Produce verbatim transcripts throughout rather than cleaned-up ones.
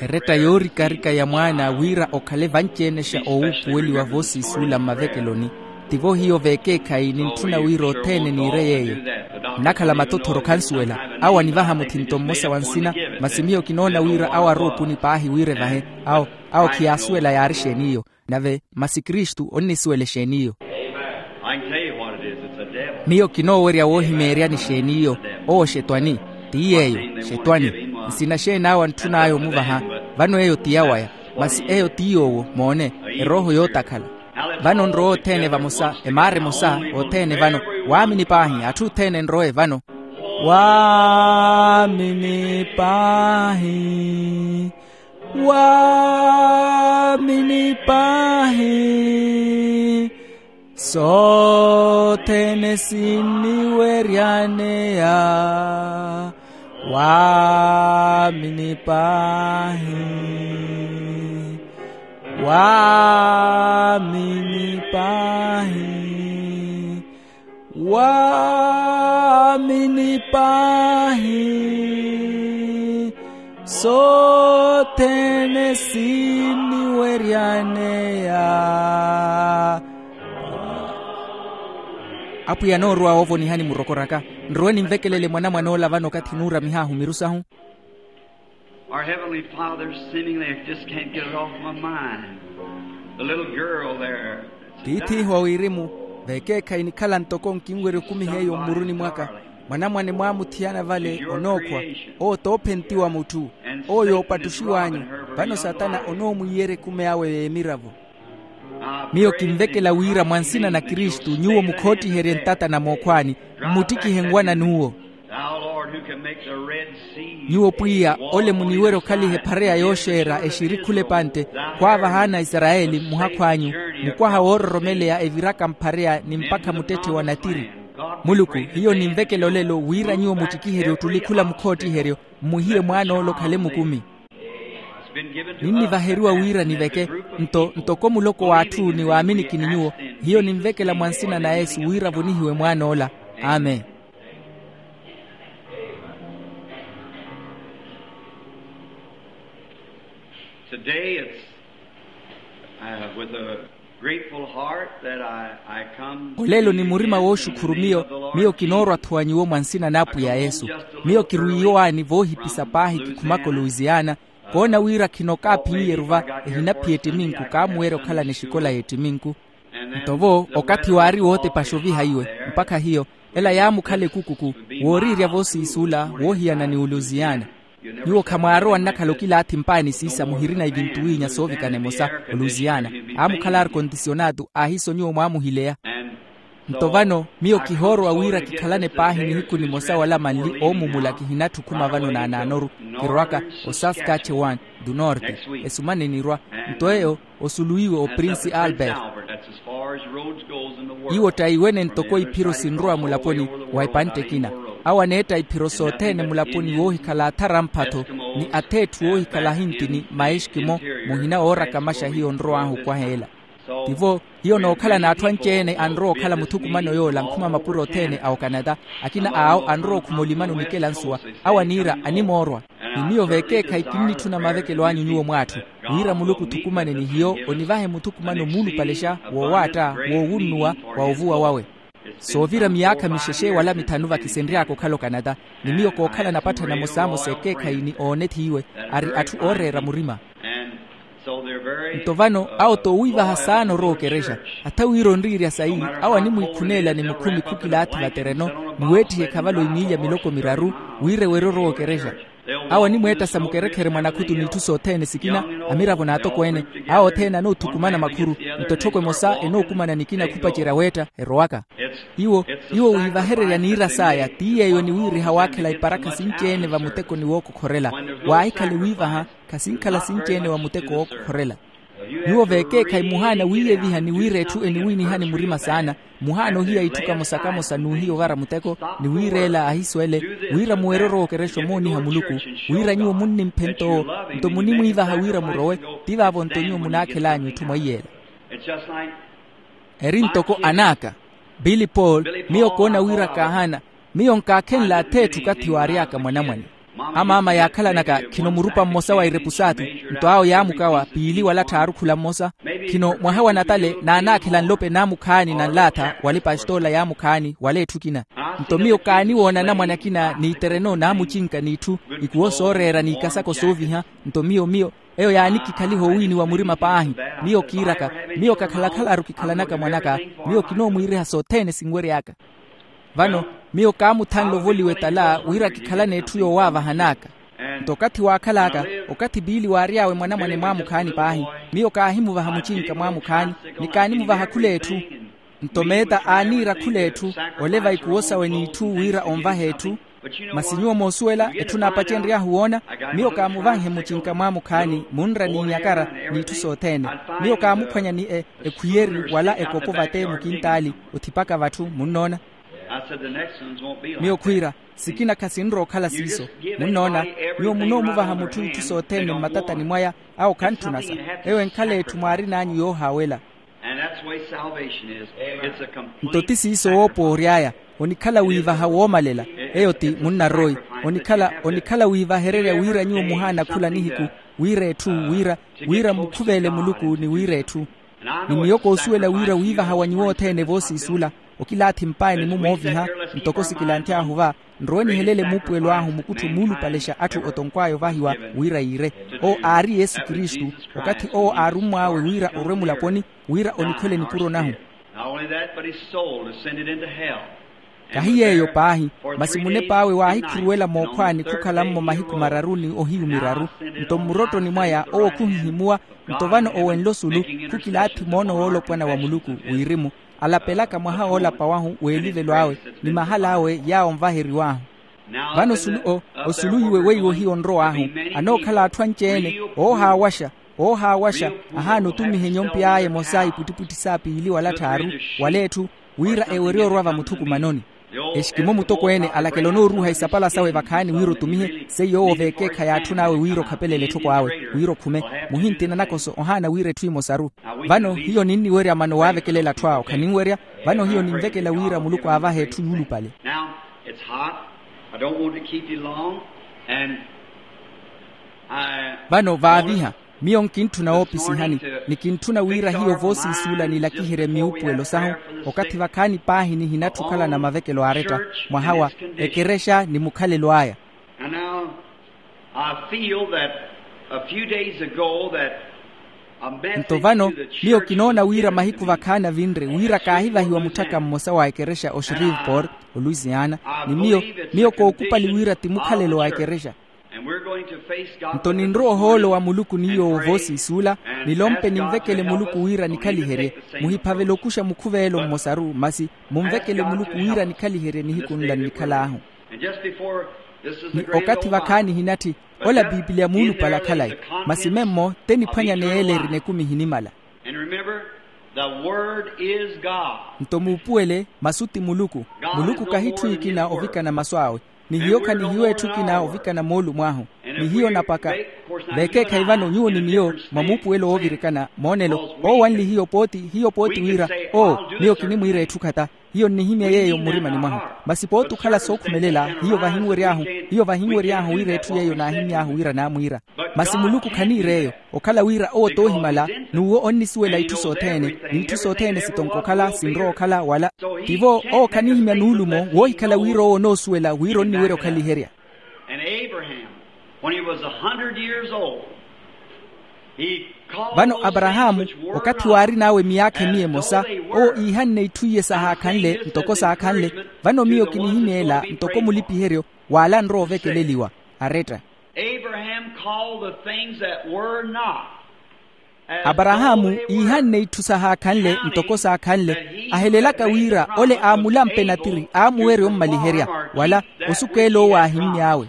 Eretta yoorikarika ya mwaana wira okhale vanci-ene xa owuupuweliwa voosiisuula mmavekeloni. Tivo hiyo veekeekhayi nintthuna wira othene niire yeeyo. Nnakhala matothoro khansuwela. Awo anivaha muthinto mmosa wa nsina. Masi miyo kinoona wira awo aroopuni paahi wira evahe. Awo awo khiyaasuwela yaari xeeni iyo. Nave masi kristu onnisuwela exeeni iyo. Miyo kinoowerya woohimeeryani xeeni iyo. Owo xetwani. Ti yeeyo. Xetwani. Nsina xeeni awo antthun'aya omuvaha? Vano eyo ti yawaya. Masi eyo ti yoowo moone. Erooho yootakhala. Vano nrowe othene vamosa emaara emosa. Othene vano. Waamini paahi atthu othene nrowe vano. Waamini paahi. Waamini paahi. Sothene sinniweryaneya. Waamini paahi. Waamini paahi. Waamini paahi. Sothene sinniweryaneya. Apwiya anoorowa woovonihani murokoraka. Nrowe nimvekelele mwanamwane ola vano okathi nuuramihaahu miru sahu. Our Heavenly Father, seemingly I just can't get it off my mind. The little girl there. Tiith'ihu wa wirimu. Veekeekhayi nikhala ntoko nkinwerya okumiha eyo mmuruni mwaka. Mwanamwane mwaamuthiyana vale onookhwa. Owo toophentiwa mutthu. Owo yoopattuxiw'anyu. Vano satana onoomwiiyerya ekumi awe y'emiravo. Miyo kinvekela wira mwa nsina na kristu nyuwo mukhoottiherye ntata na mookhwaani, mmuttikihe nwana n'uwo. Nyuwo pwiya, ole muniwerya okhaliha ephareya yooxeera exiri khula epantte, khwaavahaana aisarayeli mmuhakhu anyu, mukwaha woororomeleya eviraka mphareya ni mpakha muttetthe wa natiri. Muluku, hiyo ninvekela olelo wira nyuwo muttikiherye ottuli khula mukhoottiheryo, mmuhiye mwaan'ola okhale mukumi. Ninnivaheriwa wira niveke, nto ntoko muloko w'atthu ni waaminikini nyuwo. Hiyo ninvekela mwa nsina na yesu wira avonihiwe mwaan'ola. Amen. Today it's, uh, with a grateful heart that I, I come. Olelo ni murima wooxukhuru miyo. Miyo kinoorwa-tho wa nyuwo mwa nsina n'apwiya yesu. Miyo kirwiiyowaani voohipisa paahi kikhumaka oluisiana. Koona wira khino kaaphiyeru va, ehinaphiya ettiminku kaamuwerya okhalana exikola y'ettiminku. Nto vo okathi waari wootepaxa oviha iwe, mpakha hiyo ela yaamukhala ekukuku, wooriirya voosiisula woohiyana ni oluisiana. Nyuwo khamwaarowa nnakhala okilaathi mpaani siisa muhirina evintu wiinya soovikana emosa. Oluisiana aamukhala arkontisionatu aahiso nyuwo mwaamuhileya. Nto vano miyo kihoorowa wira kikhalane paahi nihiku nimosa wala manli oomumula kihinatthi okhuma vano naanaanoru. Kirowaka osaskatchewan du norte. Esumane nirwa. Nto eyo osuluwiwe oprinsi albert. Iwo ttaiwene ntoko iphiro sinrowa mulaponi wa epantte ekina. Awo aneetta iphiro sothene mulaponi woohikhala athara mphatho ni atheetthu oohikhala ahintini maeskimo. Muhina oorakamaxa hiyo onrow'ahu okwaha ela. Tivo hiyo nookhala n'atthu anci-ene anrowa okhala muthukumano yoola nkhuma mapuro othene a okanata. Akina awo anrowa okhuma olimano nikela nsuwa. Awo aniira animoorwa. Ni miyo vekeekhayi kinnitthuna mavekelo anyu nyuwo mw'atthu wira muluku othukumane ni hiyo onivahe muthukumano muulupalexa woowaatta woowunnuwa wa ovuwa wawe. Soovira miyaakha mixexe wala mithanu vakisenry'aka okhala okanata. Ni miyo kookhala napatthana mosamosa ekeekhayi ni oone th'iiwe ari atthu ooreera murima. Nto vano awo toowiivaha saana orowa okerexa. Atha wira onriirya sayi awo animwiikhuneela ni mukhumi khukilaathi vatereno ni weettiha ekhavalo emiilya miloko miraru wira ewerye orowa okerexa. Awo animweettasa mukerekhere mwa nakhutu n'itthu sothene sikina amiravo n'atokweene. Awo othene anoothukumana makhuru nto etthoko emosa enookumana nikina khupacerya weetta erowaka. Iwo iwo wiivahererya niira saya ti yeeyo eniwiiriha waakhela iparakha sinci-ene va mutekoni wookokhorela. Waahikhale wiivaha khasinkhala sinci-ene wa muteko wookokhorela. Nyuwo vekeekhayi muhaana wiiyeviha ni wira etthu eniwiinihani murima saana. Muhaana ohiya itthu kamosa kamosa n'uhiya ovara muteko ni wiireela ahiso ele wira muwerye orookerexa omooniha muluku wira nyuwo munnimphe nto owo nto munimwiivaha wira murowe. Ti vaavo nto nyuwo munaakhel'anyu itthu mwaiyela. Eri ntoko anaaka billy paul miyo koona wira kaahana. Miyo nkaakhenle atheetthu okathi waary'aka mwanamwane. Amaama yaakhalanaka khino murupa mmosa wa irepusaatu, nto awo yaamukawa piili wala tthaaru khula mmosa. Khino mwaha wa natale naanaakhela nlope naamukhaani na nlaatha wala epastoola yaamukhaani wala etthu ekina. Nto miyo kaaniwoona anamwane akina n'itereno naamucinka n'itthu, ikuwo sooreera n'ikasako sooviha. Nto miyo miyo eyo yaanikikhaliha owiiniwa murima paahi. Miyo kiiraka, miyo kakhalakhalaru kikhalanaka mwan'aka, miyo kinoomwiiriha sothene sinwery'aka. Vano miyo kaamuthanle ovoliwa etala wira kikhalane etthu yoowaavahan'aka. Nto okathi waakhal'aka, okathi piili waary'awe mwanamwane mwaamukhaani paahi, miyo kaahimuvaha mucinka mwaamukhaani, ni kaanimuvaha khul'etthu. Nto meeta aaniira khul'etthu, oleva ikuwo sawe n'itthu wira onvahe etthu. Masi nyuwo moosuwela etthu naapacenry'ahu woona, miyo kaamuvanhe mucinka mwaamukhaani munra n'inyakara n'itthu sothene. Miyo kaamuphwanya ni e ekhwiyeri wala ekopo vate mukintaali othipaka vatthu munnoona. Miyo khwiira, sikina khasinrowa okhala siiso. Munnoona, nyuwo munoomuvaha mutthu itthu sothene mmatatani mwaya, awo khantthunasa. Eyo enkhala etthu mwaarin'anyu yoohaawela. Nto ti siiso woopa ory'aya, onikhala wiivaha woomalela. Eyo ti munnaroyi, onikhala onikhala wiivahererya wira nyuwo muhaana khula nihiku, wira etthu wira wira mmukhuveele muluku ni wira etthu. Ni miyo koosuwela wira wiivaha wa nyuwo othene voosiisula, okilaathi mpaayi ni mumooviha, ntoko sikilanthyahu va, nrowe nihelele muupuwelo ahu mukutthu muulupalexa atthu otonkw'aya ovahiwa wira yiire. Owo aari yesu kristu, okathi owo aarummw'awe wira orwe mulaponi, wira onikhwele nipuro nahu. Kahi yeeyo paahi, masi munep'awe waahikhuruwela mookhwaani khukhala-mmo mahiku mararu ni ohiyu miraru. Nto mmurottoni mwaya owo khuhihimuwa. Nto vano owenle osulu, khukilaathi moono woolopwana wa muluku, wirimu alapelaka mwaha woolapa wahu w'elivelo awe, ni mahala awe yaawo onvaheriw'ahu. Vano osulu o osulu iwe weiwo hiyo onrow'ahu, anookhala atthu anci-ene, oohaawaxa, oohaawaxa, ahaana otumiha enyompe aya emosa ipwittipwitthi sa piili wala tthaaru, wala etthu, wira ewerye orwa vamuthukumanoni. Exikimo mutokweene alakela onooruuha isapala sawe vakhaani wira otumihe seiyo owo veekeekhayi atthun'awe wira okhapelele etthoko awe, wira okhume, muhintina nakoso ohaana wira etthu emosaru. Vano hiyo ninniwerya mano waavekelela atthu awo khaninwerya. Vano hiyo ninvekela wira muluku aavahe etthu yuulupale. Now, it's hot. I don't want to keep you long. And I Vano vaaviha, miyo nkintthuna woopisihani, ni kintthuna wira hiyo voosiisuula nilakiherye miupuwelo sahu, okathi vakhaani paahi nihinatthu okhalana mavekelo aaretta, mwaha wa ekerexa ni mukhalelo aya. And now, I feel that a few days ago that a message Nto vano, to the miyo church kinoona was wira given to mahiku me. Vakhaani avinre wira kaahivahiwa mutthaka mmosa wa ekerexa o shreveport, o louisiana. Ni miyo, miyo kookupali wira ti mukhalelo wa ekerexa. And we're going to face God. Nto ninrowa ohoolo wa muluku ni yoowo voosiisuula, nilompe ninvekele muluku wira nikhaliherye. Muhiphavele okuxa mukhuveelo mmosaru masi, munvekele muluku wira nikhaliherye nihiku nla nnikhal'ahu. Ni okathi vakhaani hinatthi, ola piipiliya muulupale akhalayi. Masi memmo te niphwanya neeleri n'ekumi ehinimala. Nto muupuwele, masu ti muluku. Muluku kahi etthu ekina ovikana masu awe, ni hiyo khanihiyo etthu ekina ovikana moolumo ahu. Ni hiyo napaka veekeekhayi vano nyuwo ni miyo mwa muupuwelo woovirikana moonelo. Owo anli hiyo pooti hiyo pooti wira, oo, miyo kinimwiira etthu khata. Hiyo nnihimya yeeyo mmurimani mwahu. Masi pooti okhala sookhumelela, hiyo vahinwery'ahu hiyo vahinwery'ahu wira etthu yeeyo naahimy'ahu wira naamwiira. Masi muluku khaniir'eyo, okhala wira owo toohimala, n'uwo onnisuwela itthu sothene, n'itthu sothene sitonka okhala sinrowa okhala wala. Tivo owo khanihimya nuulumo woohikhala wira owo onoosuwela wira onniwerya okhaliherya. And Abraham, when he was a hundred years old, he called vano those aparahaamu things which were okathi not waarin'awe miyaakha emiya emosa, owo iihanne itthu iye sahaakhanle ntoko saakhanle. Vano miyo kinihimya ela ntoko mulipiheryo wala anrowa ovekeleliwa, aretta. Abraham called the things that were not as though aparahaamu they were. Iihanne itthu sahaakhanle ntoko saakhanle, ahelelaka wira ole aamulampe natiri aamuwerya ommaliherya, wala osuku ele owo aahimmy'awe.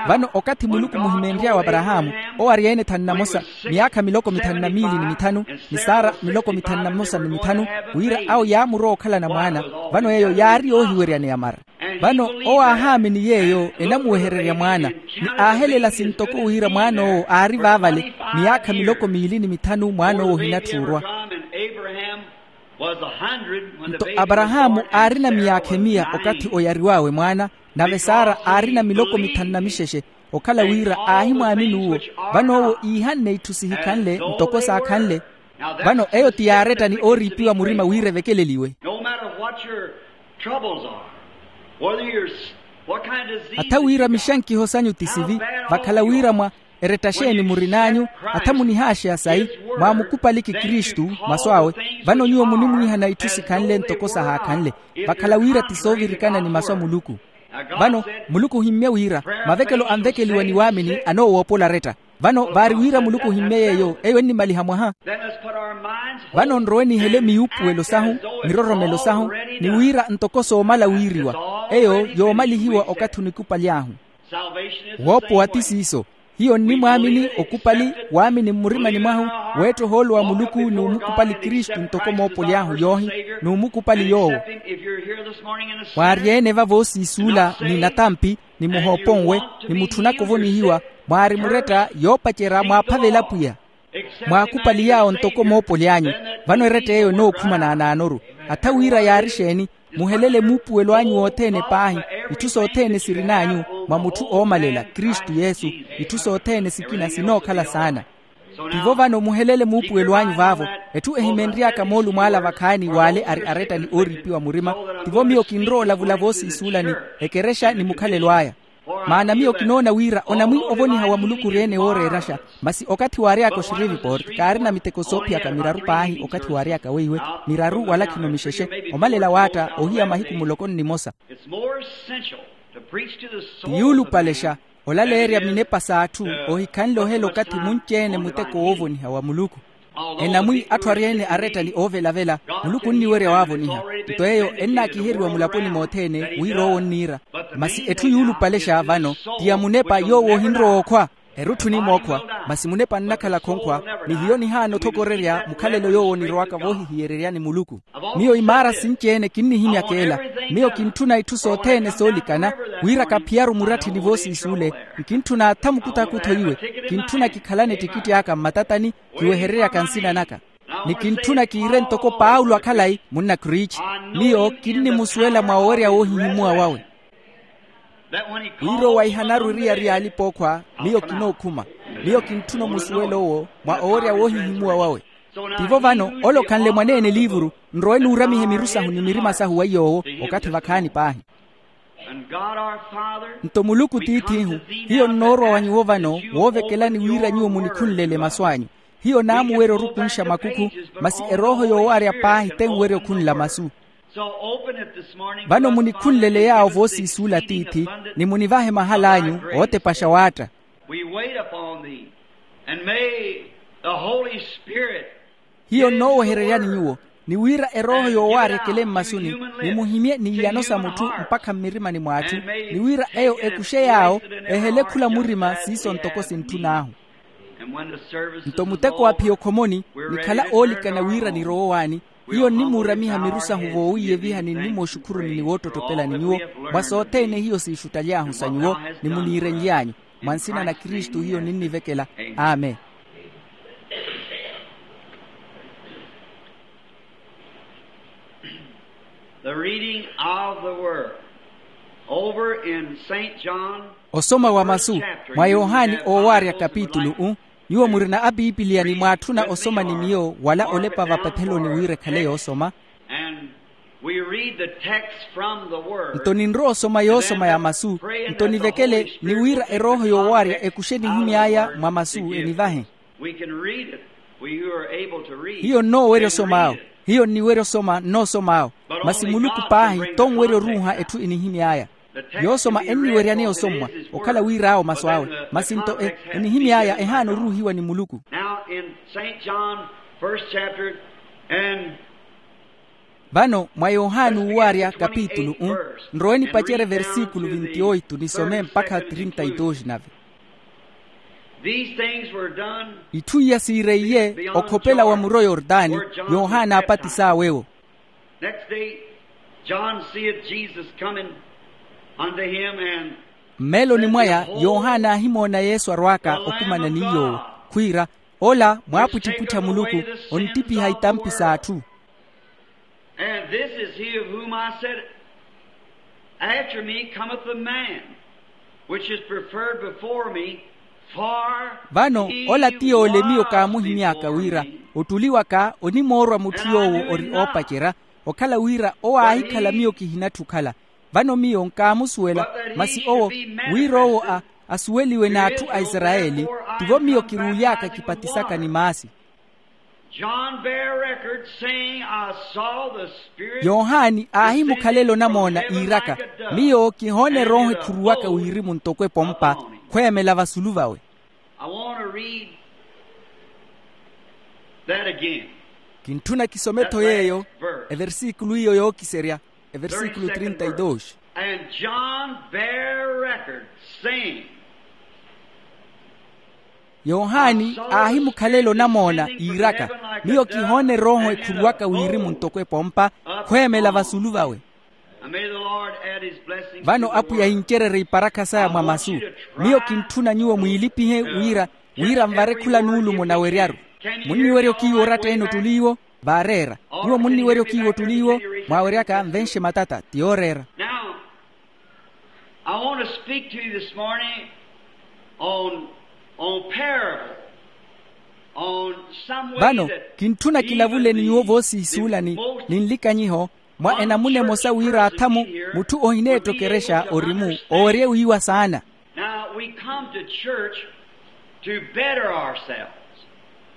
Vano okathi muluku muhimenry'awe aparahaamu, owo ari ene thanu na mosa, miyaakha miloko mithanu na miili ni mithanu, ni sara miloko mithanu na mosa ni mithanu, wira awo yaamurowa okhalana mwaana. Vano yeeyo yaari yoohiweryaneya mara. Vano owo aahaamini yeeyo enamuwehererya mwaana, ni aahelela sintoko wira mwaan'owo aari vaavale, miyaakha miloko miili ni mithanu mwaan'owo ohinatthi orwa. Nto aparahaamu aarina miyaakha emiya okathi oyariw'awe mwaana, nave sara aarina miloko mithanu na mixexe. Okhala wira aahimwaamini uwo. Vano owo iihanne itthu sihikhanle ntoko saakhanle. Vano eyo ti yaaretta ni ooriipiwa murima wira evekeleliwe. No matter what your troubles are, whether you're s- what kind of disease, atha wira mixankiho sanyu ti sivi, vakhala wira mwa eretta xeeni murin'anyu, atha munihaaxeya sayi, mwaamukupaliki kristu masu awe. Vano nyuwo munimwiihana itthu sikhanle ntoko sahaakhanle, vakhala wira ti soovirikana ni masu a muluku. Vano muluku ohimmye wira mavekelo anvekeliwa ni waamini anoowoopola aretta. Vano vaari wira muluku ohimmye yeeyo eyo ennimaliha mwaha. Vano nrowe nihele miyuupuwelo sahu, miroromelo sahu, ni wira ntoko soomala wiiriwa, eyo yoomalihiwa okathi onikupaly'ahu. Woopowa ti siiso. Hiyo nnimwaamini okupali, waamini mmurimani mwahu, weetta ohoolo wa muluku n'umukupali kristu ntoko moopoly'ahu yoohi, n'umukupali yoowo. Mwaaryeene va voosiisuula ni natampi, ni muhooponwe, ni mutthunaka ovonihiwa, mwaari muretta yoopacerya mwaaphavela pwiya. Mwaakupali yaawo ntoko moopoly'anyu. Vano eretta eyo enookhuma naanaanoru. Atha wira yaari xeeni? Muhelele muupuwelo anyu wothene paahi, itthu sothene sirin'anyu, mwa mutthu oomalela kristu yesu. Itthu sothene sikina sinookhala saana. Tivo vano muhelele muupuwelo anyu vaavo. Etthu ehimenry'aka moolumo ala vakhaani w'ale ari aretta ni ooriipiwa murima. Tivo miyo kinrowa olavula voosiisuulani, ekerexa ni mukhalelo aya. Maana miyo kinoona wira onamwi ovoniha wa muluku ori-ene wooreeraxa. Masi okathi waary'aka oxiriviport kaarina miteko soophiyaka miraru paahi okathi waary'aka weiwe, miraru wala khino mixexe, omalela waatta ohiya mahiku muloko nnimosa. It's more essential to preach to the soul of the man. Ti yuulupalexa olaleerya minepa s'atthu, ohikhanle ohela okathi munci-ene muteko woovoniha wa muluku. Enamwi atthu ari-ene aretta ni oovelavela, muluku onniwerya waavoniha. Nto eyo ennaakiheriwa mulaponi mothene wira owo onniira. Masi etthu yuulupalexa vano ti ya munepa yoowo ohinrowa okhwa. Erutthuni mookhwa, masi munepa nnakhala khonkhwa. Ni hiyo nihaana othokorerya mukhalelo yoowo onirowaka voohihiyererya ni muluku. Miyo imaara sinci-ene kinnihimyaka ela. Miyo kintthuna itthu sothene soolikana, wira kaphiyaru muratthi ni voosiisuule. Nkintthuna atha mukutakutho iwe. Kintthuna kikhalane ettikitti aka mmatatani, kiwehereryaka nsina naka. Ni kintthuna kiire ntoko paulo akhalayi munna kriici. Miyo kinnimusuwela mwa owerya woohihimuwa wawe. Wira owaihanaru eriyari y'alipa-ookhwa, miyo kinookhuma. Miyo kintthuna omusuwela owo mwa owerya woohihimuwa wawe. Tivo vano ole okhanle mwaneene eliivuru, nrowe nuuramihe miru sahu ni mirima sahu wa yoowo, okathi vakhaani paahi. Nto muluku tiith'ihu, hiyo nnoorwa wa nyuwo vano woovekelani wira nyuwo munikhunlele masu anyu. Hiyo naamuwerya orukunxa makukhu, masi erooho yoowaarya paahi tenwerya okhunla masu. Vano munikhunlele yaawo voosiisuula tiithi, ni munivahe mahal'anyu ootepaxa waatta. We wait upon thee, and may the Holy Spirit. Hiyo nnoowehereryani nyuwo, ni wira erooho yoowaarya ekele mmasuni, ni muhimye n'iyano sa mutthu mpakha mmirimani mw'atthu, ni wira eyo ekuxe yaawo, ehele khula murima siiso ntoko sintthun'ahu. Nto muteko wa phiya okhomoni, nikhala oolikana wira nirowe owaani. Hiyo nnimuuramiha miru sahu voowiiyevihani ni mooxukhuruni ni woottottopelani nyuwo, mwa sothene hiyo siixuttaly'ahu sa nyuwo, ni muniirenly'anyu. Mwa nsina na kristu hiyo ninnivekela. Amen. The reading of the word over in Saint John. Osoma wa masu mwa yohani oowaarya kapitulu u. Nyuwo murina apiipiliya ni mwaatthuna osoma ni miyo wala olepa vapatheloni wira ekhale yoosoma. And we read the text from the word. Nto ninrowa osoma yoosoma ya masu. Nto nivekele ni wira erooho yoowaarya ekuxe enihimy'aya mwa masu enivahe. We can read it. We who are able to read. Hiyo nnoowerya osom'awo. Hiyo nniwerya osoma nnoosom'awo. Masi muluku paahi tonwerya oruuha etthu enihimy'aya. Yoosoma enniweryaneya osommwa okhala wir'awo masu awe. Masi nto e enihimy'aya ehaana oruuhiwa ni muluku. Now in Saint John, first chapter, and vano mwa yohani uuwaarya kapitulu u. Nrowe nipacerye versíkulu vintioitu nisome mpakha trinta y dos nave. These things were done. Itthu iya siireiye okhopela wa muro yordani, yohana aapatis'awe-wo. Next day John seeth Jesus coming unto him, and mmeeloni mwaya yohana aahimoona yesu arw'aka okumana ni yoowo, khwiira, ola mwaapwitthippwittha muluku, onttipiha itampi s'atthu. And this is he of whom I said, after me cometh a man Which is preferred before me, for vano he ola ti yoole miyo was kaamuhimy'aka wira before me. Ottuli waka onimoorwa mutthu yoowo ori oopacerya, okhala wira owo aahikhala miyo kihinatthi okhala. Vano miyo nkaamusuwela, masi owo wira owo a asuweliwe n'atthu a isarayeli. Tivo miyo kiruuly'aka kipatisaka ni maasi. John bare record, saying, I saw the Spirit yohani aahimukhalela onamoona iiraka, miyo kihoona erooho ekhuruwaka wirimu ntoko epompa khweemela vasulu vawe. I want to read that again. Kintthuna kisome-tho yeeyo, eversikulu iyo yookiserya, eversikulu trinta y dos. And John bare record, saying, yohani aahimukhalela onamoona iiraka, miyo kihoona erooho ekhuruwaka wirimu ntoko epompa khweemela vasulu vawe. And may the Lord add his blessings to the word. Vano apwiya yincererye iparakha saya mwa masu. Miyo kintthuna nyuwo mwiilipihe wira wira nvare khula nuulumo naweryaru. Munniwerya okiiwa oratta-ene ottuli iwo? Vaareera. Nyuwo munniwerya okiiwa ottuli iwo? Mwaaweryaka nvenxe matata ti yooreera. Now, I want to speak to you this morning on, on parable, on some way vano that kintthuna kilavule ni nyuwo voosiisuulani ni nlikanyiho mwa enamuna emosa wira athamu mutthu ohineettokerexa orimu owerye wiiwa saana. Now, we come to church to better ourselves.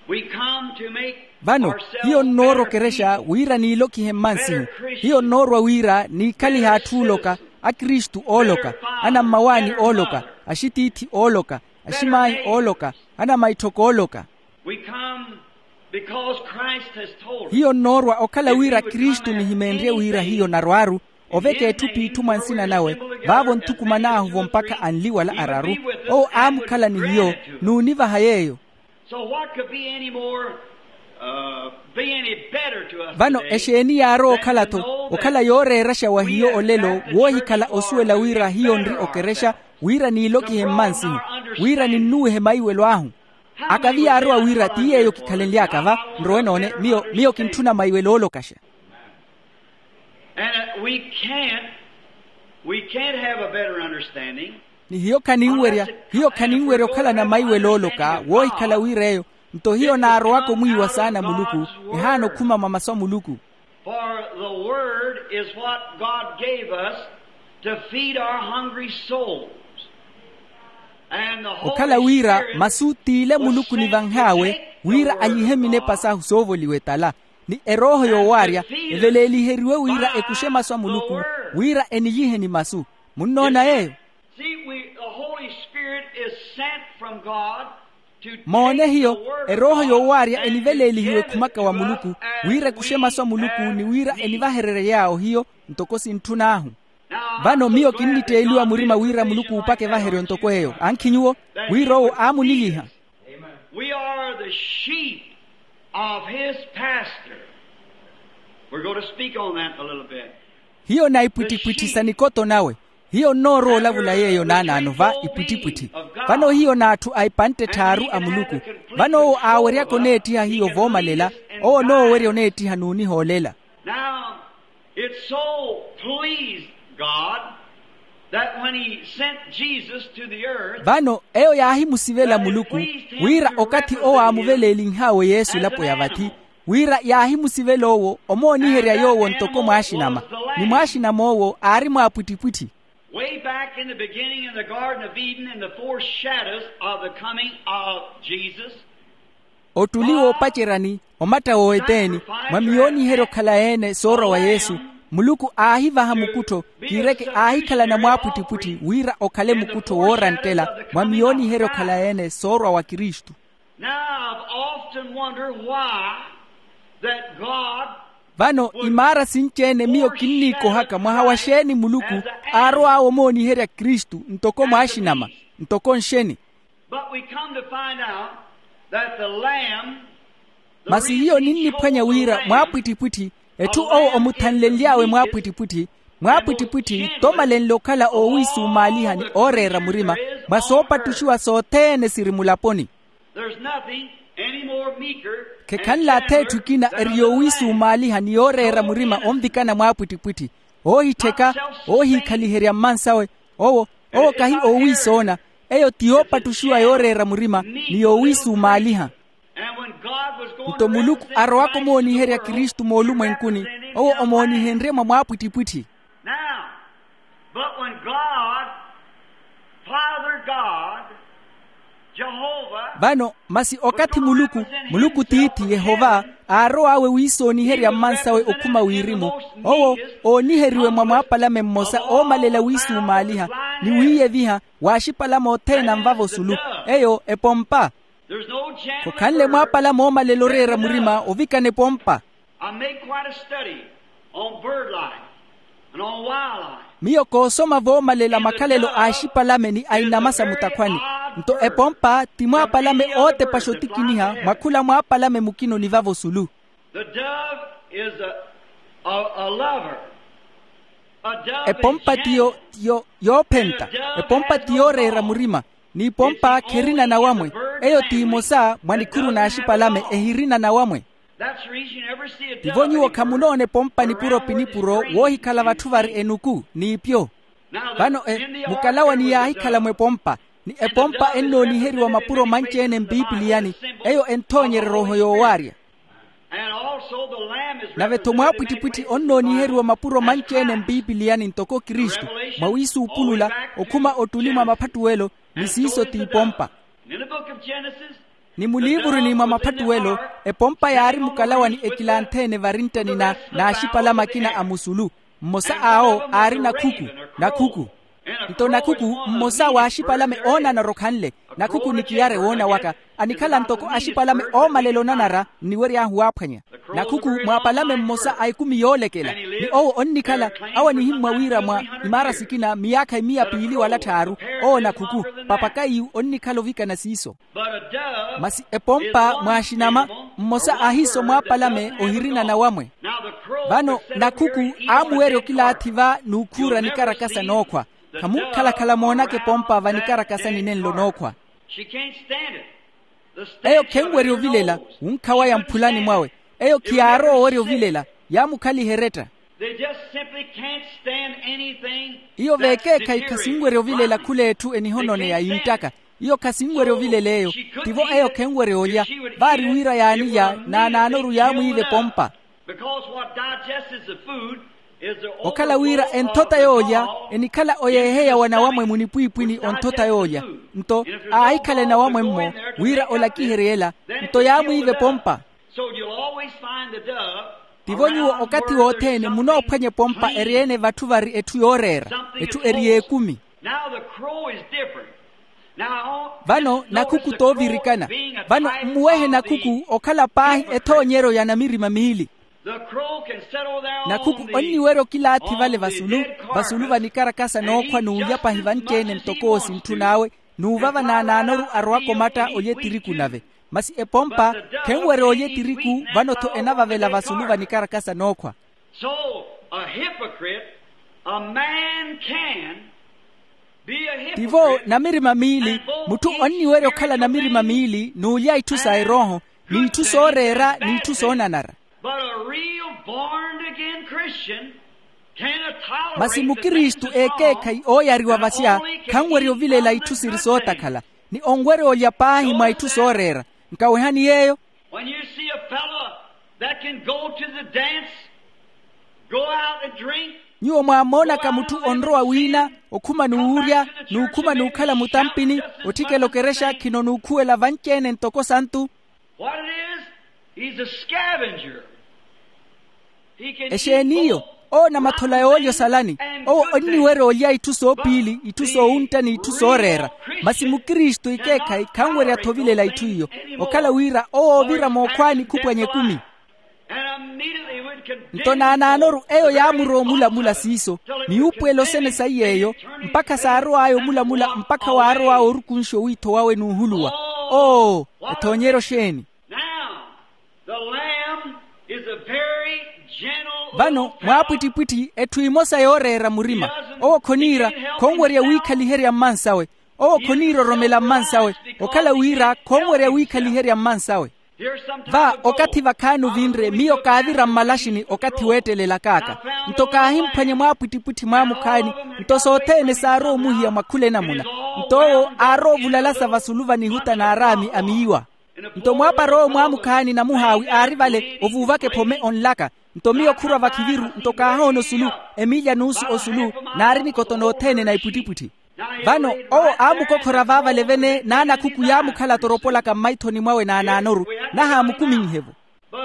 We come to make vano hiyo nnoorokerexa wira niilokihe mmansihu. Hiyo nnoorwa wira niikhalihe atthu ooloka, akristu ooloka, anammawaani ooloka, axitiithi ooloka, aximaayi ooloka, anamaitthoko ooloka. We come because Christ has told us. Hiyo nnoorwa okhala wira kristu nihimeenrye wira hiyo narwaaru oveka etthu p'itthu mwa nsina nawe, vaavo nthukuman'ahu-vo mpakha anli wala araru. Owo aamukhala ni hiyo, n'univaha yeeyo. So what could be any more, uh, be any better to us vano today exeeni yaarowa okhala-tho okhala yooreeraxa wa hiyo olelo woohikhala osuwela wira hiyo nri okerexa wira niilokihe mmansihu wira ninnuwihe maiwelo ahu. Akavi yaarowa wira ti yeeyo kikhalenly'aka va nrowe noone miyo miyo kintthuna maiwelo oolokaxa. And, uh, we can't, we can't have a better understanding. Ni hiyo khaninwerya hiyo khaninwerya okhalana maiwelo ooloka woohikhala wira eyo. Nto hiyo naarowaka omwiiwa saana muluku ehaana okhuma mwa masu a muluku. For the word is what God gave us to feed our hungry souls. And the Holy okhala wira Spirit masu t'ile muluku nivanh'awe wira alyihe minepa sahu soovoliwa etala ni erooho yoowaarya eveleeliheriwe wira ekuxe masu a muluku wira eniyihe ni masu. Munnoona yeeyo? See, we, the Holy Spirit is sent from God to take moone hiyo the word of erooho God yoowaarya and to eniveleelihiwe give it khumaka wa to muluku us as wira ekuxe masu a muluku ni wira enivahererye yaawo hiyo ntoko sintthun'ahu. Vano miyo kinnitteeliwa murima wira muluku uupaka evaheryo ntoko eyo ankhi nyuwo wira owo aamuniliha. We are the sheep of his pasture. We're going to speak on that a little bit. Hiyo na ipwittipwitthi sa nikoto nawe. Hiyo nnoorowa olavula yeeyo naanaano va ipwittipwitthi. Vano hiyo n'atthu a ipantte tthaaru a muluku. Vano owo aaweryaka oneettiha hiyo voomalela. Owo onoowerya oneettiha n'unihoolela. Now, it so pleased God that when he sent Jesus to the earth, vano eyo yaahimusivela muluku wira okathi owo aamuveleelinh'awe yesu elapo ya vathi wira yaahimusivela owo omooniherya yoowo ntoko mwaaxinama ni mwaaxinama owo aari mwaapwittipwitthi. Way back in the beginning in the Garden of Eden, in the foreshadows of the coming of Jesus, ottuli woopaceryani omatta wooweteeni mwa miyooniheryo okhala-ene soorwa wa yesu muluku aahivaha mukuttho kiireke aahikhalana mwaapwittipwitthi wira okhale mukuttho wooranttela mwa miyooniheryo okhala-ene soorwa wa kristu. Now I've often wondered why that God vano imaara sinci-ene miyo kinniikohaka mwaha wa xeeni muluku aarow'awe omooniherya kristu ntoko mwaaxinama ntoko nxeni. But we come to find out that the Lamb, the masi hiyo ninniphwanya wira mwaapwittipwitthi etthu owo omuthanlenly'awe mwaapwittipwitthi mwaapwittipwitthi tomalenle okhala oowiisumaaliha ni ooreera murima mwa soopattuxiwa sothene siri mulaponi. There's nothing any more meeker khekhanle atheetthu ekina eri yoowiisumaaliha ni yooreera murima onvikana mwaapwittipwitthi oohittheka oohiikhaliherya mmansawe owo Owo kahi oowiisoona. Eyo ti yoopattuxiwa yooreera murima ni yoowiisumaaliha. Nto muluku arowaka omooniherya kristu moolumwenkuni, owo omoonihenrye mwa mwaapwittipwitthi. Now, but when God, Father God, Jehovah, vano masi okathi muluku, muluku tiithi yehova, aarow'awe wiisooniherya mmansawe okhuma wirimu, owo ooniheriwe mwa mwaapalame mmosa oomalela wiisumaaliha ni wiiyeviha, w'axipalame othene anvava osulu. Eyo epompa. Khokhanle mwaapalame oomalela oreera murima ovikana epompa. I made quite a study on bird life and on wildlife. Miyo koosoma voomalela makhalelo a axipalame ni a inama sa mutakhwani. Nto epompa ti mwaapalame ootepaxa otikiniha mwa khula mwaapalame mukina onivava osulu. The dove is a, a, a lover. A dove is epompa ti yo gentle. Yo yoophenta. Epompa ti yooreera murima. N'ipompa khirina nawamwe. Eyo ti imosa mwa nikhuru n'axipalame ehirina nawamwe. That's the reason you never see a dove. Tivo nyuwo khamunoona epompa nipuro pi nipuro woohikhala vatthu vari enuku n'iipyo. Vano e mukalawa ni yaahikhala mw'epompa, ni epompa ennooniheriwa mapuro manci-ene mpiipiliyani. Eyo enthoonyererya oho yoowaarya. Nave-tho mwaapwittipwitthi onnooniheriwa mapuro manci-ene mpiipiliyani ntoko kristu, mwa wiisuupulula okhuma ottuni mwa maphattuwelo. Ni siiso t'ipompa. Ni muliivuruni mwa maphattuwelo, epompa yaari mukalawa ni ekilanthe-ene varinttani na n'axipalame akina a musulu. Mmosa awo aari nakhuku. Nakhuku. Nto nakhuku mmosa w'axipalame oonanara okhanle. Nakhuku ni kiyare woona waka, anikhala ntoko axipalame oomalela onanara nniwery'ahu waaphwanya. Nakhuku mwaapalame mmosa a ekumi yoolekela. Ni owo onnikhala, awo anihimmwa wira mwa imaara sikina miyaakha emiya piili wala tthaaru. Owo nakhuku, papakaiyu onnikhala ovikana siiso. Masi epompa mwaaxinama, mmosa aahiiso mwaapalame ohirina nawamwe. Vano nakhuku aamuwerya okilaathi va n'ukhuura nikarakasa nookhwa. Khamunkhalakhala moonaka epompa va nikarakasani nenlo nookhwa. Eyo khenwerya ovilela. Wunkha waya mphulani mwawe. Eyo khiyaarowa owerya ovilela. Yaamukhaliha eretta. Iyo veekeekhayi khasinwerya ovilela khula etthu enihononeya yinttaka. Iyo khasinwerya ovilela eyo. Tivo eyo khenwerya olya. Vaari wira yaanilya naanaanoru yaamwiiva epompa. Okhala wira enthota yoolya enikhala oyeeheya wa nawamwe munipwiipwini onthota yoolya. Nto aahikhala enawamwe-mmo wira olakiherye ela, nto yaamwiiva epompa. Tivo nyuwo okathi wothene munoophwanya epompa eri-ene vatthu vari etthu yooreera, etthu eri y'ekumi. Vano nakhuku toovirikana. Vano mmuwehe nakhuku okhala paahi ethoonyeryo ya namirima miili. Nakhuku onniwerya okilaathi vale vasulu, vasulu va nikarakasa nookhwa n'ulya pahi vanci-ene ntoko oosintthun'awe, n'uvava naanaanoru arowaka omatta olya etiriku nave. Masi epompa khenwerya olya etiriku. Vano-tho enavavela vasulu va nikarakasa nookhwa. Tivo namirima miili, mutthu onniwerya okhala namirima miili n'ulya itthu sa erooho, n'itthu sooreera n'itthu soonanara. Masi mukristu ekeekhayi ooyariwa vasya khanwerya ovilela itthu siri sootakhala, ni onwerya olya paahi mwa itthu sooreera. Nkawehani yeeyo. Nyuwo mwaamoonaka mutthu onrowa wiina, okhuma n'uwurya n'ukhuma n'ukhala mutampini, otthikela okerexa khino n'ukhuwela vanci-ene ntoko santu. Exeen'iyo? Owo na mathola yoolya osalani. Owo onniwerya olya itthu soopiili, itthu soowuntta n'itthu sooreera. Masi mukristu ikeekhayi khanwerya-tho ovilela itthu iyo. Okhala wira owo oovira mookhwaani khupwanya ekumi. Nto naanaanoru eyo yaamurowa omulamula siiso, miyuupuwelo sene saiy'eyo, mpakha saarow'aya omulamula mpakha waarow'aya orukunxa owiitho wawe n'uhuluwa. Oo, ethoonyeryo xeeni? Vano mwaapwittipwitthi etthu emosa yooreera murima. Owo khoniira khonwerya wiikhaliherya mmansawe. Owo khoniiroromela mmansawe. Okhala wira khonwerya wiikhaliherya mmansawe. Va okathi vakhaani ovinre miyo kaavira mmalaxini okathi weettelelak'aka. Nto kaahimphwanya mwaapwittipwitthi mwaamukhaani. Nto sothene saarowa omuhiya mwa khula enamuna. Nto owo aarowa ovulalasa vasulu va nihuta n'araami a miiwa. Nto mwaapar'owo mwaamukhaani namuhaawi aari vale ovuuvaka ephome onlaka. Nto miyo khurwa vakhiviru nto kaahoona osulu, emiilya nuusu osulu, naari nikoto nothene na ipwittipwitthi. Vano owo aamukokhora vaavale vene n'anakhuku yaamukhala toropolaka mmaithoni mwawe n'anaanoru, nahaamukuminhe-vo.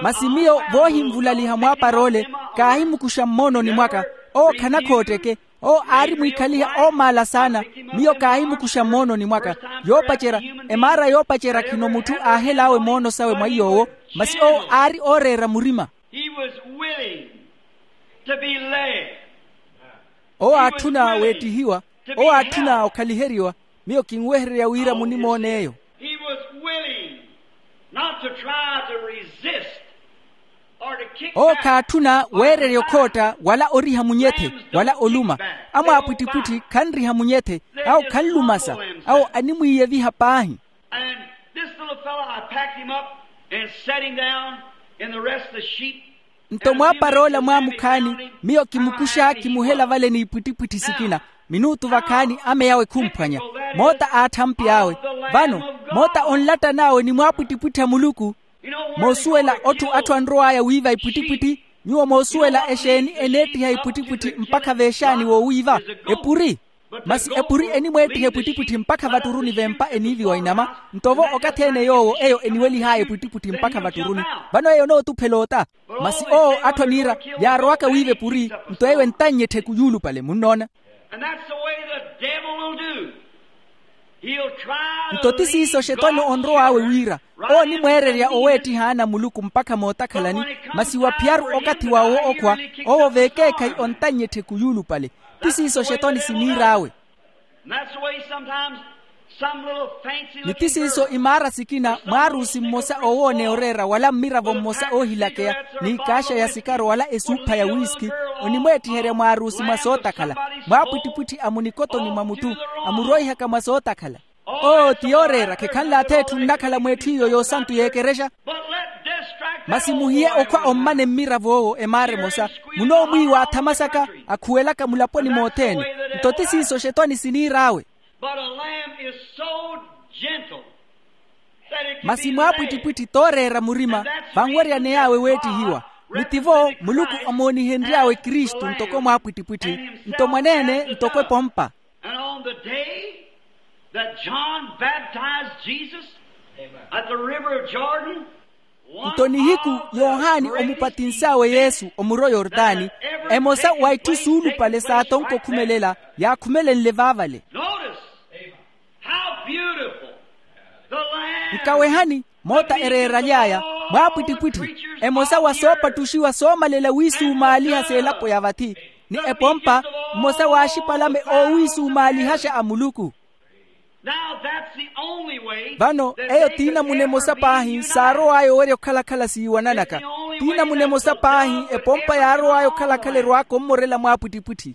Masi miyo voohinvulaliha mwaapar'ole, kaahimukuxa mmoononi mwaka. Owo khanakhotteke. Owo aari mwiikhaliha oomaala saana. Miyo kaahimukuxa mmoononi mwaka. Yoopacerya, emaara yoopacerya khino mutthu aahel'awe moono sawe mwa iy'owo. Masi owo aari ooreera murima. He was willing to be led. Owo aatthuna weettihiwa. Owo aatthuna okhaliheriwa. Miyo kinwehererya wira munimoon'eyo. He was willing not to try to resist or to kick back. Owo khaatthuna weererya okhootta wala oriha munyethe wala oluma. Amwaapwittipwitthi khanriha munyethe. Awo khanlumasa. Awo animwiiyeviha paahi. And this little fellow, I packed him up and set him down in the rest of the sheep. Nto mwaapar'ola mwaamukhaani, miyo kimukuxa kimuhela vale n'ipwittipwitthi sikina. Minuutu vakhaani ame yawe khumphwanya. Moota aatthampi awe. Vano moota onlattan'awe ni mwaapwittipwitthi a muluku. Moosuwela otthu atthu anrow'aya wiiva ipwittipwitthi. Nyuwo moosuwela exeeni eneettiha ipwittipwitthi mpakha veexaani woowiiva? Epuri. Masi epuri enimweettiha epwittipwitthi mpakha vatturuni v'empa eniiviwa inama. Nto-vo okathi-ene yoowo eyo eniwelih'aya epwittipwitthi mpakha vatturuni. Vano eyo onootuphela ota. Masi owo atthu aniira yaarowaka wiiva epuri. Nto eyo entannya ettheku yuulupale munnoona. Nto ti siiso xetwani onrow'awe wira owo onimweererya oweettiha ana a muluku mpakha mootakhalani. Masi wa phiyaru okathi wawe wookhwa, owo veekeekhayi ontannya ettheku yuulupale. Ti siiso xetwani siniir'awe. Ni ti siiso imaara sikina mwaarusi mmosa oowooneya oreera wala mmiravo mmosa oohilakeya, n'ikaaxa ya sikaro wala esuupha ya wiiski. Onimweettiherya mwaarusi mwa sootakhala. Mwaapwittipwitthi amunikotoni mwa mutthu, amuroihaka mwa sootakhala. Oo ti yooreera khekhanle atheetthu nnakhala mw'etthu iyo yoosantu y'ekerexa. Masi muhiye okhwa ommane mmirav'owo emaara emosa. Munoomwiiwa athama saka akhuwelaka mulaponi mothene. Nto ti siiso xetwani siniir'awe. Masi mwaapwittipwitthi tooreera murima. Vanweryaney'awe weettihiwa. Ni tivo muluku amoonihenry'awe kristu ntoko mwaapwittipwitthi. Nto mwaneene ntoko epompa. And on the day that John baptized Jesus at the river of Jordan, nto nihiku yohani omupatins'awe yesu omuro yortani, emosa wa itthu suulupale saatonko okhumelela yaakhumelenle vaavale. Notice how beautiful the land. Nkawehani moota ereeraly'aya mwaapwittipwitthi, emosa wa soopattuxiwa soomalela wiisumaaliha s'elapo ya vathi, ni epompa mmosa w'axipalame oowiisumaalihaxa a muluku. Vano eyo t'inamuna emosa paahi saarow'aya owerya okhala-khala siiwananaka. T'inamuna emosa paahi epompa yaarow'aya okhala-khala erw'aka ommorela mwaapwittipwitthi.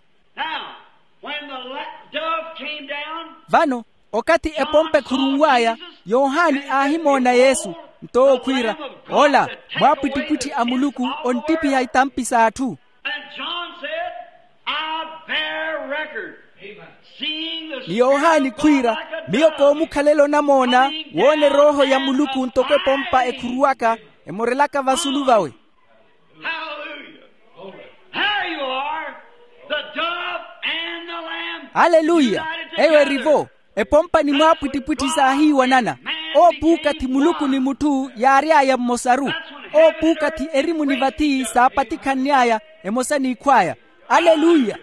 Vano okathi epompa ekhurunw'aya, yohani aahimoona yesu. Nto owo khwiira, ola mwaapwittipwitthi a muluku, onttipiha itampi s'atthu. Ni yohani khwiira, miyo koomukhalela onamoona woona erooho ya muluku ntoko epompa ekhuruwaka, emorelaka vasulu vawe. Hallelujah. There you are. The dove and the lamb. Haleluya. Eyo erivo. Epompa ni mwaapwittipwitthi saahiiwanana. Oopuukathi muluku ni mutthu yaary'aya mmosaru. Oopuukathi erimu ni vathi saapatikhanny'aya, emosa n'ikhw'aya. Aleluya.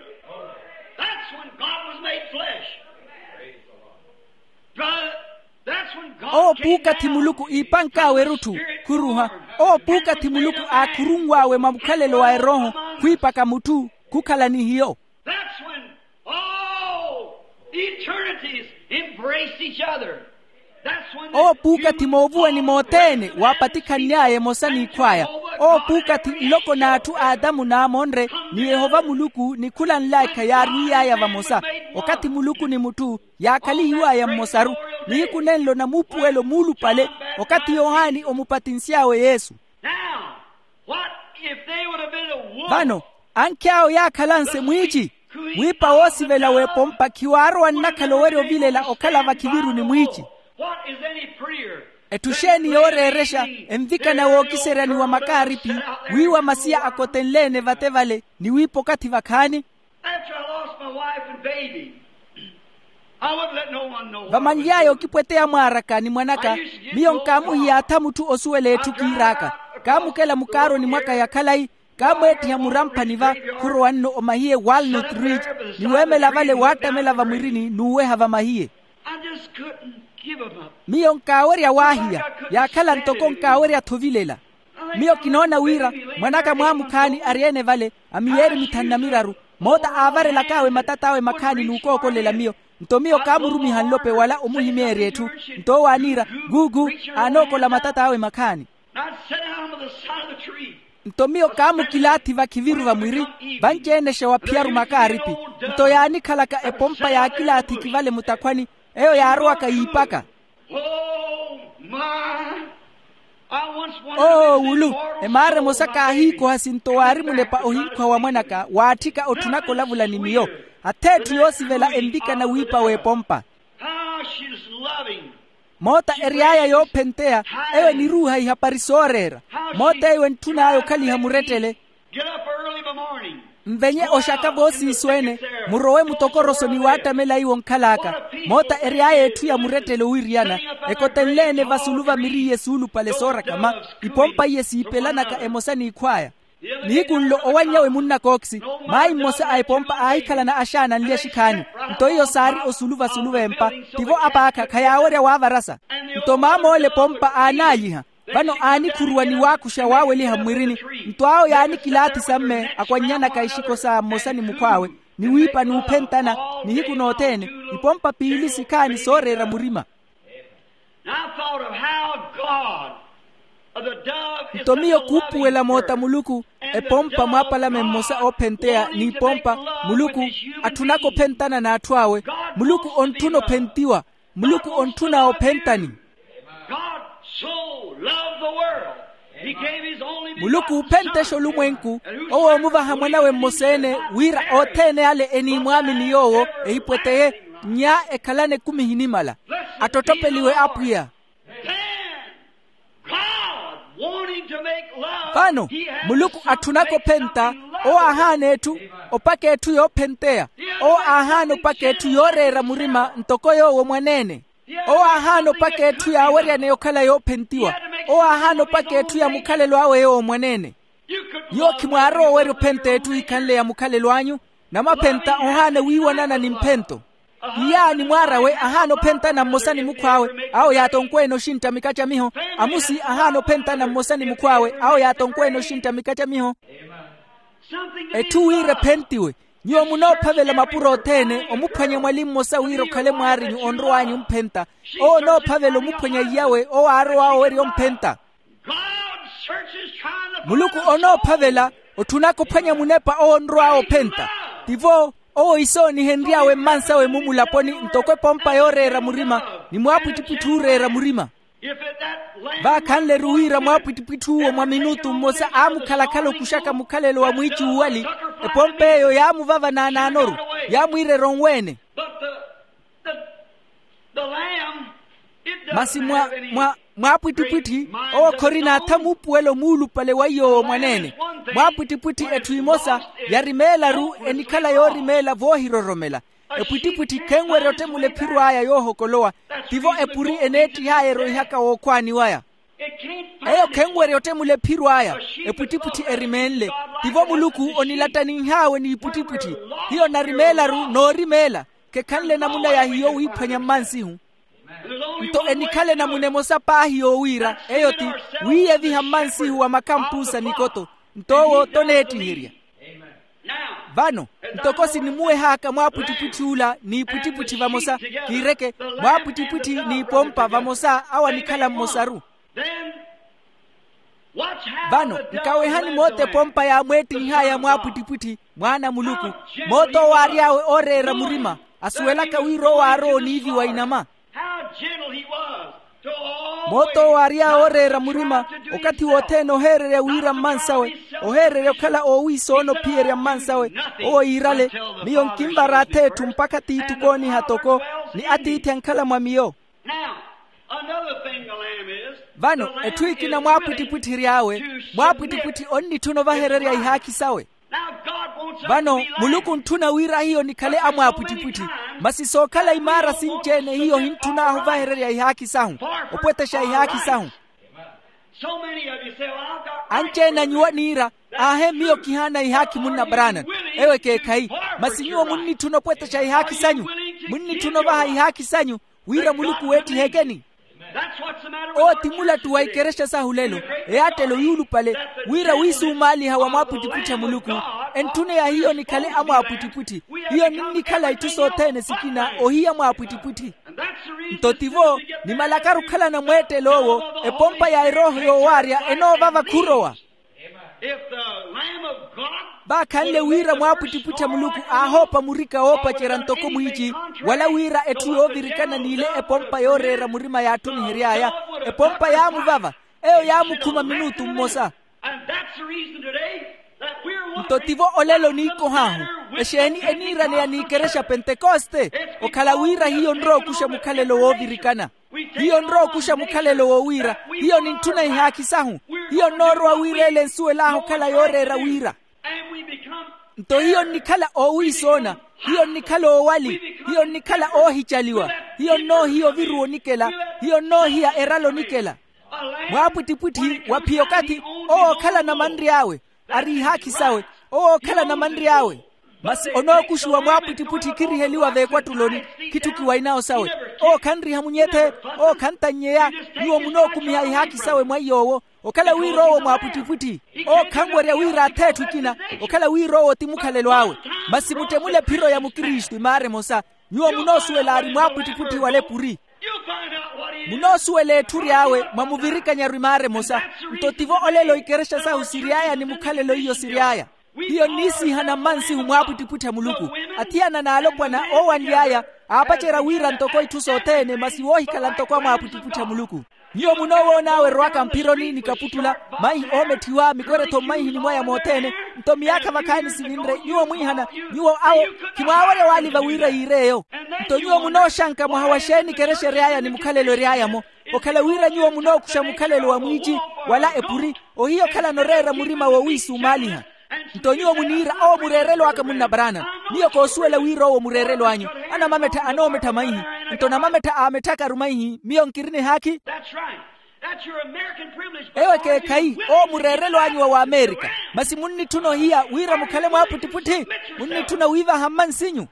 That's when God was made flesh. Brother, that's when God came down. Oopuukathi muluku iipank'awe erutthu, khuruha. Oopuukathi muluku aakhurunw'awe mwa mukhalelo wa erooho, khwiipaka mutthu khukhala ni hiyo. That's when all eternities embraced each other. Oopuukathi moovuwani mothene waapatikhanny'aya emosa n'ikhw'aya. Oopuukathi nloko n'atthu a adamu naamonre ni yehova muluku nikhulanl'aka yaarwiy'aya vamosa. Okathi muluku ni mutthu yaakhalihiw'aya mmosaru. Nihiku nenlo namuupuwelo muulupale, okathi yohani omupatinsy'awe yesu. Vano, ankhi awo yaakhalanse mwiici, wiipa woosivela w'epompa khiwaarowa nnakhala owerya ovilela okhala vakhiviruni mwiici. Etthu xeeni yooreerexa, envikana wookiseryani wa makaaripi, wiiwa masiya akotenle-ene vate vale, ni wiipa okathi vakhaani? After I lost my wife and baby, I wouldn't let no one know what I was doing. Vamanly'aya okipweteya mwaaraka ni mwanaka, miyo nkaamuhiya atha mutthu osuwela etthu kiir'aka. Kaamukela mukaaroni mwaka ya khalayi, kaamweettiha muramphani va, khurowa nno omahiye walnut ridge, ni weemela vale waattamela vamwirini n'uweha vamahiye. I just couldn't give him up. Miyo nkaawerya waahiya, yaakhala ntoko nkaawerya-tho ovilela. Miyo kinoona wira mwan'aka mwaamukhaani ari-ene vale, a miyeeri mithanu na miraru, moota aavarelak'awe matat'awe makhaani n'ukookolela miyo. Nto miyo kaamurumiha nlope wala omuhimeerya etthu. Nto owo aaniira, guugu, aanookola matat'awe makhaani. Nto miyo kaamukilaathi vakhiviru vamwiri, vanci-enexa wa phiyaru makaaripi. Nto yaanikhalaka epompa yaakilaathiki vale mutakhwani, eyo yaarowaka yiipaka. Oo wulu, emaara emosa kaahiikoha sinto waari munepa ohinkhwa wa mwan'aka waatthika otthunaka olavula ni miyo. Ath'etthu yoosivela envikana wiipa w'epompa. Moota ery'aya yoophenteya, eyo eniruuha ihapari sooreera. Moota eyo entthun'aya okhaliha murettele. Nvenye oxaka voosiiso-ene, murowe mutokoroso ni waattamela iwo nkhal'aka. Moota ery'aya etthu ya murettele owiriyana, ekotenle-ene vasulu va miri iye suulupale soorakama, ipompa iye siipelanaka emosa n'ikhw'aya. Nihiku nlo owanny'awe munnakooksi, maayi mmosa a epompa aahikhalana axaana anli axikhaani. Nto iyo saari osulu vasulu v'empa, tivo apaakha khayaawerya waavarasa. Nto maam'ole epompa aanaayiha, vano aanikhuruwa ni waakuxa waaweliha mmwirini. Nto awo yaanikilaathi samme akwanny'anaka exiko sa mmosa ni mukhw'awe, ni wiipa n'uphentana, nihiku nothene, ipompa piili sikhaani sooreera murima. Nto miyo kuupuwela moota muluku, epompa mwaapalame mmosa oophenteya n'ipompa, muluku atthunaka ophentana n'atthu awe. Muluku ontthuna ophentiwa. Muluku ontthuna ophentani. Muluku uuphentexa olumwenku, owo oomuvaha mwan'awe mmosa-ene, wira othene ale eniimwaamini yoowo, ehipweteye, nya ekhalane ekumi ehinimala. Attotthopeliwe apwiya. Vano, muluku atthunaka ophenta, owo aahaana etthu, opaka etthu yoophenteya. Owo aahaana opaka etthu yooreera murima ntoko yoowo mwaneene. Owo aahaana opaka etthu yaaweryaneya okhala yoophentiwa. Owo aahaana opaka etthu ya mukhalelo awe yoowo mwaneene. Nyuwo khimwaarowa owerya ophenta etthu ehikhanle ya mukhalelo anyu. Namaphenta ohaana wiiwanana ni mphento. Iyaani mwaar'awe ahaana ophentana mmosa ni mukhw'awe, awo yaatonkwene oxintta mikacamiho. Amusi ahaana ophentana mmosa ni mukhw'awe, awo yaatonkwene oxintta mikacamiho. Etthu wira ephentiwe. Nyuwo munoophavela mapuro othene omuphwanya mwali mmosa wira okhale mwaarinyu onrow'anyu omphenta. Owo onoophavela omuphwanya iyawe owo aarow'awe owerya omphenta. Muluku onoophavela otthunaka ophwanya munepa owo onrow'awe ophenta. Tivo owo isoonihenry'awe mmansawe-mu mulaponi ntoko epompa yooreera murima, ni mwaapwittipwitthi ooreera murima. Vaakhanle-ru wira mwaapwittipwitthi uwo mwa minutu mmosa aamukhalakhala okuxaka mukhalelo wa mwiici uwali, epompa eyo yaamuvava naanaano-ru, yaamwiirerya onweene. Masi mwa mwa mwaapwittipwitthi, owo khorina atha muupuwelo muulupale wa iy'owo mwaneene. Mwaapwittipwitthi etthu imosa yarimeela-ru, enikhala yoorimeela voohiroromela. Epwittipwitthi khenwerya ottemula ephiro aya yoohokolowa. Tivo epuri eneettih'aya eroihaka wookhwaani waya. Eyo khenwerya ottemula ephiro aya. Epwittipwitthi erimeenle. Tivo muluku onilattaninh'awe n'ipwittipwitthi. Hiyo narimeela-ru noorimeela. Khekhanle namuna ya hiyo wiiphwanya mmansihu. Nto enikhale namuna emosa paahi yoowiira eyo ti wiiyeviha mmansihu wa makhampusa nikoto. Nto owo toneettiherya. Vano ntoko sinimuweh'aka mwaapwittipwitthi ula n'ipwittipwitthi vamosa, kiireke, mwaapwittipwitthi n'ipompa vamosa awo anikhala mmosaru. Vano nkawehani moota epompa yaamweettinh'aya mwaapwittipwitthi, mwaana a muluku, moota owo aary'awe ooreera murima, asuwelaka wira owo aarowa oniiviwa inama. Moot'owo aary'awe ooreera murima, okathi wothene oheererya wira mmansawe, oheererya okhala oowiisoona ophiyerya mmansawe. Owo iirale, miyo nkinvara ath'etthu mpakha tiithi okooniha toko, ni atiithi ankhala mwa miyo. Vano etthu ekina mwaapwittipwitthi ery'awe. Mwaapwittipwitthi onnitthuna ovahererya ihaakhi sawe. Vano muluku ontthuna wira hiyo nikhale amwaapwittipwitthi. Masi sookhala imaara sinci-ene hiyo hintthun'ahu ovahererya ihaakhi sahu, opwetexa ihaakhi sahu. Anci-ene a nyuwo aniira, aahe miyo kihaana ihaakhi munna branani. Eyo ekeekhayi. Masi nyuwo munnitthuna opwetexa ihaakhi sanyu, munnitthuna ovaha ihaakhi sanyu, wira muluku weettihekeni. Owo ti mulattu wa ikerexa sahu lelo, eyaattelo yuulupale, wira wiisumaaliha wa mwaapwittipwitthi a muluku, entthuneya hiyo nikhale amwaapwittipwitthi. Hiyo ninnikhala itthu sothene sikina ohiya mwaapwittipwitthi. Nto tivo, nimalakaru okhalana mweettelo owo, epompa ya erooho yoowaarya enoovava khurowa. Vaakhanle wira mwaapwittipwitthi a muluku aahoopa murika woopacerya ntoko mwiici, wala wira etthu yoovirikana n'ile epompa yooreera murima yaatthunihery'aya, epompa yaamuvava. Eyo yaamukhuma minutu mmosa. Nto tivo olelo oniikoh'ahu. Exeeni eniiraneya n'ikerexa pentekoste? Okhala wira hiyo nrowa okuxa mukhalelo woovirikana. Hiyo nrowa okuxa mukhalelo wowiira, hiyo nintthuna ihaakhi sahu. Hiyo nnoorowa wira ele ensuwel'ahu okhala yooreera wira. Nto hiyo nnikhala oowiisoona, hiyo nnikhala oowali, hiyo nnikhala oohicaliwa. Hiyo nnoohiya oviruwa onikela, hiyo nnoohiya erala onikela. Mwaapwittipwitthi wa phi okathi owo ookhalana manry'awe, ari ihaakhi sawe, owo ookhalana manry'awe. Masi onookuxiwa mwaapwittipwitthi khiriheliwa veekwattuloni, khitthukiwa inawo sawe. Owo khanriha munyethe, owo khantannyeya. Nyuwo munookumiha ihaakhi sawe mwa iy'owo, okhala wira owo mwaapwittipwitthi. Owo khanwerya wira ath'etthu ekina, okhala wira owo ti mukhalelo awe. Masi muttemule ephiro ya mukristu imaara emosa. Nyuwo munoosuwela ari mwaapwittipwitthi wala epuri. Munoosuwela etthu ry'awe mwa muvirikanyaru imaara emosa. Nto tivo olelo ikerexa sahu siry'aya ni mukhalelo iyo siry'aya. Hiyo nniisiihana mmansihu mwaapwittipwitthi a muluku. Athiyana n'alopwana oowanly'aya aapacerya wira ntoko itthu sothene masi woohikhala ntoko amwaapwittipwitthi a muluku. Nyuwo munoowoon'awe erowaka mphironi ni kaputtula, maihi oometthiwa mikweretho mmaihi ni mwaya mothene. Nto miyaakha vakhaani sivinre nyuwo mwiihana, nyuwo awo khimwaawerya waaliva wira yiir'eyo. Nto nyuwo munooxanka mwaha wa xeeni ikerexa ery'aya ni mukhalelo ery'aya-mo. Okhala wira nyuwo munookuxa mukhalelo wa mwiici wala epuri, ohiya okhalana oreera murima wowiisumaaliha. Nto nyuwo muniira owo mureerelo aka munna branani. Miyo koosuwela wira owo mureerelo anyu. Anamamettha anoomettha maihi. Nto namamettha aametthakaru maihi miyo nkirina ehaakhi. Eyo ekeekhayi owo mureerelo anyu wa wamerika. Masi munnitthuna ohiya wira mukhale mwaapwittipwitthi? Munnitthuna wiivaha mmansinyu?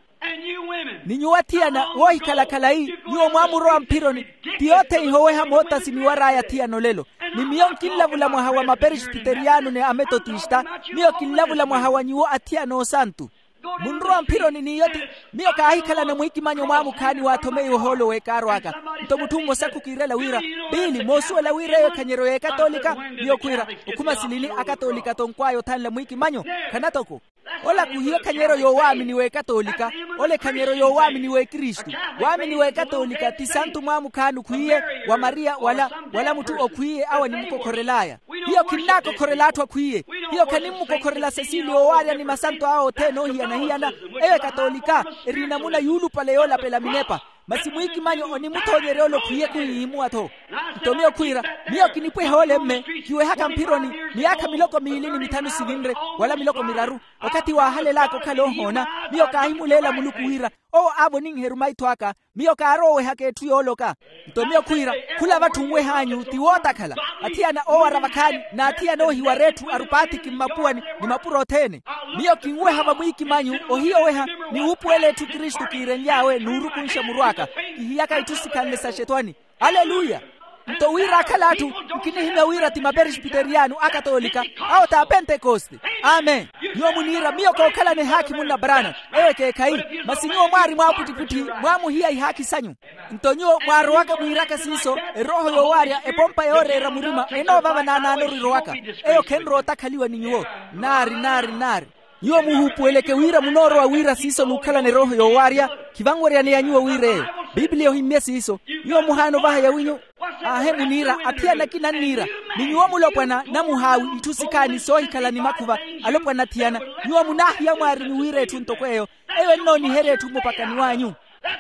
Ni nyuwo athiyana woohikhala khalayi, nyuwo mwaamurowa mphironi. Ti yothene ihoweha mootasi niwar'aya athiyana olelo. Ni miyo nkinlavula mwaha wa maperesbiteriyano ni ametotista. Miyo kinlavula mwaha wa nyuwo athiyana oosantu. Munrowa mphironi n'iyo ti. Miyo kaahikhalana mwiikimanyo mwaamukhaani waathomeiwe ohoolo w'ekaaro aka. Nto mutthu mmosa khukiirela wira, piili moosuwela wira eyo ekhanyeryo y'ekatolika? Miyo khwiira, okhuma silini akatolika tonkw'aya othanla mwiikimanyo. Khana toko. Ola khuhiyo ekhanyeryo y'owaamini w'ekatolika. Ola ekhanyeryo y'owaamini w'ekristu. Waamini w'ekatolika ti santu mwaamukhaani okhwiiye, wa mariya wala, wala mutthu okhwiiye awo animukokhorel'aya. Hiyo khinnaakokhorela atthu akhwiiye. Hiyo khanimmukokhorela sesiliya owaarya ni masanto awe othene oohiyana-hiyana. Eyo ekatolika eri enamuna yuulupale yoolapela minepa. Masi mwiikimanyo onimuthoonyerya ole okhwiiye khuhihimuwa-tho. Nto miyo khwiira, miyo kinipweha ole mme, kiwehaka mphironi miyaakha miloko miili ni mithanu sivinre, wala miloko miraru. Okathi waahalel'aka okhala ohoona, miyo kaahimuleela muluku wira owo aavoninheru maitho aka. Miyo kaaroowehaka etthu yooloka. Nto miyo khwiira, khula vatthu nweh'anyu ti wootakhala. Athiyana oowara vakhaani n'athiyana oohiwara etthu arupaathiki mmapuwani ni mapuro othene. Miyo kinweha vamwiikimanyu ohiyoweha, ni wuupuwela etthu kristu kiirenly'awe n'urukunxa muru aka. Kihiyaka itthu sikhanle sa xetwani. Aleluya. Nto wira akhala atthu, nkinihimya wira ti maperesbiteriyano akatolika, awo t'apentekoste. Amen. Nyuwo muniira miyo kookhalana ehaakhi munna branani. Eyo ekeekhayi. Masi nyuwo mwaari mwaapwittipwitthi, mwaamuhiya ihaakhi sanyu. Nto nyuwo mwaarowaka mwiiraka siiso, erooho yoowaarya epompa yooreera murima enoovava naanaano orirowaka. Eyo khenrowa otakhaliwa ni nyuwo. Nnaari nnaari nnaari. Nyuwo muhuupuweleke wira munoorowa wira siiso n'ukhalana erooho yoowaarya. Khivanweryaneya nyuwo wira eyo. Piipiliya ohimmye siiso. Nyuwo muhaana ovaha yawinyu. Aahe muniira athiyana akina anniira. Ni nyuwo mulopwana namuhaawi itthu sikhaani soohikhala ni makhuva. Alopwana athiyana, nyuwo munaahiya mwaarinyu wira etthu ntoko eyo. Eyo ennooniherya etthu mupakani w'anyu.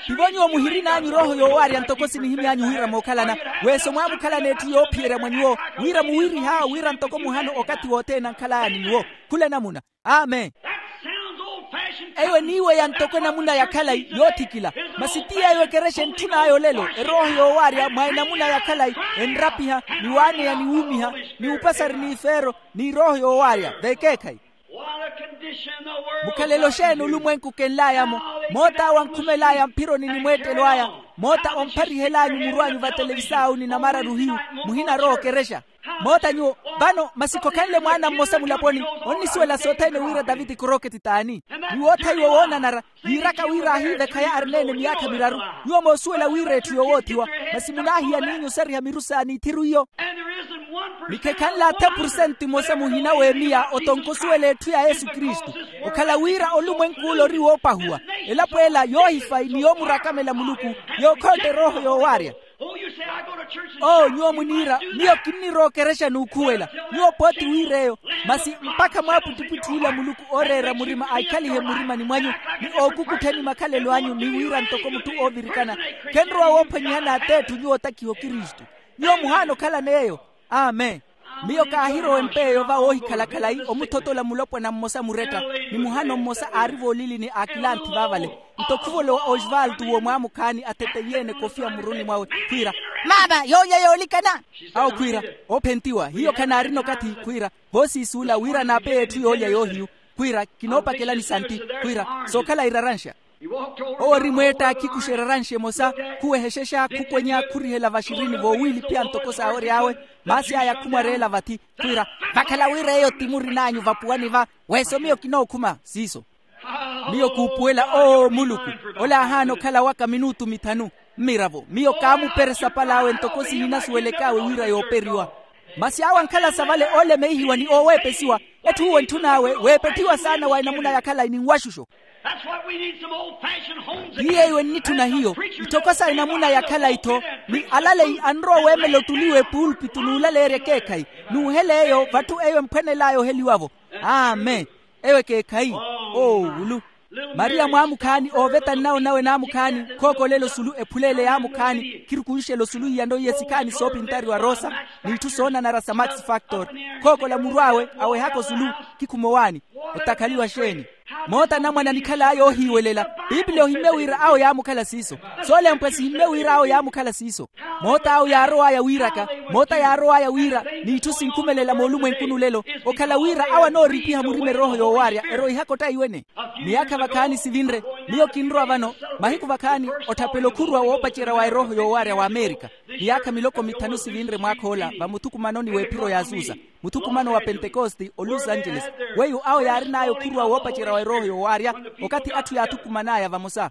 Tivo nyuwo muhirin'anyu erooho yoowaarya ntoko sinihimy'anyu wira mookhalana. Weeso mwaamukhalana etthu yoophiyerya mwa nyuwo, wira muwiirih'awo wira ntoko muhano okathi wothene ankhalaya ni nyuwo. Khula namuna. Amen. Eyo eniiweya ntoko enamuna ya khalayi yoothikila. Masi ti yeeyo ekerexa entthun'aya olelo erooho yoowaarya mwa enamuna ya khalayi. Enrapiha, ni waaneya ni wuumiha, ni upasari n'ifeero, n'irooho yoowaarya v'ekeekhayi. Mukhalelo xeeni olumwenku kenlaaya-mo? Moot'awo ankhumel'aya mphironi ni mweettelo aya. Moota ompharihel'anyu muru anyu vatelevisa awo ni namararu hiyu. Muhinarowa okerexa. Moota nyuwo vano masi khokhanle mwaana mmosa mulaponi. Onnisuwela sothene wira taviti koroketi t'ani? Ni woothaiwa woonanara. Yiiraka wira aahiivekhaya arineene miyaakha miraru. Nyuwo moosuwela wira etthu yowoothiwa. Masi munaahiya n'inyu osariha miru saani ithiru iyo. Ni khekhanle athe pursenti mmosa muhina w'emiya otonka osuwela etthu ya yesu kristu. Okhala wira olumwenk'ule ori woopahuwa. Elapo ela yoohifayi ni yoomurakamela muluku. Yookhontta erooho yoowaarya. Oo nyuwo muniira, miyo kinnirowa okerexa n'ukhuwela. Nyuwo pooti wiir'eyo. Masi mpakha mwaapwittipwitthi ula muluku ooreera murima aikhalihe mmurimani mwanyu, ni ookukuttheni makhalelo anyu ni wiira ntoko mutthu oovirikana. Khenrowa woophwanyihani at'etthu nyuwo otakiha okristu. Nyuwo muhaana okhalana eyo. Amen. Miyo kaahirowa empa eyo va woohikhala khalayi omuthotola mulopwana mmosa muretta, ni muhano mmosa aari voolilini aakilanthi vaavale. Nto khuvolowa osvaltu w'omwaamukhaani atheteyeene kofiya mmuruni mwawe, khwiira, maama yoolya yoolikana. Awo khwiira, oophentiwa hiyo khanaarina okathi. Khwiira, voosiisuula wira naapeye etthu yoolya yoohiyu. Khwiira, kinoopakelani santi. Khwiira, sookhala iraranxa. Owo ori mweetta khikuxa eraranxa emosa, khuwehexexa khukwenya khurihela vaxirini voowiiliphiya ntoko saawery'awe. Maasi aya khumwareela vathi. Khwiira, vakhala wira eyo ti murin'anyu vapuwani va. Weeso miyo kinookhuma siiso. Miyo kuupuwela oo muluku, ola aahaana okhala waka minutu mithanu. Mmiravo miyo kaamuperesa pal'awe ntoko sihinasuwelek'awe wira yooperiwa. Masi awo ankhala sa vale oolemeihiwa ni ooweepesiwa. Etthu uwo entthun'awe weepethiwa saana wa enamuna ya khalayi ni nwaxuxo. Ti yeeyo ennitthuna hiyo. Itthoko sa enamuna ya khalayi-tho, ni alaleyi anrowa weemela ottuliwa epuulpitu n'ulaleerya ekeekhayi. N'uhela eyo vatthu eyo emphwanel'aya oheliwa-vo. Amen. Eyo ekeekhayi. Oowulu. Mariya mwaamukhaani ooveta nnawo nawe naamukhaani, khookolela osulu ephuleele yaamukhaani. Khirukunxela osulu iyano iye sikhaani soopintariwa rosa, n'itthu soonanara sa max factor. Khookola muru awe awehaka osulu. Khikhuma owaani. Otakhaliwa xeeni? Moota anamwane anikhal'aya oohiiwelela. Piipiliya ohimmye wira awo yaamukhala siiso. Soolempwe sihimmye wira awo yaamukhala siiso. Moota awo yaarow'aya wiiraka. Moota yaarow'aya wira, n'itthu sinkhumelela moolumwenkuni olelo. Okhala wira awo anooripiha murima erooho yoowaarya eroihaka ottaiwene. Miyaakha vakhaani sivinre. Miyo kinrowa vano. Mahiku vakhaani otthapela okhuruwa woopacerya wa erooho yoowaarya w'amerika. Miyaakha miloko mithanu sivinre mwaakha ola vamuthukumanoni w'ephiro y'azusa, muthukumano wa pentekoste o los angeles. Weiwo awo yaarin'aya okhuruwa woopacerya wa erooho yoowaarya. Okathi atthu yaathukuman'aya vamosa,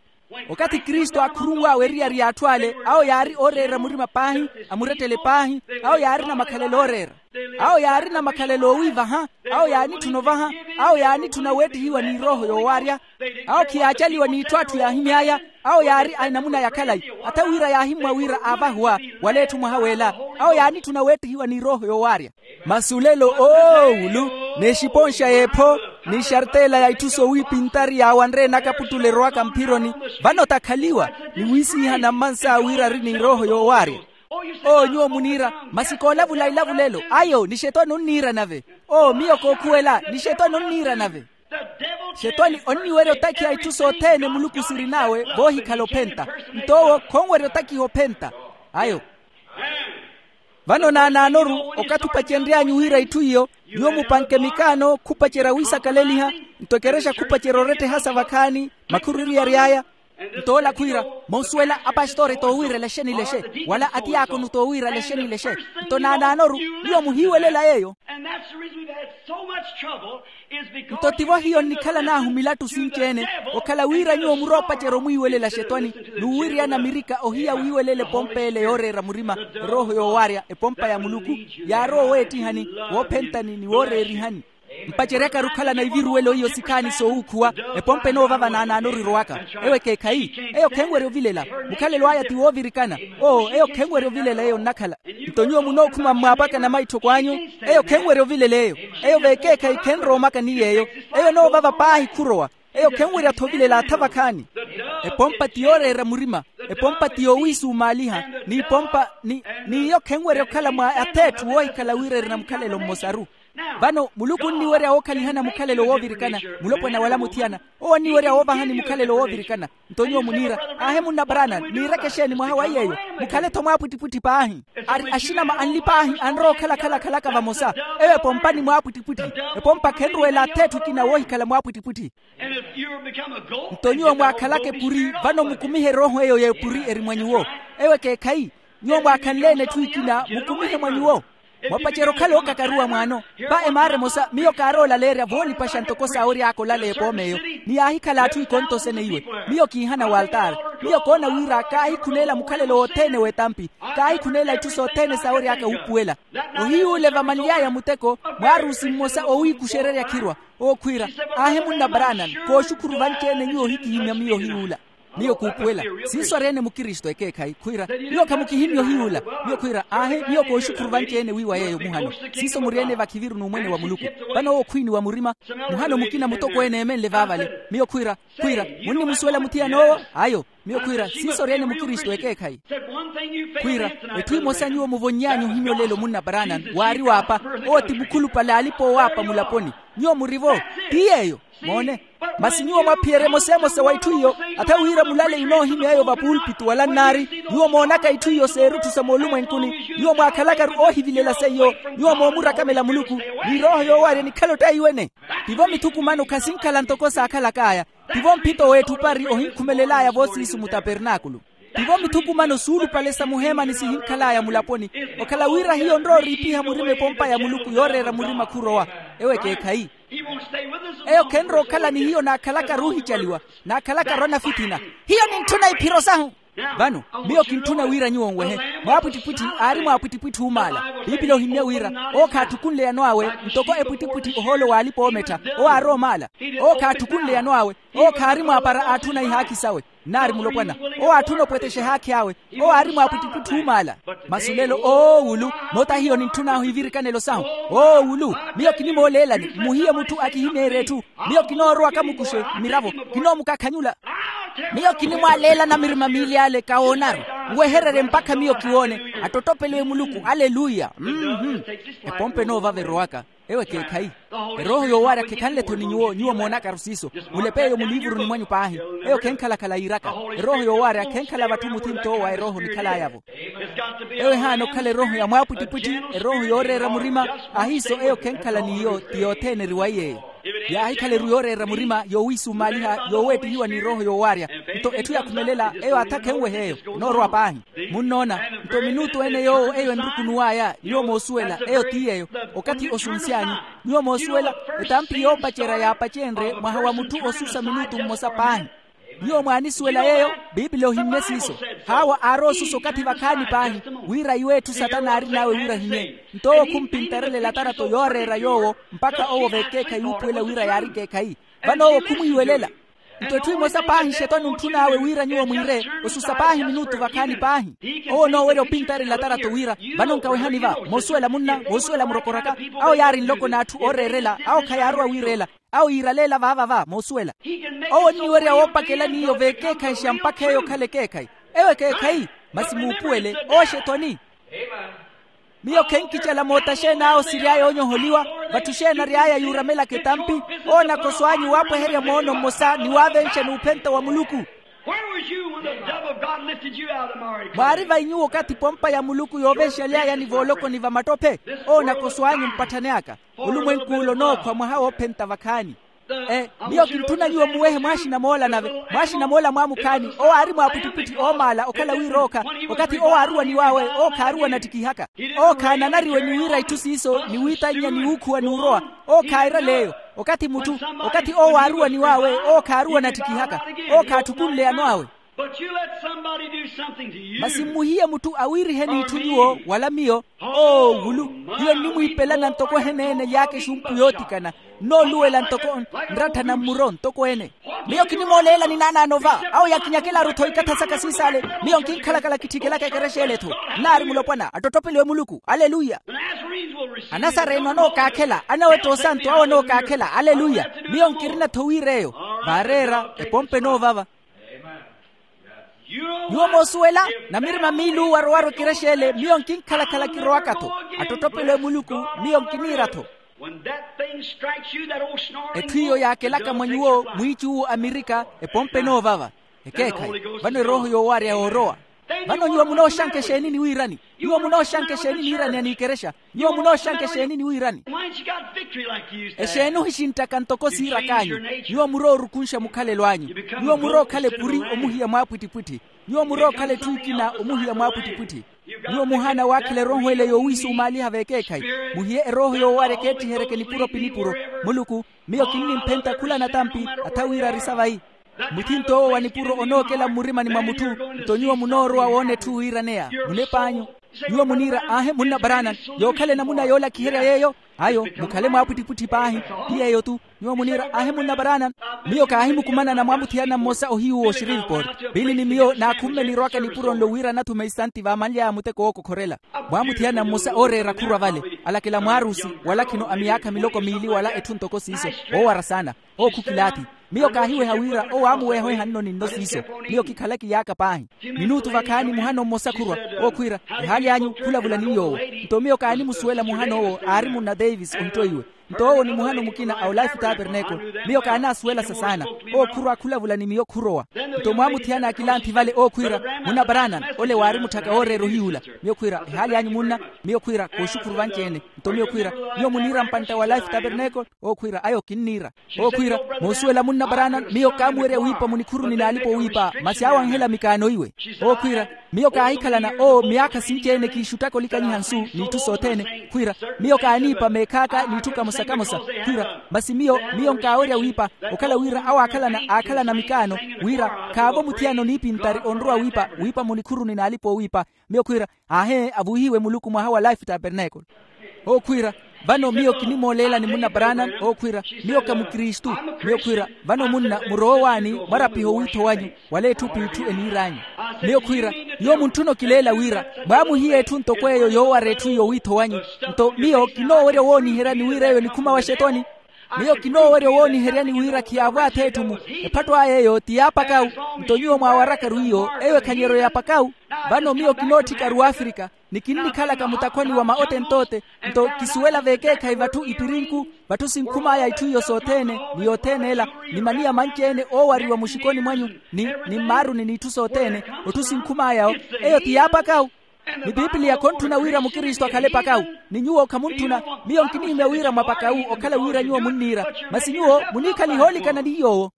okathi kristu aakhurunw'awe eriyari y'atthu ale awo yaari ooreera murima paahi, amurettele paahi. Awo yaarina makhalelo ooreera. Awo yaarina makhalelo oowiivaha. Awo yaanitthuna ovaha. Awo yaanitthuna weettihiwa n'irooho yoowaarya. Awo khiyaacaliwa n'itthu atthu yaahimy'aya. Awo yaari a enamuna ya khalayi. Atha wira yaahimmwa wira aavahuwa wala etthu mwaha w'ela. Awo yaanitthuna weettihiwa n'irooho yoowaarya. Masi olelo oowulu, n'exiponxa y'epho, n'ixartela ya itthu sowiipintari yaawanre enakaputtula erowaka mphironi. Vano takhaliwa, ni wiisiihana mmansa wira ari n'irooho yoowaarya. Oo nyuwo muniira, masi koolavula ilavulelo ayo nixetwani onniira nave. Oo miyo kookhuwela nixetwani onniira nave. Xetwani onniwerya otakhiha itthu sothene muluku sirin'awe voohikhala ophenta. Nto owo khonwerya otakhiha ophenta. Ayo. Vano naanaanoru, okathi opacenry'anyu wira itthu iyo, nyuwo mupanke mikaano khupacerya wiisakaleliha. Nto ekerexa khupacerya orettehasa vakhaani, makhururiyari aya. Nto ola khwiira, monsuwela apastore toowiira elexeni lexe, wala atiyaakonu toowiira elexeni lexe. Nto naanaanoru, nyuwo muhiiwelela yeeyo. Nto tivo hiyo nnikhalan'ahu milattu sinci-ene, okhala wira nyuwo muroopacerya omwiiwelela xetwani, n'uwiryana mirika ohiya wiiwelela epompa ele yooreera murima. Erooho yoowaarya epompa ya muluku, yaarowa oweettihani, woophentani ni wooreerihani. Mpaceryaka-ru okhalana iviruwelo iyo sikhaani soowuukhuwa. Epompa enoovava naanaano orirowaka. Eyo ekeekhayi. Eyo khenwerya ovilela. Mukhalelo aya ti woovirikana. Oo eyo khenwerya ovilela eyo nnakhala. Nto nyuwo munookhuma mmwaapakana maitthoko anyu. Eyo khenwerya ovilela eyo. Eyo vekeekhayi khenrowa omaka ni yeeyo. Eyo enoovava paahi khurowa. Eyo khenwerya-tho ovilela atha vakhaani. Epompa ti yooreera murima. Epompa ti yoowiisumaaliha. N'ipompa ni n'iyo khenwerya okhala mwa atheetthu woohikhala wira erina mukhalelo mmosaru. Vano muluku onniwerya wookhalihana mukhalelo woovirikana. Mulopwana wala muthiyana owo onniwerya woovahani mukhalelo woovirikana. Nto nyuwo muniira aahe munna brana niireke exeeni mwaha wa iy'eyo? Mukhale-tho mwaapwittipwitthi paahi. Ari axinama anli paahi anrowa okhala akhala akhalaka vamosa. Eyo epompa ni mwaapwittipwitthi. Epompa khenruwela atheetthu ekina woohikhala mwaapwittipwitthi. Nto nyuwo mwaakhalaka epuri vano mukumihe erooho eyo y'epuri eri mwa nyuwo. Eyo ekeekhayi. Nyuwo mwaakhanle-ene etthu ekina mukumihe mwa nyuwo. Mwapacerya okhala ookakaruwa mwaano. Va emaara emosa miyo kaaroolaleerya voonipaxa ntoko saawery'aka olaleya epooma eyo. Ni yaahikhala atthu ikonto sene iwe. Miyo kiihana waltaari. Miyo koona wira kaahikhuneela mukhalelo wothene w'etampi. Kaahikhuneela itthu sothene saawery'aka wuupuwela. Ohiyuule vamanly'aya muteko. Mwaarusi mmosa owiikuxererya khirwa. Owo khwiira aahe munna brana kooxukhuru vanci-ene nyuwo ohikihimya miyo ohiyuula. Miyo kuupuwela siiso ari-ene mukristu ekeekhayi khwiira. Miyo khamukihimya ohiyuula. Miyo khwiira aahe miyo kooxukhuru vanci-ene wiiwa yeeyo muhano. Siiso muri-ene vakhiviru n'umwene wa muluku. Vano owo khwiiniwa murima. Muhano mukina mutokweene eemenle vaavale. Miyo khwiira khwiira munnimusuwela muthiyan'owo? Ayo. Miyo khwiira siiso ori-ene mukristu ekeekhayi. Khwiira etthu emosa nyuwo muvonny'anyu ohimya olelo munna branan waari waapa. Owo ti mukhulupale alipa owaapa mulaponi. Nyuwo muri-vo. Ti yeeyo. Moone. Masi nyuwo mwaphiyerya emoseemosa wa itthu iyo. Atha wira mulaleyi onoohimya eyo vapulpitu wala nnaari. Nyuwo moonaka itthu iyo s'erutthu sa moolumwenkuni. Nyuwo mwaakhalakaru oohivilela seiyo. Nyuwo moomurakamela muluku. Ni erooho yoowarya enikhale ottaiwene. Tivo mithukumano khasinkhala ntoko saakhalak'aya. Tivo mphito w'etthu opari ohinkhumelel'aya voosiisu mutapernaakulu. Tivo mithukumano suulupale sa muheemani sihinkhal'aya mulaponi. Okhala wira hiyo nrooriipiha murima epompa ya muluku yooreera murima khurowa. Ewo ekeekhayi. Eyo khenrowa okhala ni hiyo naakhalakaru oohicaliwa. Naakhalakaru anafithina. Hiyo nintthuna iphiro sahu. Vano miyo kintthuna wira nyuwo nwehe. Mwaapwittipwitthi aari mwaapwittipwitthi oomaala. Piipili ohimmya wira owo khaathukunle yano awe ntoko epwittipwitthi ohoolo w'alipa-oomettha. Owo aarowa omaala. Owo khaathukunle yano awe. Owo khaari mwaapara aatthuna ihaakhi sawe. Nnaari mulopwana. Owo aatthuna opwetexa ehaakhi awe. Owo aari mwaapwittipwitthi oomaala. Masi olelo oowulu. Moota hiyo nintthun'ahu ivirikanelo sahu. Oowulu. Miyo kinimooleelani mmuhiye mutthu akihimeerye etthu. Miyo kinoorowa kamukuxe mmiravo. Kinoomukakhanyula. Miyo kinimwaaleelana mirima miili ale kawoonaru. Nwehererye mpakha miyo kiwoone. Attottopeliwe muluku aleluya. Mmm. Epompa enoovava erowaka. Ewo ekeekhayi. Erooho yoowaarya khekhanle-tho ni nyuwo nyuwo moonakaru siiso. Mulep'eyo muliivuruni mwanyu paahi. Eyo khenkhala-khala yiiraka. Erooho yoowaarya khenkhala vatthu muthint'owo wa erooho nikhal'aya-vo. Ewo ehaana okhala erooho ya mwaapwittipwitthi. Erooho yooreera murima. Ahiiso eyo khenkhala n'iyo ti yothene eriwayi eyo. Yaahikhala eru yooreera murima yoowiisumaaliha yooweettihiwa ni erooho yoowaarya. Nto etthu yakhumelela eyo atha khenwehe eyo. Enoorowa paahi. Munnoona. Nto minutu ene yoowo eyo enrukunuw'aya nyuwo moosuwela eyo ti yeeyo. Okathi osunsy'anyu. Nyuwo moosuwela etampi yoopacerya yaapacenrye mwaha wa mutthu osusa minutu mmosa paahi. Nyuwo mwaanisuwela yeeyo. Piipili ohimmye siiso. Haawa aarowa osusa okathi vakhaani paahi. Wira iwe etthu satana aarin'awe wira ahimmye. Nto owo khumpintarela elatarato yooreera yoowo mpakha owo vekeekhayi wuupuwela wira yaari ekeekhayi. Vano owo khumwiiwelela. Nto etthu emosa paahi xetwani ontthun'awe wira nyuwo mwiire. Osusa paahi minutu vakhaani paahi. Owo onoowerya opintarela atarato wira. Vano nkawehani va moosuwela munna moosuwela murokoraka. Awo yaari nloko n'atthu ooreerela awo khayaarowa wiireela. Awo yiiraleela vaava va moosuwela. Owo onniwerya woopakela n'iyo vekeekhayi xa mpakha eyo okhala ekeekhayi. Ewo ekeekhayi. Masi muupuwele owo xetwani. Miyo khenkicela moota xeeni awo siry'aya oonyoholiwa. Vatthu xeeni ary'aya yuuramelaka etampi. Owo nakoso anyu waapweherya moono mmosa ni waavenxa n'uphenta wa muluku. Where were you when the dove of God lifted you out of the miry clay? Mwaari vai nyuwo okathi pompa ya muluku yoovenxaly'aya ni voolokoni va matope? Owo nakoso anyu mpatthani aka. Olumwenku ula onookhwa mwaha woophenta vakhaani. E miyo kintthuna nyuwo muwehe mwaaxina moola nave mwaaxina moola mwaamukhaani owo aari mwaapwittipwitthi oomaala okhala wira ookha. Okathi owo aaruwaniw'awe owo khaaruwa nattikihaka. Owo khaananariwe ni wiira itthu siiso ni wiitannya ni wuukhuwa n'urowa. Owo khairale eyo. Okathi mutthu okathi owo aaruwaniw'awe owo khaaruwa nattikihaka. Owo khaathukunle yano awe. But you let somebody do something to you. Masi mmuhiye mutthu awiiriheni itthu nyuwo wala miyo. Oo wulu, hiyo nnimwiipelana ntoko eheneene lyaaka exumpu yootikana. Nnooluwela ntoko nratthana mmuro ntokweene. Miyo kinimooleelani naanaano va awo yakinyakelaru-tho ikatha saka siisaale. Miyo nkinkhalakhala kitthikelaka ekerexa ele-tho. Nnaari mulopwana attottopeliwe muluku aleluya. Anasareeno anookakhela anawetta osantu awo anookakhela aleluya. Miyo nkirina-tho wiir'eyo. Vaareera epompe noovava. Nyuwo moosuwela namirima miilu warowaru ekerexa ele miyo nkinkhalakhala kirowaka-tho. Attottopeliwe muluku. Miyo nkiniira-tho. Etthu iyo yaakelaka mwa nyuwo mwiici uwo amirika epompe noovava. Ekeekhayi. Vano erooho yoowarya yoorowa. Vano nyuwo munooxanka exeeni ni wiirani? Nyuwo munooxanka exeeni niirani aniikerexa? Nyuwo munooxanka exeeni ni wiirani? Exeeni ohixinttaka ntoko siirak'anyu? Nyuwo muroorukunxa mukhalelo anyu. Nyuwo murookhala epuri omuhiya mwaapwittipwitthi. Nyuwo murookhala etthu ekina omuhiya mwaapwittipwitthi. Nyuwo muhaana waakhela erooho ele yoowiisumaaliha v'ekeekhayi. Muhiye erooho yoowarya ekeettiheryeke nipuro pi nipuro. Muluku, miyo kinnimphenta khula natampi atha wira arisa vayi. Muthinto owo wa nipuro onookela mmurimani mwa mutthu. Nto nyuwo munoorowa woona etthu wiiraneya munep'anyu. Nyuwo muniira aahe munna paranan, yookhala enamuna yoolakiherya yeeyo. Ayo mukhale mwaapwittipwitthi paahi. Ti yeeyo-tu. Nyuwo muniira aahe munna paranan. Miyo kaahimukumanana mwaamuthiyana mmosa ohiyu wo shreveport. Piili ni miyo naakhumme nirowaka nipuro nlo wira anathume isanti vaamanly'aya muteko wookokhorela. Mwaamuthiyana mmosa ooreera khurwa vale, alakela mwaarusi wala khino a miyaakha miloko miili wala etthu ntoko siiso. Woowara saana. Owo khukilaathi. Miyo kaahiweha wira owo aamuweha ohihano ninno siiso. Miyo kikhala kiyaaka paahi. Minutu vakhaani muhano mmosa khurwa. Owo khwiira, ehaali anyu khulavula ni yoowo. Nto miyo kaanimusuwela muhano owo aari munna davis ohittoiwe. Nto owo ni muhano mukina a olife tabernacle. Miyo kaanaasuwelasa saana. Owo khurwa khulavula ni miyo khurowa. Nto mwaamuthiyana akilanthi vale owo khwiira, munna paranan, ole waari mutthaka wooreera ohiyuula. Miyo khwiira, ehaali anyu munna? Miyo khwiira, kooxukhuru vanci-ene. Nto miyo khwiira, nyuwo muniira mpantta wa olife tabernacle? Owo khwiira, ayo kinniira. Owo khwiira, moosuwela munna paranan, miyo kaamuwerya wiipa munikhuruni n'alipa owiipa masi aawanhela mikaano iwe. Owo khwiira, miyo kaahikhalana owo miyaakha sinci-ene kiixuttaka olikanyiha nsu n'itthu sothene. Khwiira, miyo kaaniipa meekhaaka n'itthu kamosa-kamosa. Khwiira, masi miyo miyo nkaawerya wiipa, okhala wira awaakhalana aakhalana mikaano, wira khaavo muthiyana oniipintari onrowa wiipa wiipa munikhuruni n'alipa owiipa. Miyo khwiira, aahe avuhiwe muluku mwaha wa life tabernacle. Owo khwiira, vano miyo kinimooleelani munna paranan. Owo khwiira, miyo ka mukristu. Miyo khwiira, vano munna murowe owaani mwarapiha owiitho wanyu, wala etthu p'itthu eniir'anyu. Miyo khwiira, nyuwo muntthuna okileela wira mwaamuhiye etthu ntoko eyo yoowara etthu iyo owiitho wanyu. Nto miyo kinoowerya owooniheryani wira eyo enikhuma wa xetoni. Miyo kinoowerya owooniheryani wira khiyaavwaatha etthu-mu. Ephatto aya eyo ti yaapakawu. Nto nyuwo mwaawarakaru iyo eyo ekhanyeryo ya pakawu. Vano miyo kinootthikaru wafrika, ni kinnikhalaka mutakhwani wa maote ntoote. Nto kisuwela v'ekeekhayi vatthu ipirinku, vatthu sinkhum'aya itthu iyo sothene ni yothene ela, ni maniya manci-ene oowariwa muxikoni mwanyu, ni ni mmaaruni n'itthu sothene, otthu sinkhum'aya-wo. Eyo ti yaapakawu. Ni pipiliya khontthuna wira mukristu akhale pakawu. Ni nyuwo khamuntthuna. Miyo nkinihimya wira mwa pakawu okhala wira nyuwo munniira. Masi nyuwo muniikhaliha oolikana ni yoowo.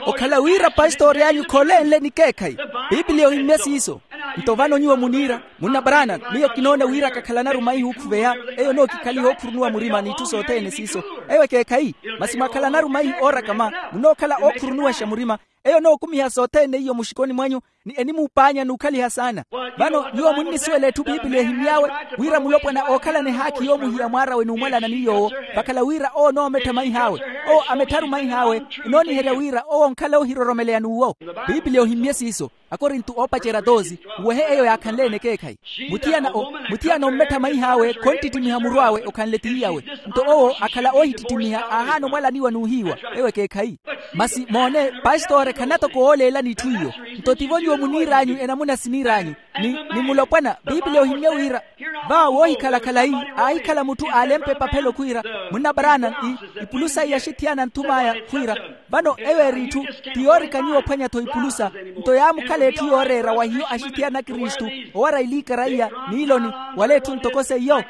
Okhala wira pastori anyu kholenle ni keekhayi. Pipiliya ohimmye siiso. Nto vano nyuwo muniira, munna paranan, miyo kinoona wira kakhalanaru maihi ookhuveya. Eyo nookikhaliha ookhurunuwa murima n'itthu sothene siiso. Eyo ekeekhayi. Masi mwakhalanaru maihi oorakama, munookhala ookhurunuwaxa murima. Eyo nookumiha sothene iyo muxikoni mwanyu, ni enimuupaanya n'ukhaliha saana. Vano nyuwo munnisuwela etthu pipiliya ehimmy'awe, wira mulopwana ookhalana ehaakhi yoomuhiya mwaar'awe n'umwalana ni yoowo. Vakhala wira owo onoomettha maih'awe. Owo amettharu maih'awe. Enooniherya wira owo onkhala oohiroromeleya n'uwo. Pipiliya ohimmye siiso. Akorinto oopacerya toosi, uwehe eyo yaakhanle-ene ekeekhayi. Muthiyana o muthiyana ommettha maih'awe khonttittimiha muru awe okhanle tihiyawe. Nto owo akhala oohittittimiha aahaana omwalaniwa n'uhiiwa. Ewo ekeekhayi. Masi moone, pastore khanatoko wooleelani itthu iyo. Nto tivo nyuwo muniir'anyu enamuna siniir'anyu. Ni ni mulopwana pipiliya ohimmye wira, va woohikhala khalayi, aahikhala mutthu aalempa epaphelo khwiira, munna paranan, ipulusa iya axithiyana anthum'aya khwiira. Vano eyo eri itthu ti yoorika nyuwo ophwanya-tho ipulusa. Nto yaamukhala etthu yooreera wa hiyo axithiyana a kristu, owara iliikara iya, n'iloni, wala etthu ntoko seiyo.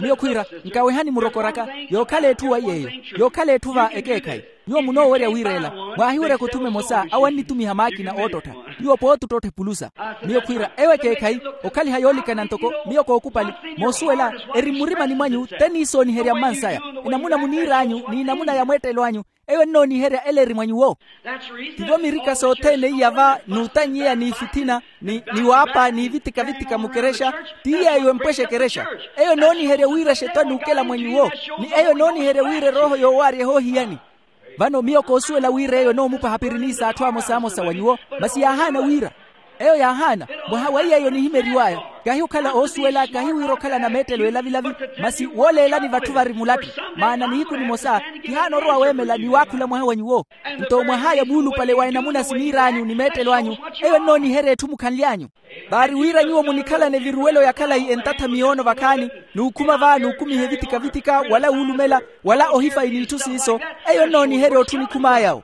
Miyo khwiira, nkawehani murokoraka, yookhala etthu wa iy'eyo. Yookhala etthu va ekeekhayi. Nyuwo munoowerya wiireela. Mwaahiweryaka othuma emosa awo annitumiha maakina oottottha. Nyuwo pooti ottottha epulusa. Miyo khwiira ewo ekeekhayi, okhaliha yoolikana ntoko miyo kookupali. Moosuwela, eri mmurimani mwanyu te niisooniherya mmansaya. Enamuna muniir'anyu n'enamuna ya mweettelo anyu. Eyo ennooniherya ele eri mwa nyuwo. Tivo mirika sothene iya va n'utannyeya n'ifithina, ni waapa n'ivitika-vitika mukerexa. Ti yeeyo empwexa ekerexa. Eyo enooniherya wira exeto anuukela mwa nyuwo, ni eyo enooniherya wira erooho yoowaarya ehoohiyani. Vano miyo koosuwela wira eyo enoomupaha piriniisa atthu amosamosa wa nyuwo, masi yaahaana wira. Eyo yaahaana. Mwaha wa iy'eyo nihimeriw'aya, kahi okhala oosuwela, kahi wira okhala na meettelo elavilavi, masi wooleelani vatthu vari mulattu. Maana nihiku nimosa kihaana orowa weemela ni waakhula mwaha wa nyuwo. Nto mwah'aya muulupale wa enamuna siniir'anyu ni meettelo anyu, eyo ennooniherya etthu mukhanly'anyu. Vaari wira nyuwo munikhalane viruwelo ya khalayi entatha miyoono vakhaani, n'ukhuma va n'ukumiha evitika-vitika wala wuulumela, wala ohifayi n'itthu siiso. Eyo ennooniherya otthu onikhum'aya-wo.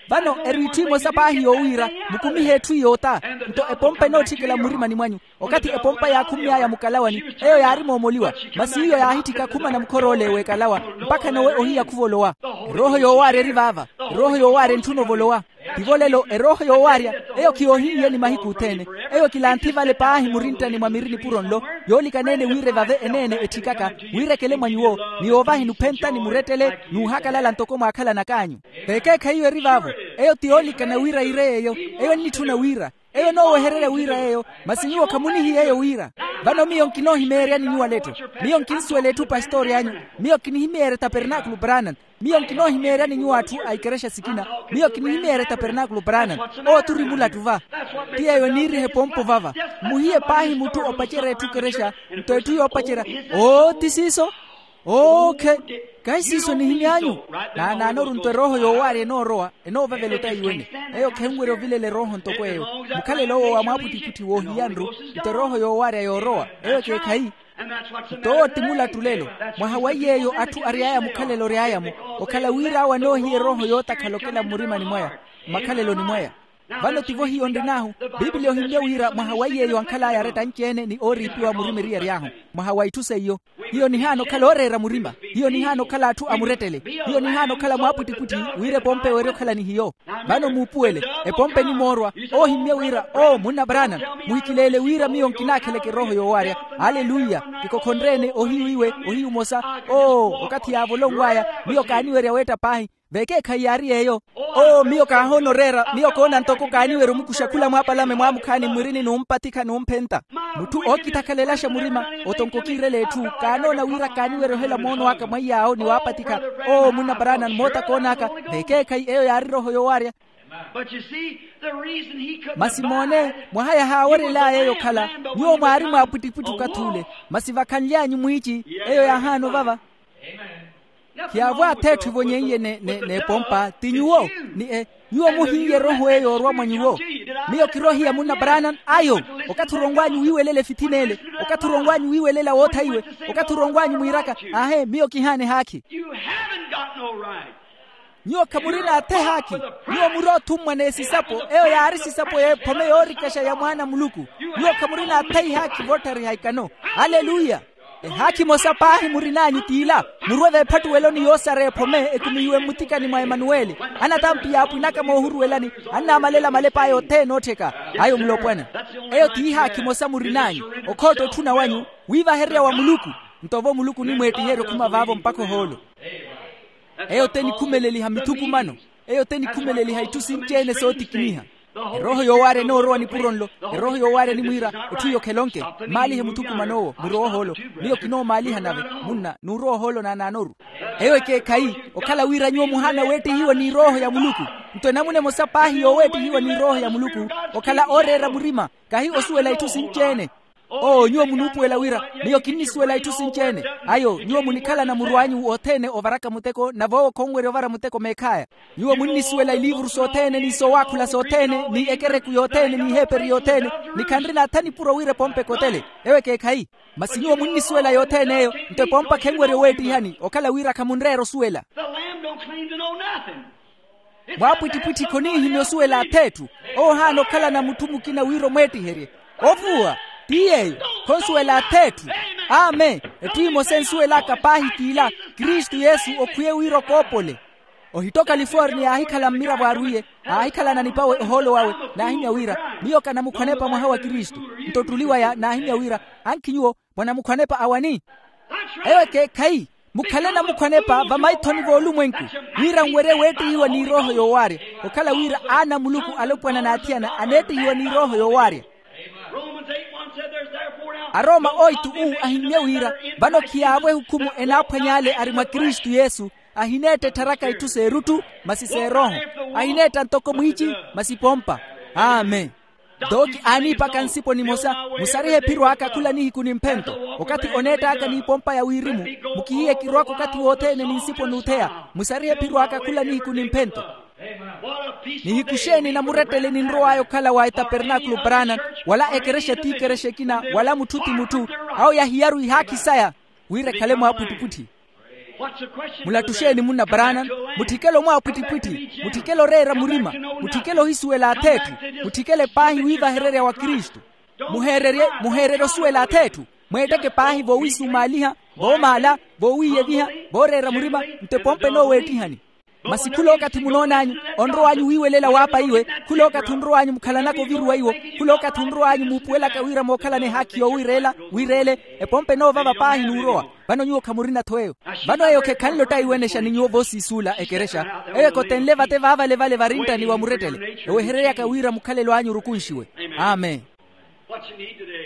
Vano eri itthu imosa paahi yoowiira, mukumihe etthu iyoota. Nto epompa enootthikela mmurimani mwanyu. Okathi epompa yaakhumy'aya mukalawani, eyo yaari moomoliwa, masi iyo yaahitthika khumana mukhor'ole w'ekalawa, mpakha nowe ohiya khuvolowa. Erooho yoowaarya eri vaava. Erooho yoowaarya entthuna ovolowa. Tivo lelo erooho yoowaarya, eyo khiyoohin'yeni mahiku othene. Eyo kilanthi vale paahi murinttani mwa miri nipuro nlo, yoolikaneene wira evave eneene etthikaka, wira ekele mwa nyuwo, ni yoovahi nuphentani murettele n'uhakalala ntoko mwaakhalanak'anyu. Vekeekhayi iyo eri vaavo. Eyo ti yoolikana wira iire yeeyo. Eyo ennitthuna wira, eyo enoowehererya wira yeeyo, masi nyuwo khamunihiya eyo wira. Vano miyo nkinoohimeeryani nyuwo aletto. Miyo nkinsuwela etthu pastori anyu. Miyo kinihimeerya tapernaakulu branan. Miyo nkinoohimeeryani nyuwo atthu a ikerexa sikina. Miyo kinihimeerya tapernaakulu branan. Owo turi mulattu va. Ti yeeyo eniiriha epompo vava. Mmuhiye paahi mutthu opacerya etthu kerexa. Nto etthu yoopacerya, oo ti siiso. Ookhe. Kahi siiso nihimy'anyu. Naanaanoru nto erooho yoowaarya enoorowa, enoovavela otaiwene. Eyo khenwerya ovilela erooho ntoko eyo. Mukhalelo owo wa mwaapwittipwitthi woohiya nru. Nto erooho yoowaarya yoorowa, eyo ekeekhayi. Nto owo ti mulattu lelo. Mwaha wa iy'eyo atthu ary'aya mukhalelo ory'aya-mo, okhala wira awo anoohiya erooho yootakhala okela mmurimani mwaya, mmakhaleloni mwaya. Vano tivo hiyo nrin'ahu. Piipiliya ohimmye wira mwaha wa iy'eyo ankhal'aya aretta anci-ene ni ooriipiwa murima eriyari ahu. Mwaha wa itthu seiyo. Hiyo nihaana okhala ooreera murima. Hiyo nihaana okhala atthu a murettele. Hiyo nihaana okhala mwaapwittipwitthi, wira epompa ewerye okhala ni hiyo. Vano muupuwele. Epompa enimoorwa. Oohimmye wira oo munna branan, muhikileele wira miyo nkinaakheleke erooho yoowaarya. Aleluya. Kikokhonreene ohiyu iwe, ohiyu omosa. Oo, okathi yaavolonw'aya, miyo kaaniwerya weetta paahi. Vekeekhayi yaari yeeyo. Oo miyo kaahoona oreera, miyo koona ntoko kaaniwerya omukuxa khula mwaapalame mwaamukhaani mmirini n'umpatikha n'umphenta. Mutthu ookitakhalelaxa murima, otonko okiirela etthu kaanoona wira kaaniwerya ohela moono aka mwa iy'awo ni waapatikha. Oo munna branan moota koon'aka. Vekeekhayi eyo yaari erooho yoowaarya. Masi moone, mwaha yahaawerel'aya eyo okhala, nyuwo mwaari mwaapwittipwitthi okathi ule. Masi vakhanly'anyu mwiici, eyo yaahaana ovava. Khiyaavo atheetthu evonyeiye n'epompa ti nyuwo. Ni e nyuwo muhiiye erooho eyo yoorwa mwa nyuwo. Miyo kiroohiya munna branan ayo. Okathi oronw'anyu wiiwelela efithina ele, okathi oronw'anyu wiiwelela woothaiwe, okathi oronw'anyu mwiiraka, aahe miyo kihaana ehaakhi. Nyuwo khamurina athe ehaakhi. Nyuwo muri othummwa n'esisapo eyo yaari esisapo y'ephome yoorikaxa ya mwaana a muluku. Nyuwo khamurina athe ihaakhi vootthariha ikano. Aleluya. Ehaakhi emosa paahi murin'anyu t'ila, murwe v'ephattuweloni yoosara ephome ekumihiwe mmutikani mwa emanuweli. Anatampi yaapwinaka moohuruwelani, annaamalela malep'aya othene oottheka. Ayo mulopwana. Eyo t'ihaakhi emosa murin'anyu, okhootta otthuna wanyu, wiivahererya wa muluku. Nto vo muluku onimweettiherya okhuma vaavo mpakha ohoolo. Eyo t'enikhumeleliha mithukumano. Eyo t'enikhumeleliha itthu sinci-ene sootikiniha. Erooho yoowaarya enoorowa nipuro nlo. Erooho yoowaarya enimwiira, etthu iyo khelonke. Mmaalihe muthukuman'owo murowe ohoolo. Miyo kinoomaaliha nave. Munna n'urowa ohoolo naanaanoru. Eyo ekeekhayi. Okhala wira nyuwo muhaana weettihiwa ni erooho ya muluku. Nto enamuna emosa paahi yooweettihiwa ni erooho ya muluku, okhala ooreera murima, kahi osuwela itthu sinci-ene. Oo nyuwo munuupuwela wira, miyo kinnisuwela itthu sinci-ene. Ayo nyuwo munikhalana murw'anyu othene ovaraka muteko nave owo khonwerya ovara muteko meekh'aya. Nyuwo munnisuwela iliivuru sothene ni soowaakhula sothene ni ekereku yothene ni iheeperi yothene, ni khanrina atha nipuro wira epompa ekotele. Ewo ekeekhayi. Masi nyuwo munnisuwela yothene eyo. Nto epompa khenwerya oweettihani okhala wira khamunreera osuwela. Mwaapwittipwitthi khoniihimya osuwela ath'etthu. Owo ohaana okhalana mutthu mukina wira omweettiherye. Ovuwa. Ti yeeyo. Khonsuwela ath'etthu. Amen. Etthu emosa ensuwel'aka paahi t'ila, kristu yesu okhwiye wira okoopole. Ohitto california aahikhala mmiravo arwiye, aahikhalana nipawe ohoolo wawe. Naahimya wira, miyo kanamukhwanepa mwaha wa kristu. Nto ottuli waya naahimya wira, ankhi nyuwo mwanamukhwanepa awani? Eyo ekeekhayi. Mukhale namukhwanepa vamaithoni voolumwenku, wira nwerye weettihiwa ni erooho yoowaarya. Okhala wira aana a muluku alopwana n'athiyana aneettihiwa ni erooho yoowaarya. Aroma oitu uu ahimmye wira vano khiyaavo ehukhumu enaaphwanya ale ari mwa kristu yesu. Ahineetta ettharaka itthu s'eruttu, masi s'erooho. Ahineetta ntoko mwiici, masi pompa. Amen. Dooki aaniipaka nsipo nimosa, musarihe ephiro aka khula nihiku ni mphento. Okathi oneett'aka n'ipompa ya wirimu, mukihiye kirwaka okathi wothene ni nsipo n'utheya. Musarihe ephiro aka khula nihiku ni mphento. Nihiku xeeni namurettele ninrow'aya okhala wa etapernakulo paranan, wala ekerexa ti ekerexa ekina wala mutthu ti mutthu? Awo yahiyaru ihaakhi saya wira ekhale mwaapwittipwitthi. Mulattu xeeni munna paranan? Mutthikele omwaapwittipwitthi. Mutthikele oreera murima. Mutthikele ohisuwela ath'etthu. Mutthikele paahi wiivahererya wa kristu. Muheererye muheererye osuwela ath'etthu. Mweetteke paahi voowisumaaliha, voomaala, voowiiyeviha, vooreera murima. Nto epompa enooweettihani. Masi khul'okathi munoon'anyu, onrow'anyu wiiwelela waapa iwe. Khul'okathi onrow'anyu mukhalanaka oviruwa iwo. Khul'okathi onrow'anyu muupuwelaka wira mookhalana ehaakhi yoowireela, wiireele. Epompa enoovava paahi n'urowa. Vano nyuwo khamurina-tho eyo. Vano eyo khekhanle ottaiwenexa ni nyuwo voosiisuula ekerexa. Eyo ekotenle vate vaavalevale varinttani wa murettele, ewehereryaka wira mukhalelo anyu orukunxiwe. Amen.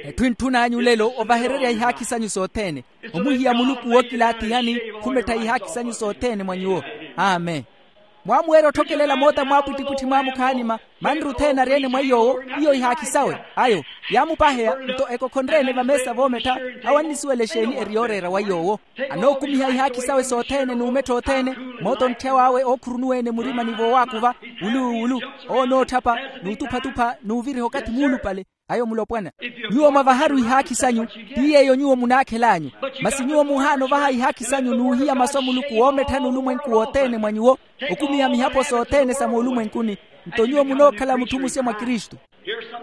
Etthu entthun'anyu lelo ovahererya ihaakhi sanyu sothene, omuhiya muluku wookilaatihani, khumettha ihaakhi sanyu sothene mwa nyuwo. Amen. Mwaamuwerya otthokelela moota mwaapwittipwitthi mwaamukhaani ma manru othene ari-ene mwa iy'owo. Iyo ihaakhi sawe ayo yaamupaheya. Nto ekokhonre-ene vameesa voomettha, awo annisuwela exeeni eri yooreera wa iy'owo. Anookumiha ihaakhi sawe sothene n'umettha othene. Moota ontthya w'awe ookhurunuwa-ene murima ni voowaakuva, wulu wulu, owo onootthapa, n'utuphatupha n'uviriha okathi muulupale. Ayo mulopwana. Nyuwo mwavaharu ihaakhi sanyu, ti yeeyo nyuwo munaakhel'anyu. Masi nyuwo muhaana ovaha ihaakhi sanyu n'uhiya masu a muluku woometthani olumwenku wothene mwa nyuwo, okumiha mihapo sothene sa moolumwenkuni. Nto nyuwo munookhala mutthu musya mwa kristu.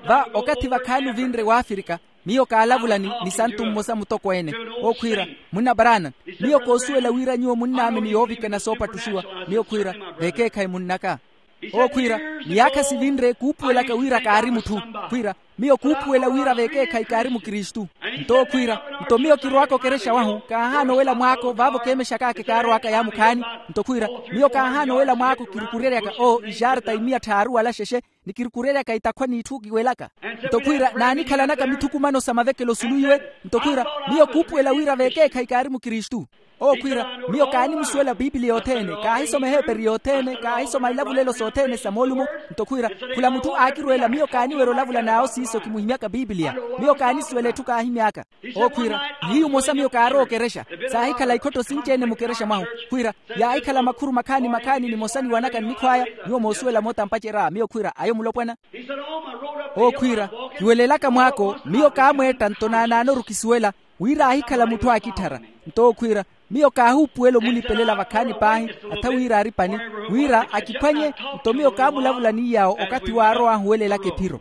Va okathi vakhaani ovinre w'afrika, miyo kaalavula ni santu mmosa mutokweene, okhwiira, munna paraana, miyo koosuwela wira nyuwo munnaamini yoovikana soopattuxiwa. Miyo khwiira, vekeekhayi munnaka. Owo khwiira, miyaakha sivinre kuupuwelaka wira kaari mutthu. Khwiira, miyo kuupuwela wira vekeekhayi kaari mukristu. Nto owo khwiira, nto miyo kirwaaka okerexa wahu kaahaana owela mwaako vaavo keemexak'aka kaarwaaka yaamukhaani. Nto khwiira, miyo kaahaana owela mwaako kirukureryaka oo ixaarta imiya tthaaru wala xexe, ni kirukureryaka itakhwa n'itthu kiwelaka. Nto khwiira naanikhalanaka mithukumano sa mavekelo sulu iwe. Nto khwiira, miyo kuupuwela wira vekeekhayi kaari mukristu. Owo khwiira, miyo kaanimusuwela piipiliya othene, kaahisoma eheeperi yothene, kaahisoma ilavulelo sothene sa moolumo. Nto khwiira, khula mutthu aakirweela miyo kaaniwerya olavula n'awo siiso kimuhimyaka piipiliya. Miyo kaanisuwela etthu kaahimy'aka. Owo khwiira, nihiyu mmosa miyo kaarowa okerexa. Saahikhala ikhotto sinci-ene mukerexa mwahu. Khwiira, yaahikhala makhuru makhaani makhaani nimosa niwanaka nnikhw'aya. Nyuwo moosuwela moota mpacerya miyo khwiira ayo mulopwana. Owo khwiira, kiwelelaka mwaako, miyo kaamweetta nto naanaanoru kisuwela, wira aahikhala mutthu aakitthara. Nto owo khwiira, miyo kaahuupuwela omulipelela vakhaani paahi, atha wira aari pani, wira akiphwanye. Nto miyo kaamulavula ni yaawo okathi waarow'ahu owelelaka ephiro.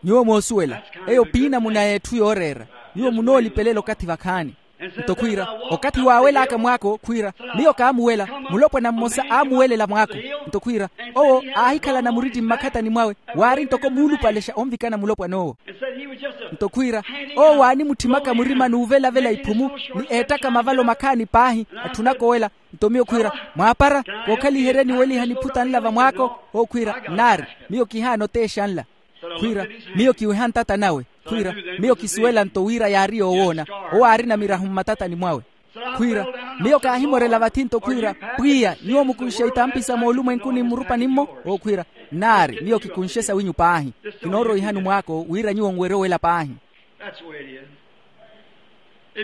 Nyuwo moosuwela, eyo piinamuna y'etthu yooreera. Nyuwo munoolipelela okathi vakhaani. Nto khwiira, okathi waawel'aka mwaako khwiira, miyo kaamuwela. Mulopwana mmosa aamuwelela mwaako. Nto khwiira, owo aahikhalana muritti mmakhatani mwawe, waari ntoko muulupalexa onvikana mulopwan'owo. Nto khwiira, owo waanimutthimaka murima n'uvelavela iphumu, ni eettaka mavalo makhaani paahi, atthunaka owela. Nto miyo khwiira, mwaapara, kookhaliheryeni oweliha niphuta nla vamwaako. Owo khwiira, nnaari, miyo kihaana oteexa nla. Khwiira, miyo kiweha ntata nawe. Khwiira, miyo kisuwela nto wira yaari yoowoona, owo aarina mirahu mmatatani mwawe. Khwiira, miyo kaahimorela vathi nto khwiira, pwiya, nyuwo mukunxe itampi sa moolumwenkuni mmurupani-mmo? Owo khwiira, nnaari, miyo kikunxe sawinyu paahi. Kinooroihani mwaako wira nyuwo nwerye owela paahi.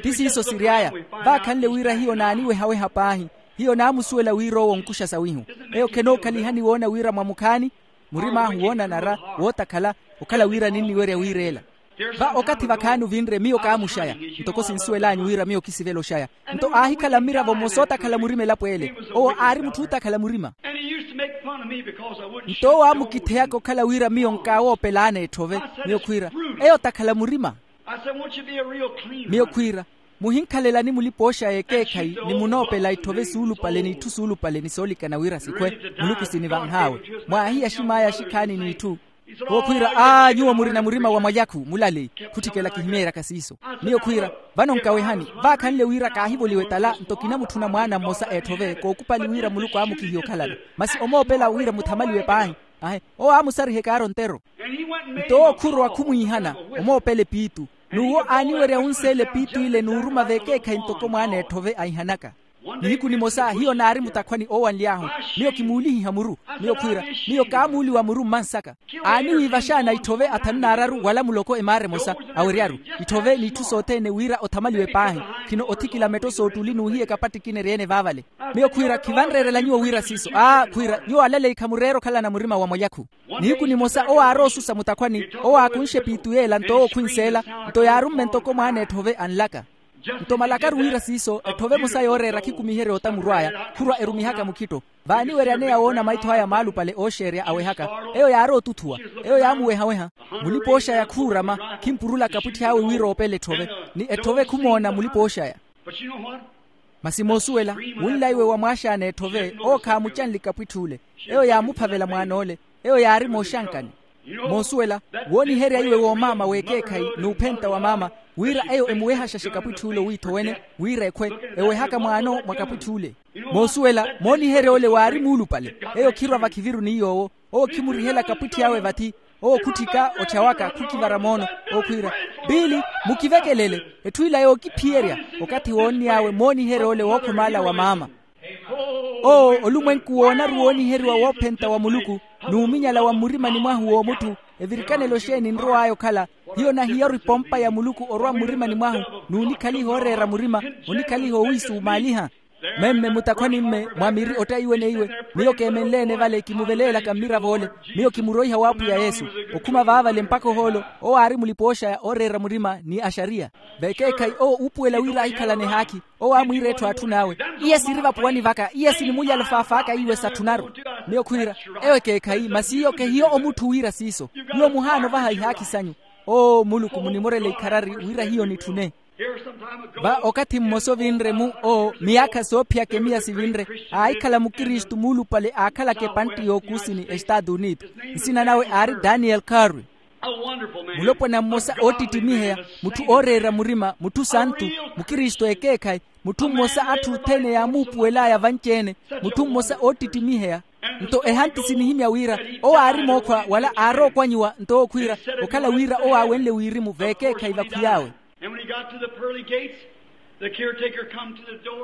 Ti siiso siry'aya. Vaakhanle wira hiyo naaniwehaweha paahi. Hiyo naamusuwela wira owo onkuxa sawihu. Eyo khenookhaliha niwoona wira mwamukhaani. Murim'ahu woonanara, wootakhala, okhala wira ninniwerya wiireela. Va okathi vakhaani ovinre miyo kaamuxaya, ntoko sinsuwel'anyu wira miyo kisivela oxaya. Nto aahikhala mmiravo mmosa ootakhala murima elapo ele. Owo aari mutthu ootakhala murima. Nto owo aamukitheyaka okhala wira miyo nkaawoopel'ana etthove. Miyo khwiira, eyo otakhala murima. Miyo khwiira, muhinkhalelani mulipa-oxaya ekeekhayi ni munoopela itthove suulupale n'itthu suulupale ni soolikana wira sikhwe. Muluku sinivanh'awe. Mwaahiya axim'aya axikhaani n'itthu. Owo khwiira, aa nyuwo murina murima wa mwalyakhu mulaleyi. Khutthikela kihimeeryaka siiso. Miyo khwiira, vano nkawehani, vaakhanle wira kaahivoliwa etala nto kinamutthuna mwaana mmosa eetthove kookupali wira muluku aamukihiye okhalana. Masi omoopela wira muthamaliwe paahi. Ahe, owo aamusariha ekaaro ntero. Nto owo khurowa khumwiihana, omoopela epiitu. N'uwo aaniwerya wunseela epiitu ile n'uruma veekeekhayi ntoko mwaana eetthove aihanaka. Nihiku nimosa hiyo naari mutakhwani oowanly'ahu. Miyo kimuulihiha muru. Miyo khwiira, miyo kaamuuliwa muru mmansaka. Aaniwiiva xaana itthove athanu n'araru wala muloko emaara emosa. Aweryaru itthove n'itthu sothene wira othamaliwe paahi. Khino othikila metto s'ottuli n'uhiya ekapattikina eryeene vaavale. Miyo khwiira khivanreerela nyuwo wira siiso aa khwiira nyuwo alaleyi khamureera okhalana murima wa mwalyakhu. Nihiku nimosa owo aaroosusa mutakhwani, owo aakunxe epiitu yeela nto owo khwinseela, nto yaarumme ntoko mwaana etthove anlaka. Nto malakaru wira siiso etthove emosa yooreera khikumiherya otamuru aya. Khurwa erumihaka mukhitto. Vaaniweryaneya woona maitho aya maalupale ooxeerya awehaka. Eyo yaari otuthuwa. Eyo yaamuwehaweha. Mulipa-ooxaya khuurama. Khimpurula kapwitthi awe wira oopele etthove. Ni etthove khumoona mulipa-ooxaya. Masi moosuwela, wunlaiwe wa mwaaxaana etthove owo khaamucanle kapwitthi ole. Eyo yaamuphavela mwaan'ole. Eyo yaari mooxankani. Moosuwela, wooniherya iwe woomaama w'ekeekhayi n'uphenta wa maama, wira eyo emuwehaxaxe kapwitthi ole owiitho wene, wira ekhwe. Ewehaka mwaano mwa kapwitthi ole. Moosuwela, mooniherya ole waari muulupale. Eyo khirwa vakhiviru ni yoowo. Owo khimurihela kapwitthi awe vathi. Owo khutthika otthyawaka khukivara moono. Okhwiira, piili, mukivekelele. Etthu ila yookiphiyerya. Okathi woonniy'awe mooniherya ole wookhomaala wa maama. Owo olumwenku woonaru wooniheriwa woophenta wa muluku, n'uminyala wa mmurimani mwahu w'omutthu. Evirikanelo xeeni nrow'aya okhala? Hiyo nahiyaru epompa ya muluku orwa mmurimani mwahu, n'unikhaliha ooreera murima, onikhaliha owiisumaaliha. Memme mutakhwani mme mwa miri ottaiwe neiwe. Miyo keemenle-ene vale kimuveleelaka mmirav'ole. Miyo kimuroiha w'apwiya yesu. Okhuma vaavale mpakha ohoolo, owo aari mulipa-ooxaya ooreera murima ni axariya. Vekeekhayi owo uupuwela wira ahikhalane ehaakhi. Owo aamwiira etthu atthun'awe, iye siri vapuwani vaka iye sinimulyala ofaaf'aka iwe satthunaru. Miyo khwiira, eyo ekeekhayi masi iyo kehiyo omutthu wira siiso. Nyuwo muhaana ovaha ihaakhi sanyu. Oo muluku munimorele ikharari wira hiyo nitthune. Va okathi mmosa ovinre-mu oo miyaakha soophiyaka emiya sivinre, aahikhala mukristu muulupale aakhalaka epantti y'okuusini estaatu unitu. Nsina nawe aari daniel carwi. Mulopwana mmosa oottittimiheya, mutthu ooreera murima mutthu santu, mukristu ekeekhayi, mutthu mmosa atthu othene yaamuupuwel'aya vanci-ene. Mutthu mmosa oottittimiheya. Nto ehanti sinihimya wira owo aari mookhwa wala aarookwanyiwa nto okhwiira, okhala wira owo aawenle wirimu veekeekhayi vakhwiy'awe.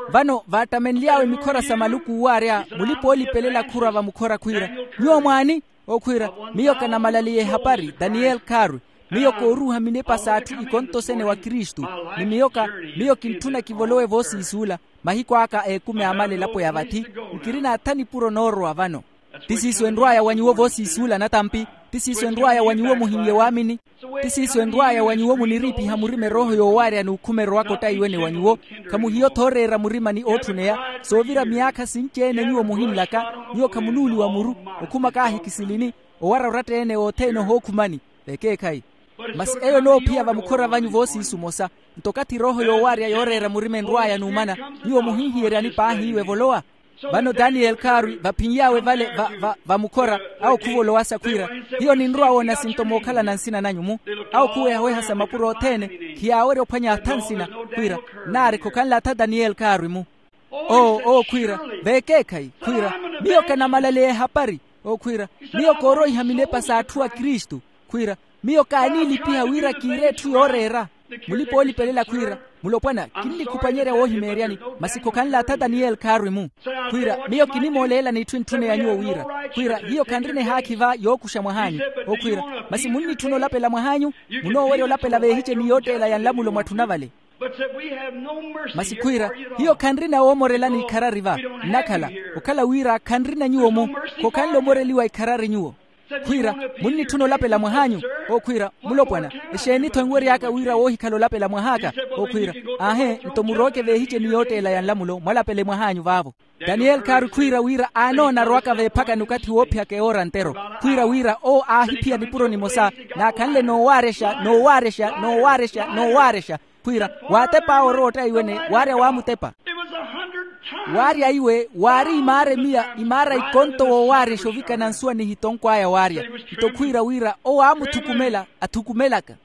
Vano vaattamenly'awe mikhora sa maluku owaarya, mulipa-oolipelela khurwa vamukhora khwiira, nyuwo mwaani? Okhwiira, miyo kanamalaliye ehapari daniel carwi. Miyo kooruuha minepa s'atthu ikontosene wa kristu. Ni miyoka, miyo kintthuna kivolowe voosiisuula. Mahiku aka eekumi aamala elapo ya vathi. Nkirina atha nipuro noorowa vano. Ti siiso enrw'aya wa nyuwo voosiisuula natampi. Ti siiso enrw'aya wa nyuwo muhin'ye waamini. Ti siiso enrw'aya wa nyuwo muniriipiha murima erooho yoowaarya n'ukhuma erowaka ottaiwene wa nyuwo. Khamuhiyo-tho ooreera murima ni ootthuneya. Soovira miyaakha sinci-ene nyuwo muhinlaka, nyuwo khamunuuliwa muru. Okhuma kaahi kisilini. Owara oratta-ene othene ohookhumani. Vekeekhayi. Masi eyo enoophiya vamukhora vanyu voosiisu omosa. Nto okathi erooho yoowaarya yooreera murima enrw'aya n'umana, nyuwo muhinhiyeryani paahi iwe evolowa. Vano daniel carwi vaphiny'awe vale va va vamukhora. Awo khuvolowasa khwiira, hiyo ninrwa woona sinto mookhalana nsina nanyu-mu. Awo khuwehaweha sa mapuro othene. Khiyaawerya ophwanya atha nsina. Khwiira, naari khokhanla atha daniel carwi-mu. Oo owo khwiira, veekeekhayi khwiira, miyo kanamalaleya ehapari. Okhwiira, miyo kooroiha minepa s'atthu a kristu. Khwiira, miyo kaaniilipiha wira kiire etthu yooreera. Mulipa-oolipelela khwiira, mulopwana, kinnikhupanyerya woohimeeryani. Masi khokhanla atha daniel khaarwi-mu. Khwiira, miyo kinimooleelani itthu entthune ya nyuwo wira. Khwiira, hiyo khanrina ehaakhi va yookuxa mwah'anyu. Okhwiira, masi munnitthuna olapela mwah'anyu? Munoowerya olapela veehiceni yootteela ya nlamulo mwatthuna vale. Masi khwiira, hiyo khanrina woomorelani ikharari va. Nnakhala, okhala wira khanrina nyuwo-mu. Khokhanle omoreliwa ikharari nyuwo. Khwiira, munnitthuna olapela mwah'anyu? Okhwiira, mulopwana, exeeni-tho enwery'aka wira woohikhala olapela mwah'aka? Okhwiira, aahe, nto murooke veehiceni yootteela ya nlamulo mwalapele mwah'anyu vaavo. Daniyeli khaari khwiira wira aanoona arowaka veephakani okathi woophiyaka ewoora ntero. Khwiira wira owo aahiphiya nipuro nimosa, naakhanle noowaarexa noowaarexa noowaarexa noowaarexa. Khwiira, waatep'awe orowa ottaiwene waarya waamutepa. Waarya iwe waari imaara emiya imaara ikonto woowaarya exovikana nsuwa nihitonko aya waarya. Nto khwiira wira owo aamuthukumela athukumelaka.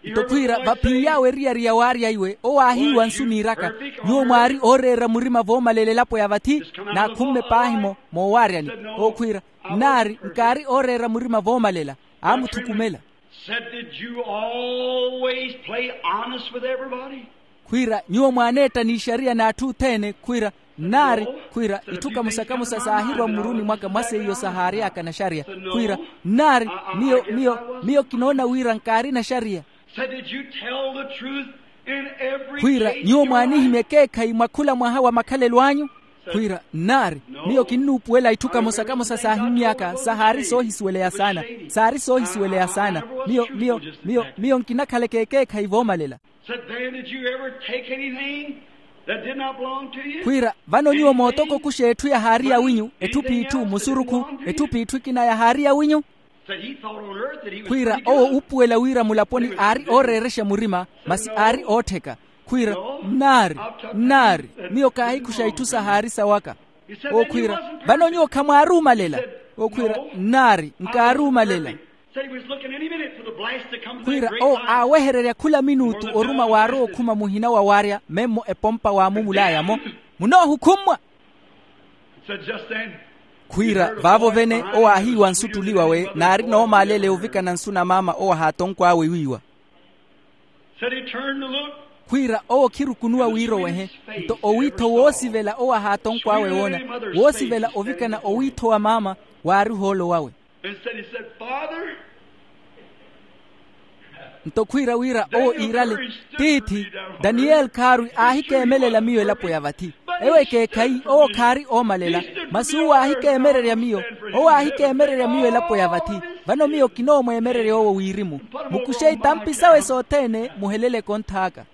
Nto khwiira vaphiyawe eriyari ya waarya iwe owo aahiiwa nsu niiraka, nyuwo mwaari ooreera murima voomalela elapo ya vathi. Naakhumme paahi-mo moowaaryani. Owo khwiira, nnaari nkaari ooreera murima voomalela. Aamuthukumela. Said, did you always play honest with everybody? Khwiira, nyuwo mwaaneetta n'ixariya n'atthu othene? Khwiira, nnaari. Khwiira, itthu kamosa-kamosa saahirwa mmuruni mwaka mwa seiyo sahaary'aka naxariya. Khwiira, nnaari. Miyo miyo miyo kinoona wira nkaari naxariya. Said, did you tell the truth in every case? Khwiira, nyuwo mwaanihimya ekeekhayi mwa khula mwaha wa makhalelo anyu? Khwiira, nnaari. Miyo kinnuupuwela itthu kamosa-kamosa saahimmy'aka sahaari soohisuweleya saana. Saari soohisuweleya saana. Miyo miyo miyo miyo nkinakhalaka ekeekhayi voomalela. Said, then did you ever take anything that did not belong to you? Khwiira, vano nyuwo mootoko okuxa etthu yahaari yawinyu? Etthu p'itthu musurukhu. Etthu p'itthu ekina yahaari yawinyu? Khwiira, owo uupuwela wira mulaponi aari ooreerexa murima, masi aari oottheka. Khwiira, nnaari. Nnaari. Miyo kaahikuxa itthu sahaari sawaka. Owo khwiira, vano nyuwo khamwaaruumalela? Owo khwiira, nnaari, nkaaruumalela. Khwiira, owo aawehererya khula minutu oruma waarowa okhuma muhina wa waarya memmo epompa waamumulaya-mo. Munoohukhummwa. Khwiira, vaavo vene owo aahiiwa nsu ttuli wawe naari noomaalele ovikana nsu na maama owo ahaatonkw'awe wiiwa. Khwiira, owo khirukunuwa wiirowehe. Nto owiitho woosivela owo ahaatonkw'awe woona, woosivela ovikana owiitho wa maama waari ohoolo wawe. Nto khwiira wira owo iirale, tiithi, daniyeli khaarwi aahikeemelela miyo elapo ya vathi. Ewo ekeekhayi owo khaari oomalela, masi uwo aahikeemererya miyo. Owo aahikeemererya miyo elapo ya vathi. Vano miyo kinoomweemererya owo wirimu. Mukuxe itampi sawe sothene muhelele ekonth'aka.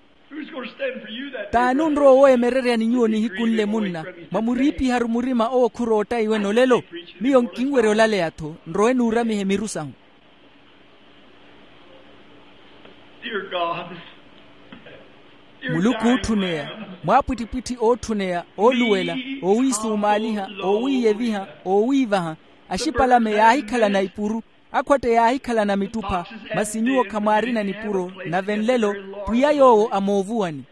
T'ani onrowa oweemereryani nyuwo nihiku nle munna? Mwamuriipiharu murima owo khurootta iwene olelo. Miyo nkinwerya olaleya-tho nrowe nuuramihe miru sahu. Muluku ootthuneya, mwaapwittipwitthi ootthuneya, ooluwela, oowiisuumaaliha, oowiiyeviha, oowiivaha. Axipalame yaahikhalana ipuru, akhwatte yaahikhalana mittupha. Masi nyuwo khamwaarina nipuro, nave nlelo pwiya yoowo amoovuwani.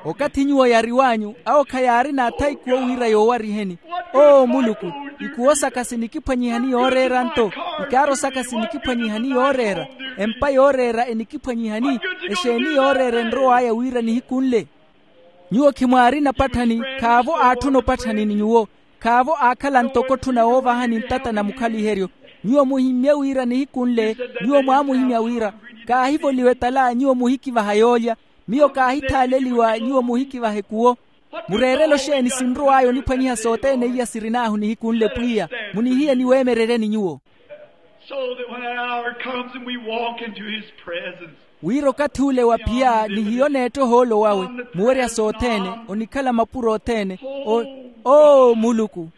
Okathi nyuwo yariw'anyu awo khayaarina athayi kuwo wira yoowariheni. Oo muluku, ikuwo saka sinikiphwanyihani yooreera nto? Ikaaro saka sinikiphwanyihani yooreera? Empa yooreera enikiphwanyihani? Exeeni yooreera enrow'aya wira nihiku nle? Nyuwo khimwaarina opatthani, khaavo aatthuna opatthani ni nyuwo. Khaavo aakhala ntoko otthuna woovahani ntata na mukhaliheryo. Nyuwo muhimmye wira nihiku nle nyuwo mwaamuhimya wira, kaahivoliwa etala nyuwo muhikivaha yoolya. Miyo kaahithaaleliwa nyuwo muhikivaha ekuwo. Mureerelo xeeni sinrow'aya oniphwanyiha sothene iya sirin'ahu nihiku nle pwiya? Munihiye niweemereryeni nyuwo. So that when that hour comes and we walk into his presence, wira okathi ule wa phiya nihiyo neetta ohoolo wawe, muwerya sothene, onikhala mapuro othene. Oo muluku,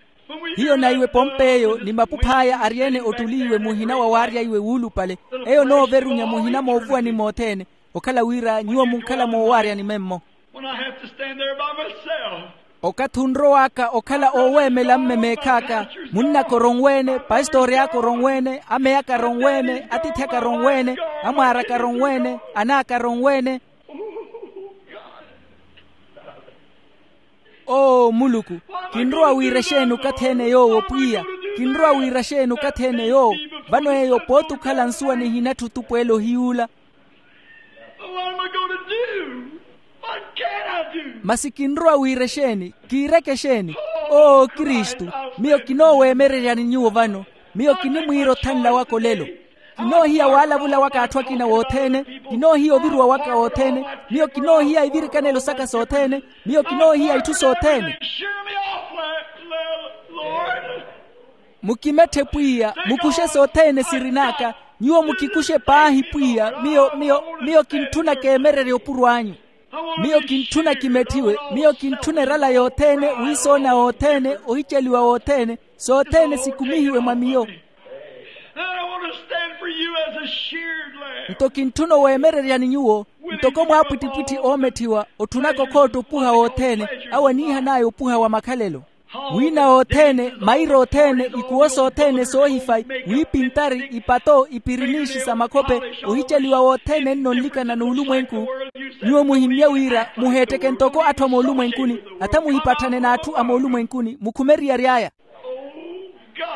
hiyo na iwe pomp'eyo ni mapuph'aya ari-ene ottuliiwe muhina wa waarya iwe wuulupale. Eyo nooverunya muhina moovuwani mothene, okhala wira nyuwo munkhala moowaaryani memmo. When I have to stand there by myself. Okathi onrow'aka okhala ooweemela mme meekh'aka, munn'aka oronweene, pastori aka oronweene, ameyi aka aronweene, atiithi aka aronweene, amwaar'aka aronweene, an'aka aronweene. Oo muluku, kinrowa wira exeeni okathi-ene yoowo pwiya? Kinrowa wira exeeni okathi-ene yoowo? Vano eyo pooti okhala nsuwa nihinatthu otupweela ohiyuula. Masi kinrowa wira exeeni? Kiireke exeeni? Oo kristu, miyo kinooweemereryani nyuwo vano. Miyo kinimwiira othanla waka olelo. Kinoohiya waalavula waka atthu akina wothene. Kinoohiya oviruwa waka wothene. Miyo kinoohiya ivirikanelo saka sothene. Miyo kinoohiya itthu sothene. Mukimetthe pwiya, mukuxe sothene sirin'aka. Nyuwo mukikuxe paahi pwiya. Miyo miyo miyo kintthuna keemererye opuro anyu. Miyo kintthuna kimetthiwe. Miyo kintthuna erala yothene, wiisoona wothene, ohiceliwa wothene. Sothene sikumihiwe mwa miyo. Nto kintthuna oweemereryani nyuwo. Ntoko mwaapwittipwitthi oometthiwa otthunaka okhootta opuha wothene, awo aniihan'aya opuha wa makhalelo. Wiina wothene, maira othene, ikuwo sothene soohifayi, wiipintari, ipato, ipirinixi sa makhope, ohiceliwa wothene nno nlikana n'ulumwenku. Nyuwo muhimmye wira muheetteke ntoko atthu a moolumwenkuni, atha muhipatthane n'atthu a moolumwenkuni mukhume eriyari aya.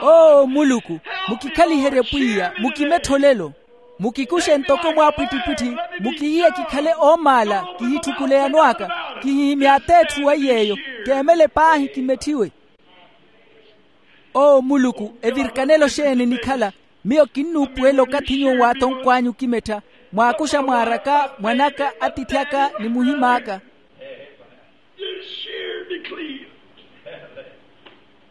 Oo muluku, mukikhaliherye pwiya, mukimetthe olelo. Mukikuxe ntoko mwaapwittipwitthi, mukihiye kikhale oomaala, kihitthukule yano aka, kihihimye at'etthu wa iy'eyo, keemele paahi kimetthiwe. Oo muluku, evirikanelo xeeni nikhala? Miyo kinnuupuwela okathi nyuwo waatonkw'anyu okimettha, mwaakuxa mwaaraka, mwanaka, atiithi aka ni muhim'aka.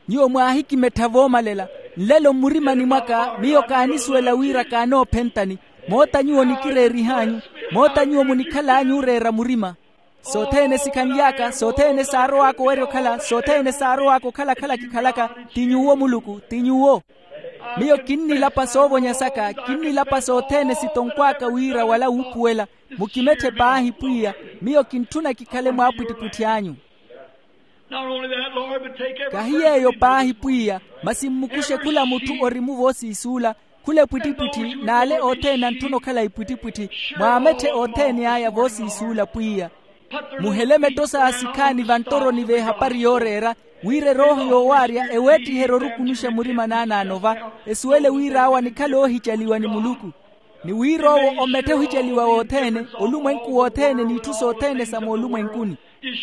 Nyuwo mwaahikimettha voomalela. Nlelo mmurimani mwaka miyo kaanisuwela wira kaanoophentani. Moota nyuwo nikireerih'anyu, moota nyuwo munikhal'anyu ooreera murima. Sothene sikhanly'aka, sothene saarow'aka owerya okhala, sothene saarow'aka okhala-khala kikhalaka. Ti nyuwo muluku, ti nyuwo. Miyo kinnilapa soovonya saka, kinnilapa sothene sitonkw'aka wira wala wuupuwela. Mukimetthe paahi pwiya. Miyo kintthuna kikhale mwaapwittipwitthi anyu. Kahi yeeyo paahi pwiya, masi mmukuxe khula mutthu orimu voosiisuula, khula epwittipwitthi n'ale othene antthuna okhala ipwittipwitthi. Mwaametthe othene aya voosiisuula pwiya. Muhele metto sa sikhaani vanttoroni v'ehapari yooreera, wira erooho yoowaarya eweettiherye orukunuxa murima naanaano va, esuwele wira awo anikhale oohicaliwa ni muluku. Ni wira owo ometthe ohiceliwa wothene, olumwenku wothene n'itthu sothene sa moolumwenkuni.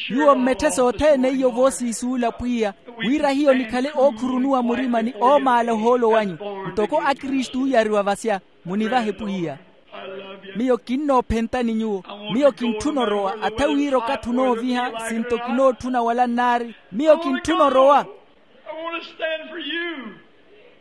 Nyuwo mmetthe sothene iyo voosiisuula pwiya, wira hiyo nikhale ookhurunuwa murima ni oomaala ohoolo wanyu, ntoko akristu ooyariwa vasya. Munivahe pwiya. Miyo kinnoophentani nyuwo. Miyo kintthuna orowa atha wira okathi onooviha sinto kinootthuna wala nnaari. Miyo kintthuna orowa.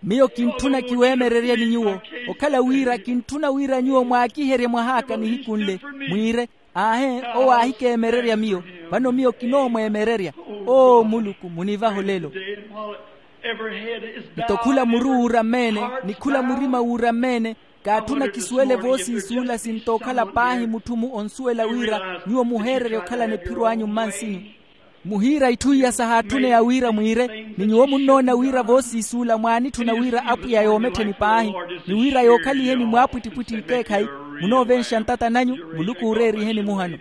Miyo kintthuna kiweemereryani nyuwo, okhala wira kintthuna wira nyuwo mwaakiherye mwahaaka nihiku nle, mwiire, aahe, owo aahikeemererya miyo. Vano miyo kinoomweemererya. Oo muluku, munivahe olelo. Nto khula muru wuurammeene, ni khula murima wuurammeene, kaatthuna kisuwele voosiisuula sinto okhala paahi mutthu-mu onsuwela wira nyuwo muheererya okhalana ephiro anyu mmansinyu. Muhiira itthu iya sahaatthuneya wira mwiire, ni nyuwo munnoona wira voosiisuula mwaanitthuna wira apwiya yoomettheni paahi, ni wira yookhaliheni mwaapwittipwitthi ikeekhayi. Munoovenxa ntata nanyu. Muluku ooreeriheni muhano.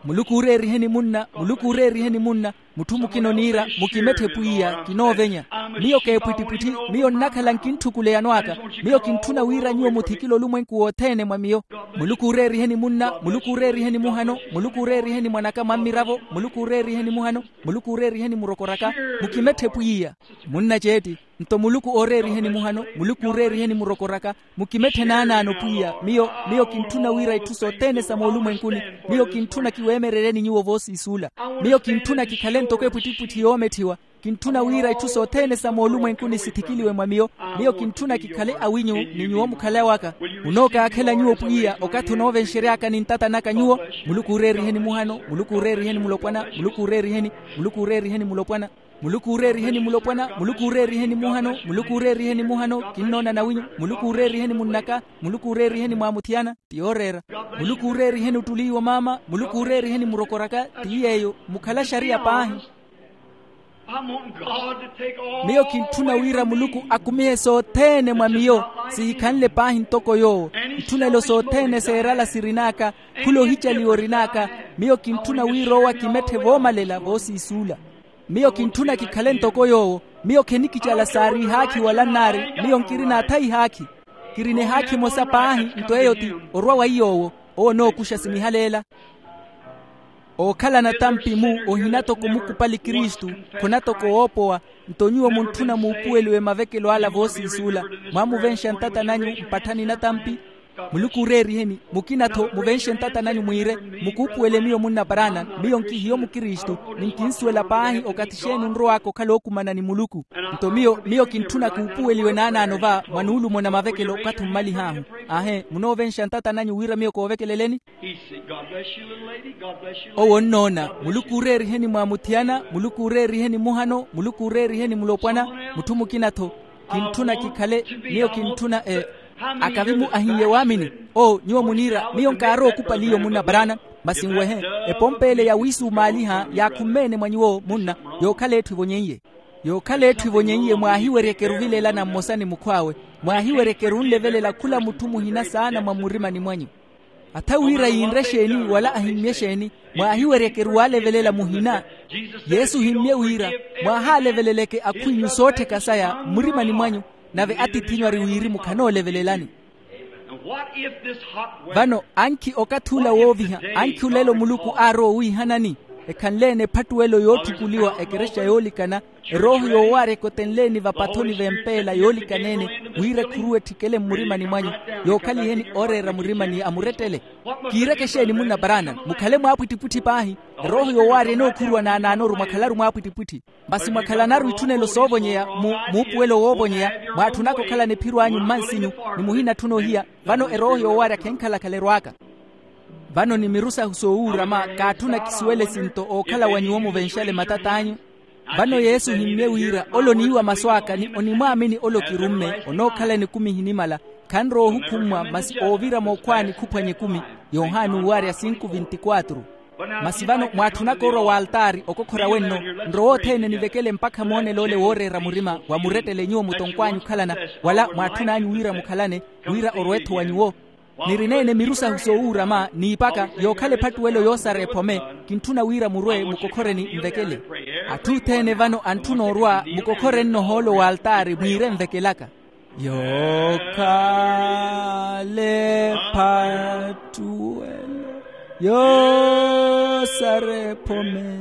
Muluku ooreeriheni munna. Muluku ooreeriheni munna. Mutthu mukina oniira mukimetthe pwiya kinoovenya. Miyo keepwittipwitthi. Miyo nnakhala nkintthukuleyano aka. Miyo kintthuna wira nyuwo muthikile olumwenku wothene mwa miyo. Muluku ooreeriheni munna. Muluku ooreeriheni muhano. Muluku ooreeriheni mwanaka mwa mmiravo. Muluku ooreeriheni muhano. Muluku ooreeriheni murokoraka. Mukimetthe pwiya. Munna ceetti. Nto muluku ooreeriheni muhano. Muluku ooreeriheni murokoraka. Mukimetthe naanaano pwiya. Miyo miyo kintthuna wira itthu sothene sa moolumwenkuni. Miyo kintthuna kiweemereryeni nyuwo voosiisuula. Miyo kintthuna kikhale ntoko epwittipwitthi yoometthiwa. Kintthuna wira itthu sothene sa moolumwenkuni sithikiliwe mwa miyo. Miyo kintthuna kikhale awinyu ni nyuwo mukhale awaka. Munookaakhela nyuwo pwiya okathi onoovenxeryaka ni ntata naka nyuwo. Muluku ooreeriheni muhano. Muluku ooreeriheni mulopwana. Muluku ooreeriheni. Muluku ooreeriheni mulopwana. Muluku ooreeriheni mulopwana. Muluku ooreeriheni muhano. Muluku ooreeriheni muhano. Kinnoona nawinyu. Muluku ooreeriheni munnaka. Muluku ooreeriheni mwaamuthiyana. Ti yooreera. Muluku ooreeriheni ottuli iwo maama. Muluku ooreeriheni murokoraka. Ti yeeyo mukhala xariya paahi. Miyo kintthuna wira muluku akumihe sothene mwa miyo. Sihikhanle paahi ntoko yoowo. Itthunelo sothene seerala sirin'aka. Khula ohicaliwa orin'aka. Miyo kintthuna wira owo akimetthe voomalela voosiisuula. Miyo kintthuna kikhale ntoko yoowo. Miyo khenikicala saari ihaakhi wala nnaari. Miyo nkirina atha ihaakhi. Kirina ehaakhi emosa paahi. Nto eyo ti orwa wa iy'owo. Owo onookuxa simihaleela. Ookhala natampi-mu ohina toko mukupali kristu. Khuna toko woopowa. Nto nyuwo muntthuna muupuweliwe mavekelo ala voosiisuula. Mwaamuvenxa ntata nanyu mpatthani natampi. Muluku ooreeriheni. Mukina-tho muvenxe ntata nanyu mwiire, mukuupuwele miyo munna paraana. Miyo nkihiyo mukristu. Ni nkinsuwela paahi okathi xeeni onrow'aka okhala ookumana ni muluku. Nto miyo miyo kintthuna kuupuweliwe naanaano va mwa nuulumo na mavekelo okathi ommalih'ahu. Aahe munoovenxa ntata nanyu wira miyo koovekeleleni. Owo onnoona. Muluku ooreeriheni mwaamuthiyana. Muluku ooreeriheni muhano. Muluku ooreeriheni mulopwana. Mutthu mukina-tho. Kintthuna kikhale. Miyo kintthuna e akavi-mu ahiye waamini. Oo nyuwo muniira miyo nkaarowa okupali iyo munna paraana. Masi nwehe, epompe ele yawiisumaaliha yaakhumme-ene mwa nyuwo munna, yookhala etthu evonyeiye. Yookhala etthu evonyeiye mwaahiweryekeru ovileelana mmosa ni mukhw'awe, mwaahiweryekeru onlevelela khula mutthu muhina saana mwa mmurimani mwanyu. Atha wira yinre exeeni wala ahimmye exeeni, mwaahiweryekeru waalevelela muhina. Yesu ohimmye wira, mwaahaaleveleleke akhw'inyu soottheka saya mmurimani mwanyu, nave atiith'inyu ari wirimu khanoolevelelani. Vano ankhi okathi ula wooviha, ankhi olelo muluku aarowa owiihanani, ekhanle-ene ephattuwelo yootthukuliwa ekerexa yoolikana, erooho yoowaarya ekotenle-ene vapathoni v'empeela yoolikana-ene, wira ekhuruwe etthikele mmurimani mwanyu, yookhaliheni ooreera murimani a murettele. Kiireke exeeni munna paraana, mukhale mwaapwittipwitthi paahi. Erooho yoowaarya enookhuruwa naanaanoru mwakhalaru mwaapwittipwitthi. Masi mwakhalanaru itthunelo soovonyeya mu muupuwelo woovonyeya, mwaatthunaka okhalana ephiro anyu mmansinyu, ni muhina atthuna ohiya. Vano erooho yoowaarya khenkhalakhala erwaaka. Vano ni miru sahu soowuurama kaatthuna kisuwele esinto ookhala wa nyuwo muvenxale matat'anyu. Vano yesu ohimmye wira ole oniiwa masu aka ni onimwaamini ole okirumme, onookhala nikumi ehinimala, khanrowa ohukhummwa masi oovira mookhwaani khuphwanya ekumi. Yohani uuwaarya sinku vinti kwatru. Masi vano mwaatthunaka orwa w'altaari okokhora wenno, nrowe othene nivekele mpakha moonelo ole wooreera murima wa murettele nyuwo mutonkw'anyu okhalana, wala mwaatthun'anyu wira mukhalane, wira orwe-tho wa nyuwo. Nirineene miru sahu soowuurama n'iipaka yookhala ephattuwelo yoosara ephome. Kintthuna wira murwe mukokhoreni nvekele. Atthu othene vano antthuna orwa mukokhorenno ohoolo w'altaari mwiire nvekelaka. Yookhala ephattuwelo yoosara ephome,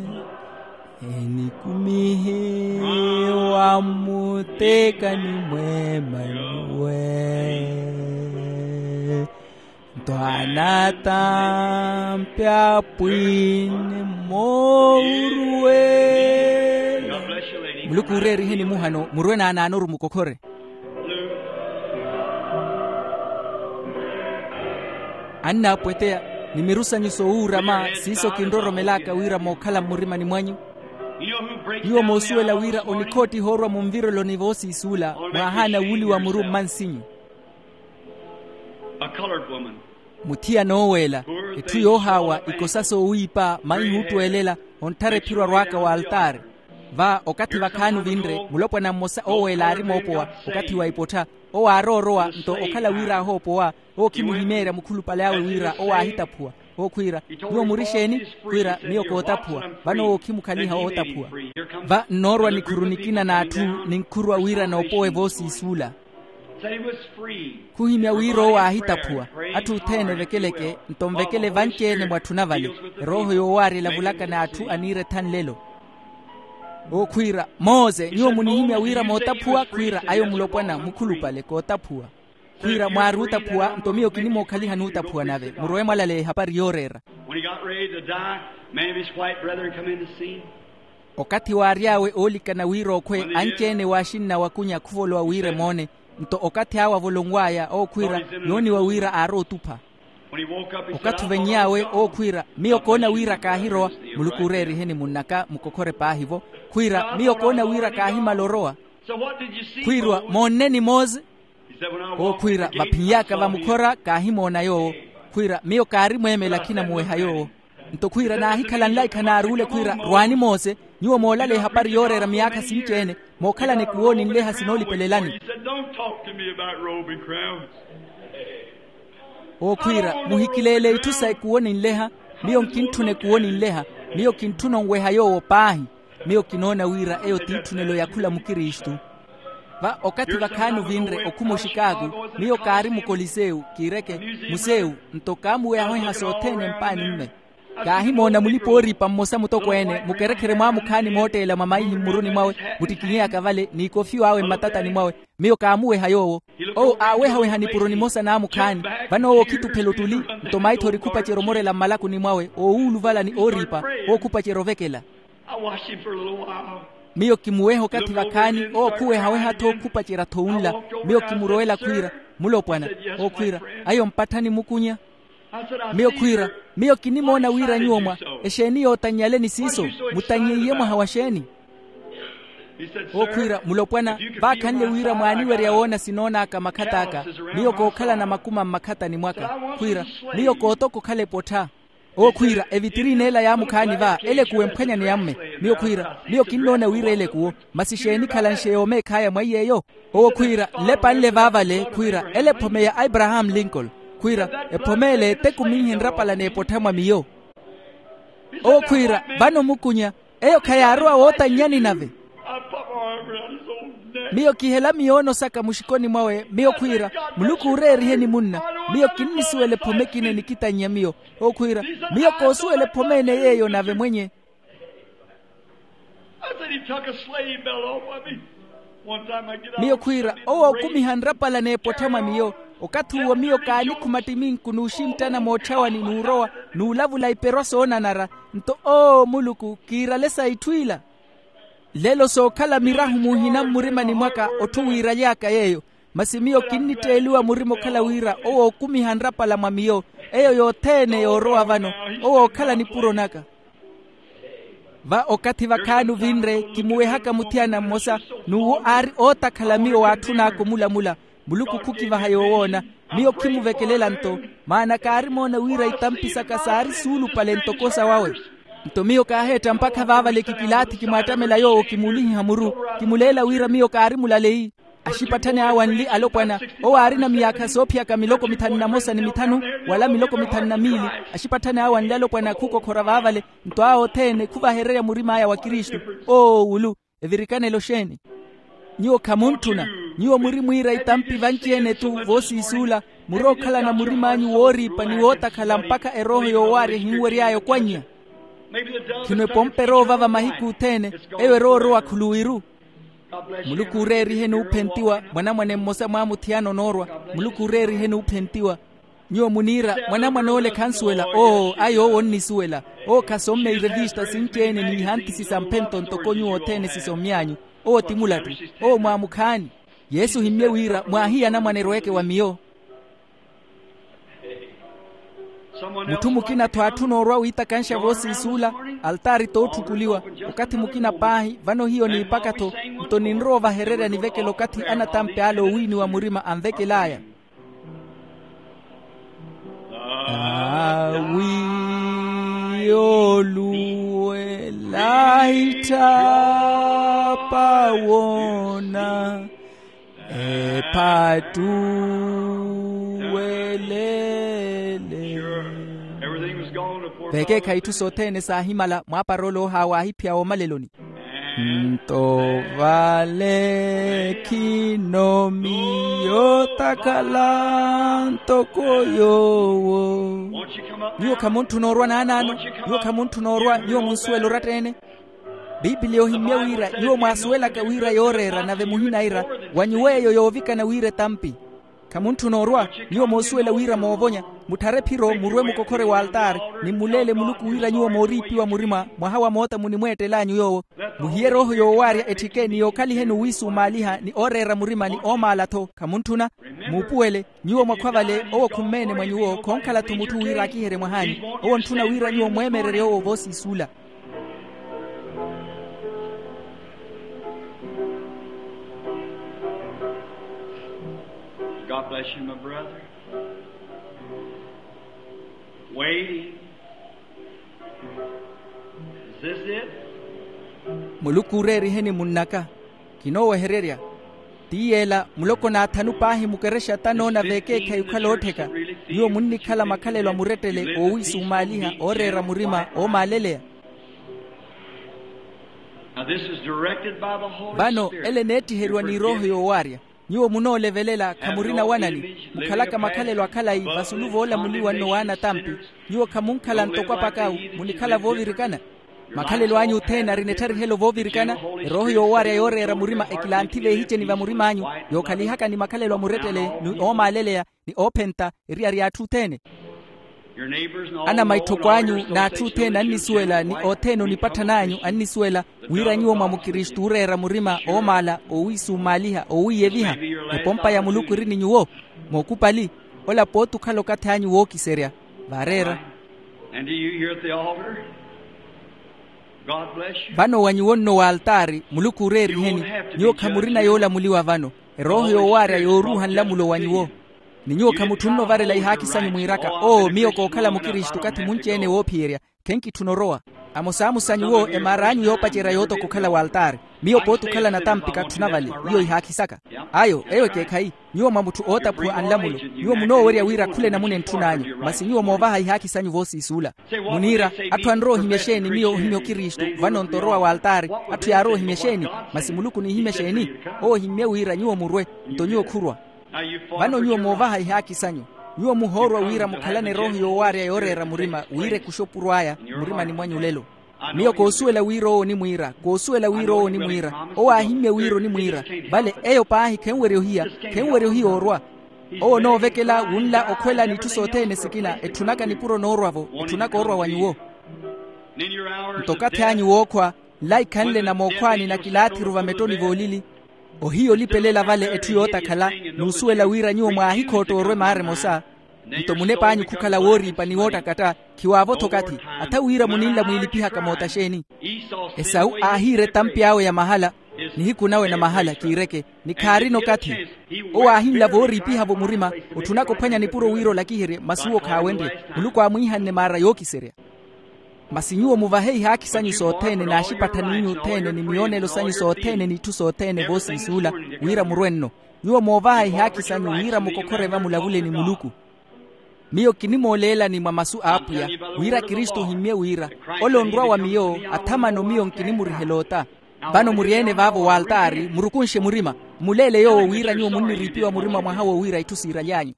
enikumihiwa mmutekani mw'emanyuwe. Nto anatampi apwiini mooruwela. Muluku uureeriheni muhano murwe naanaanoru mukokhore. Annaapweteya, ni miru sanyu soowuurama siiso kinroromelaka wira mookhala mmurimani mwanyu. Nyuwo moosuwela wira onikhoottiha orwa munvireloni voosiisuula, mwaahaana wuuliwa muru mmansinyu. Muthiyana ooweela, etthu yoohaawa, ikosa soowiipa, maihi oottweelela, ontthara ephiro arwaaka w'altaari. Va okathi vakhaani ovinre mulopwana mmosa ooweela aari moopowa, okathi wa ipottha, owo aaroorowa nto okhala wira aahoopowa, owo khimuhimeerya mukhulupale awe wira owo aahitaphuwa. Owo khwiira, nyuwo muri xeeni? Khwiira, miyo kootaphuwa. Vano owo khimukhaliha ootaphuwa. Va nnoorwa nikhuru nikina n'atthu, ninkhuruwa wira noopowe voosiisuula. Khuhimya wira owo aahitaphuwa. Atthu othene evekeleke nto nvekele vanci-ene mwatthuna vale. Erooho yoowaarya elavulaka n'atthu aniira etha nlelo. Owo khwiira, mose nyuwo munihimya wira mootaphuwa? Khwiira, ayo mulopwana mukhulupale kootaphuwa. Khwiira, mwaaruutaphuwa nto miyo kinimookhaliha nuutaphuwa nave murowe mwalaleya ehapari yooreera. When he got ready to die, many of his white brethren come in to see him. Okathi waary'awe oolikana wira okhwe, anci-ene w'axinna wakunya khuvolowa wira emoone. Nto okathi awe avolonw'aya owo khwiira, yooniwa wira aarootupha. When he woke up, he said, okathi oveny'awe owo khwiira, miyo koona wira kaahirowa. Muluku uureeriheni munn'aka mukokhore paahi-vo. Khwiira, miyo koona wira kaahimala orowa. Khwiirwa, moonneni mose? Owo khwiira, vaphin'yaka vamukhora kaahimoona yoowo. Khwiira, miyo kaari mweemela khinamuweha yoowo. Nto khwiira naahikhala nlaikha naaruule khwiira, rwaani mose, nyuwo moolaleya ehapari yooreera miyaakha sinci-ene, mookhalana ekuwo ninleha sinoolipelelani. Owo khwiira, muhikileele itthu sa ekuwo ninleha. Miyo nkintthuna ekuwo ninleha. Miyo kintthuna onweha yoowo paahi. Miyo kinoona wira eyo t'itthunelo ya khula mukristu. Va okathi vakhaani ovinre okhuma oxikaaku, miyo kaari mukoliseu kiireke, museu, nto kaamuwehaweha sothene mpaani mme. Kaahimoona mulipa-ooripa mmosa mutokweene mukerekhere mwaamukhaani mootteela mwa maihi mmuruni mwawe, muttikinyeyaka vale n'ikofiw'awe mmatatani mwawe. Miyo kaamuweha yoowo. Owo aawehaweha nipuro nimosa naamukhaani. Vano owo okhituphela ottuli, nto maithori khupacerya omorela mmalakuni mwawe oowuuluvala ni ooriipa. Owo khupacerya ovekela. Miyo kimuweha okathi vakhaani owo khuwehaweha-tho khupacerya-tho wunla. Miyo kimurowela khwiira, mulopwana. Owo khwiira, ayo mpatthani mukunya. Miyo khwiira, miyo kinimoona wira nyuwo mwa exeeni yootannyaleni siiso? Mutannyiiye mwaha wa xeeni? Owo khwiira, mulopwana, vaakhanle wira mwaaniwerya woona sinoon'aka makhat'aka. Miyo kookhalana makuma mmakhatani mwaka. Khwiira, miyo kootoka okhala epottha. Owo khwiira evitirini ela yaamukhaani va elekuwo emphwanyani yamme. Miyo khwiira miyo kinnoona wira elekuwo. Masi xeeni khalanxe yoomeekhaya mwa iy'eyo? Owo khwiira nlepa nle vaavale khwiira ele ephome ya abraham lincoln. Khwiira ephome ele ete kuminhe nrapala n'epottha mwa miyo. Owo khwiira vano mukunya eyo khayaarowa wootannyani nave. Miyo kihela miyoono saka muxikoni mwawe miyo khwiira muluku uureeriheni munna. Miyo kinnisuwela ephome ekina enikitannya miyo. Owo khwiira miyo koosuwela ephome ene yeeyo nave mwenye. Miyo khwiira owo okumiha nrapala n'epottha mwa miyo. Okathi uwo miyo kaanikhuma ttiminku n'uxinttana moottxawani n'urowa n'ulavula iperwa soonanara. Nto oo muluku kiirale sa itthu ila. Lelo sookhala mirahu muhina mmurimani mwaka otthu wiiraly'aka yeeyo. Masi miyo kinnitteeliwa murima okhala wira owo okumiha nrapala mwa miyo. Eyo yothene yoorowa vano owo ookhala nipuro naka. Va okathi vakhaani ovinre kimuwehaka muthiyana mmosa n'uwo aari ootakhala miyo waatthun'aka omulamula. Muluku khukivaha yoowoona. Miyo khimuvekelela nto maana kaarimoona wira itampi saka saari suulupale ntoko sawawe. Nto miyo kaaheetta mpakha vaavale kikilaathi kimwaattamela yoowo kimuulihiha muru. Kimuleela wira miyo kaarimulaleyi. Axipatthani awe anli alopwana owo aarina miyaakha soophiyaka miloko mithanu na mosa ni mithanu wala miloko mithanu na miili. Axipatthani awe anli alopwana khukokhora vaavale. Nto awo othene khuvahererya murim'aya wa kristu. Oo wulu evirikanelo xeeni? Nyuwo khamuntthuna. Nyuwo muri mwiira itampi vanci-ene-tu voosiisuula. Murookhalana murim'anyu wooriipa ni wootakhala mpakha erooho yoowaarya ehinwery'aya okwannya. Khino epompa erowa ovava mahiku othene. Eyo erowa orowa khuluwiru. Muluku uureeriheni uuphentiwa mwanamwane mmosa mwaamuthiyana onoorwa. Muluku uureeriheni uuphentiwa. Nyuwo muniira mwanamwane ole khansuwela oo ayi owo onnisuwela. Owo khasomme irevista sinci-ene n'ihanthisi sa mphento ntoko nyuwo othene sisommy'anyu. Owo ti mulattu. Owo mwaamukhaani. Yesu ohimmye wira mwaahiya anamwane erweeke wa miyo. Mutthu mukina-tho aatthuna orwa wiitakanxa voosiisuula. Altaari tootthukuliwa. Okathi mukina paahi vano hiyo niipaka-tho. Nto ninrowa ovahererya nivekela okathi anatampi ale oowiiniwa murima anvekel'aya. Awi yooluwela itthapa woona ephattuwelele. Vekeekha itthu sothene saahimala mwaparole ohawa aahiphiya woomaleloni. Nto vale khino miyo takhala ntoko yoowo. Nyuwo khamuntthuna orwa naanaano? Nyuwo khamuntthuna orwa nyuwo munsuwela oratta-ene? Piipiliya ohimmye wira nyuwo mwaasuwelaka wira yooreera nave muhinaira wa nyuwo eyo yoovikana wira etampi. Khamuntthuna orwa? Nyuwo moosuwela wira moovonya. Mutthare ephiro murwe mukokhore w'altaari ni mmuleele muluku wira nyuwo mooriipiwa murima mwaha wa moota munimweettel'anyu yoowo. Muhiye erooho yoowaarya etthike ni yookhaliheni owiisumaaliha ni ooreera murima ni oomaala-tho khamuntthuna? Muupuwele. Nyuwo mwakhwa vale owo khummeene mwa nyuwo khoonkhala-tho mutthu wira aakiherye mwah'anyu. Owo ontthuna wira nyuwo mweemererye owo voosiisuula. God bless you, my brother. Waiting. Is this it? Muluku uureeriheni munn'aka. Kinoowehererya. Ti yeela muloko n'athanu paahi mukerexa tanoona veekeekhayi okhala oottheka. Nyuwo munnikhala makhalelo a murettele oowiisumaaliha ooreera murima oomaaleleya. Vano ele eneettiheriwa ni erooho yoowaarya. Nyuwo munoolevelela khamurina wanani? Mukhalaka makhalelo akhalayi vasulu voolamuliwa nno w'anatampi. Nyuwo khamunkhala ntoko apakawu. Munikhala voovirikana. Makhalelo anyu othene arina ettarihelo voovirikana. Erooho yoowaarya yooreera murima ekilanthi veehiceni va murim'anyu, yookhalihaka ni makhalelo a murettele ni oomaaleleya ni oophenta eriyari y'atthu othene. Anamaitthoko anyu n'atthu othene annisuwela ni othene onipatthan'anyu annisuwela wira nyuwo mwa mukristu ooreera murima oomaala oowiisumaaliha oowiiyeviha. Epompa ya muluku eri ni nyuwo. Mookupali. Ola pooti okhala okathi anyu wookiserya. Vaareera. Vano wa nyuwo nno w'altaari muluku ooreeriheni. Nyuwo khamurina yoolamuliwa vano. Erooho yoowaarya yooruuha nlamulo wa nyuwo. Ni nyuwo khamutthunna ovarela ihaakhi sanyu mwiiraka, oo miyo kookhala mukristu okathi munci-ene woophiyerya. Khenkitthuna orowa. Amosaamo sa nyuwo emaar'anyu yoopacerya yootoka okhala waltaari. Miyo pooti okhala natampi katthuna vale. Iyo ihaakhi saka. Ayo eyo ekeekhayi. Nyuwo mwa mutthu ootaphuwa a nlamulo. Nyuwo munoowerya wira khula enamuna entthun'anyu masi nyuwo moovaha ihaakhi sanyu voosiisuula. Muniira, atthu anrowa ohimya exeeni miyo ohimya okristu? Vano nto orowa waltaari. Atthu yaarowa ohimya exeeni? Masi muluku onihimya exeeni? Owo ohimmye wira nyuwo murwe. Nto nyuwo khurwa. Vano nyuwo moovaha ihaakhi sanyu. Nyuwo muhoorwa wira mukhalane erooho yoowaarya yooreera murima wira ekuxe opuro aya. Murimani mwanyu olelo. Miyo koosuwela wira owo onimwiira koosuwela wira owo onimwiira. Owo aahimmye wira onimwiira. Vale eyo paahi khenwerya ohiya. Khenwerya ohiya orwa. Owo onoovekela wunla okhwela n'itthu sothene sikina etthunaka nipuro noorwa-vo. Etthunaka orwa wa nyuwo. Nto okathi anyu wookhwa nlaikhanle na mookhwaani na kilaathiru vamettoni voolili. Ohiya olipelela vale etthu yootakhala n'usuwela wira nyuwo mwaahikhootta orwe maara emosa. Nto munep'anyu khukhala wooriipa ni woottakatta. Khiwaavo-tho okathi. Atha wira muninla mwiilipihaka moota xeeni? Esawu aahiira etampi awe ya mahala. Nihiku nawe na mahala kiireke. Ni khaarina okathi. Owo aahinla vooriipiha-vo murima. Otthunaka ophwanya nipuro wira olakiherye masi uwo khaawenrye. Muluku aamwiihanne maara yookiserya. Masi nyuwo muvahe ihaakhi sanyu sothene n'axipattha n'inyu othene ni miyoonelo sanyu sothene n'itthu sothene voosiisuula. Wira murwe nno. Nyuwo moovaha ihaakhi sanyu wira mukokhore va mulavule ni muluku. Miyo kinimooleelani mwa masu a apwiya wira kristu ohimmye wira, ole onrwa wa miyo athamano miyo nkinimurihela ota. Vano muri-ene vaavo waltaari murukunxe murima. Mmuleele yoowo wira nyuwo munniriipiwa murima mwaha wowira itthu siiraly'anyu.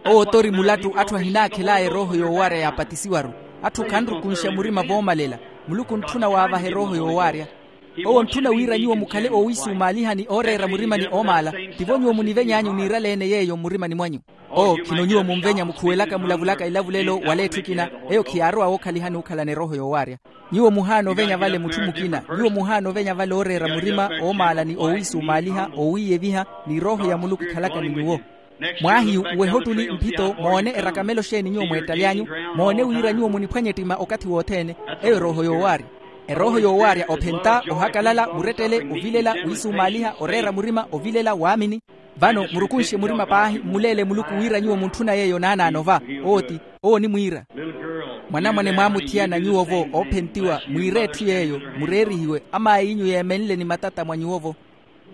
Owo tori mulattu atthu ahinaakhel'aya erooho yoowaarya yaapatisiwaru. Atthu khanrukunxa murima voomalela. Muluku ontthuna waavaha erooho yoowaarya. Owo ontthuna wira nyuwo mukhale oowiisumaaliha ni ooreera murima ni oomaala. Tivo nyuwo muniveny'anyu niirale-ene yeeyo mmurimani mwanyu. Oo khino nyuwo munvenya mukhuwelaka mulavulaka ilavulelo wala etthu ekina. Eyo khiyaarowa wookhalihani okhalana erooho yoowaarya. Nyuwo muhaana ovenya vale mutthu mukina. Nyuwo muhaana ovenya vale ooreera murima oomaala ni oowiisumaaliha oowiiyeviha ni erooho ya muluku ekhalaka ni nyuwo. Mwaahiyu uweha ottuli mphito moone erakamelo xeeni nyuwo mweettaly'anyu. Moone wira nyuwo muniphwanya ettima okathi wothene. Eyo erooho yoowaarya. Erooho yoowaarya ophenta ohakalala murettele ovilela wiisumaaliha oreera murima ovilela waamini. Vano murukunxe murima paahi mmuleele muluku wira nyuwo muntthuna yeeyo naanaano va. Owo ti owo onimwiira. Mwanamwane mwaamuthiyana nyuwo-vo oophentiwa mwiire etthu yeeyo. Mureerihiwe amaayiinyu yeemenle ni matata mwa nyuwo-vo.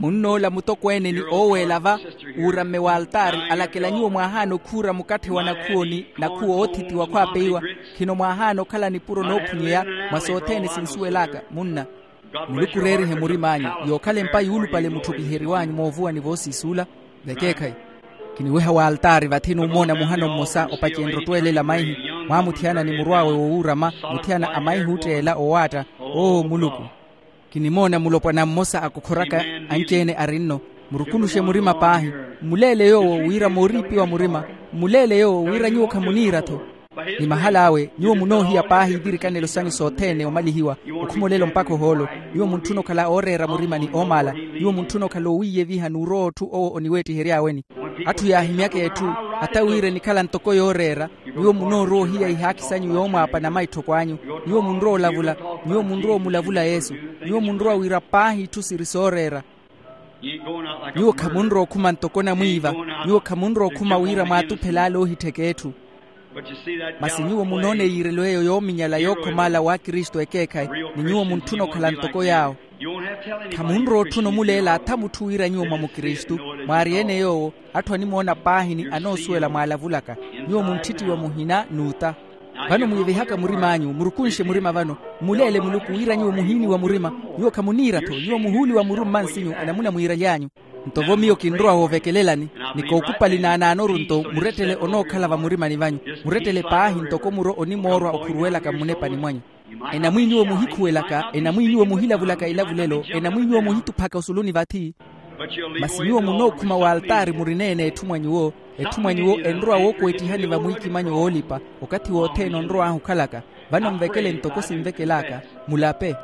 Munnoola mutokweene ni ooweela va uuramme w'altaari alakela nyuwo mwaahaana okhuura mukatthe wa nakhuwo ni nakhuwo oothitiwa khwaapeiwa. Khino mwaahaana okhala nipuro noophunyeya mwa sothene sinsuwel'aka munna. Muluku oreerihe murim'anyu. Yookhala empa yuulupale mutthukiheriw'anyu moovuwani voosiisuula. Vekeekhayi. Kiniweha w'altaari vathi nuumoona muhano mmosa opacenrye ottweelela maihi. Mwaamuthiyana ni murw'awe wowuurama muthiyana a maihi ootteela owaatta. Oo muluku. Kinimoona mulopwana mmosa akukhoraka anci-ene ari nno. Murukunuxe murima paahi. Mmuleele yoowo wira mooriipiwa murima. Mmuleele yoowo wira nyuwo khamuniira-tho. Ni mahal'awe nyuwo munoohiya paahi ivirikanelo sanyu sothene omalihiwa. Okhuma olelo mpakha ohoolo. Nyuwo muntthuna okhala ooreera murima ni oomaala. Nyuwo muntthuna okhala oowiiyeviha n'urowa otthu owo oniweettihery'aweni. Atthu yaahimyaka etthu hata wira enikhala ntoko yooreera. Nyuwo munoorowa ohiya ihaakhi sanyu yoomwaapa na maitthoko anyu. Nyuwo munrowa olavula. Nyuwo munrowa omulavula yesu. Nyuwo munrowa wira paahi itthu siri sooreera. Nyuwo khamunrowa okhuma ntoko namwiiva. Nyuwo khamunrowa okhuma wira mwaatuphele ale oohittheka etthu. Masi nyuwo munoona eyiirelo eyo yoominyala yookhomaala w'akristu ekeekhayi. Ni nyuwo muntthuna okhala ntoko yaawo. Khamunrowa otthuna omuleela atha mutthu wira nyuwo mwa mukristu. Mwaari-ene yoowo atthu animoona paahi ni anoosuwela mwaalavulaka. Nyuwo munttittiwa muhina n'uta. Vano mwiivihaka murim'anyu murukunxe murima vano. Mmuleele muluku wira nyuwo muhiiniwa murima. Nyuwo khamuniira-tho nyuwo muhuuliwa muru mmansinyu enamuna mwiiraly'anyu. Nto vo miyo kinrowa woovekelelani ni kookupali naanaanoru nto murettele onookhala vamurimani vanyu. Murettele paahi ntoko muro onimoorwa okhuruwelaka mmunepani mwanyu. Enamwi nyuwo muhikhuwelaka enamwi nyuwo muhilavulaka ilavulelo enamwi nyuwo muhituphaka osuluni vathi. Masi nyuwo munookhuma w'altaari murina-ene etthu mwa nyuwo. Etthu mwa nyuwo enrowa wookweettihani vamwiikimanyo woolipa okathi wothene onrow'ahu okhalaka. Vano nvekele ntoko sinvekel'aka. Mulape.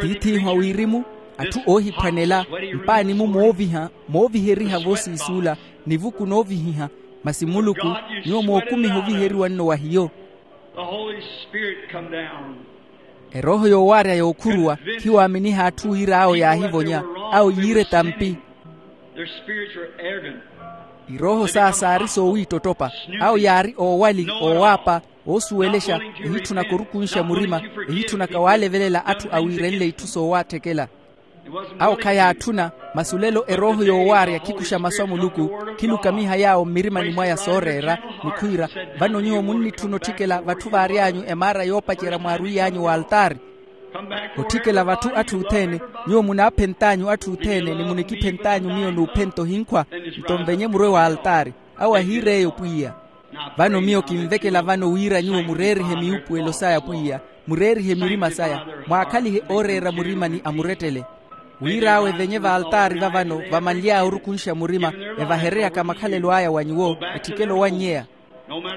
Tiith'ihu a wirimu, atthu oohiphwanela, mpaani-mu mooviha mooviheriha voosiisuula, nivuku noovihiha. Masi muluku, nyuwo mookumiha oviheriwa nno wa hiyo. Erooho yoowaarya yookhuruwa khiwaaminiha atthu wira awo yaahivonya. Awo yiira etampi. Their spirits were arrogant. Irooho saa saari soowiittottopa. Awo yaari oowali, oowaapa, oosuwelexa, ehitthunaka orukunxa murima, ehitthunaka waalevelela atthu awiirenle itthu soowatthekela. Awo khayaatthuna. Masi olelo erooho yoowaarya khikuxa masu a muluku, khilukamiha yaawo mmirimani mwaya sooreera, ni khwiira, vano nyuwo munnitthuna otthikela vatthu vaary'anyu emaara yoopacerya mwaarwiiy'anyu w'altaari. Otthikela vatthu atthu othene. Nyuwo munaaphent'anyu atthu othene ni munikiphent'anyu miyo n'uphenta ohinkhwa. Nto nvenye murwe w'altaari. Awo ahiir'eyo pwiya. Vano miyo kinvekela vano wira nyuwo mureerihe miwuupuwelo saya pwiya, mureerihe mirima saya, mwaakhalihe ooreera murima ni amurettele. Wir'awe evenye v'altaari vavano vamanly'aya orukunxa murima, evahereryaka makhalelo aya wa nyuwo, etthikela owannyeya.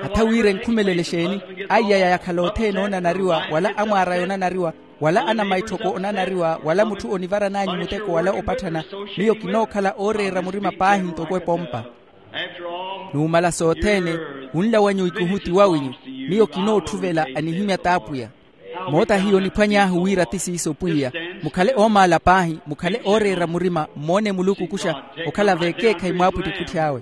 Hatha wira enkhumelele exeeni? Aiyaya yakhala othene oonanariwa wala amwaar'aya onanariwa, wala anamaitthoko onanariwa wala mutthu onivaran'anyu muteko wala opatthana. Miyo kinookhala ooreera murima paahi ntoko epompa. Numala sothene, wunla wanyu ikuhu ti wawinyu. Miyo kinoottuvela anihimya t'apwiya. Moota hiyo niphwany'ahu wira ti siiso pwiya. Mukhale oomaala paahi, mukhale ooreera murima mmoone muluku kuxa, okhala v'ekeekhayi mwaapwittipwitthi awe.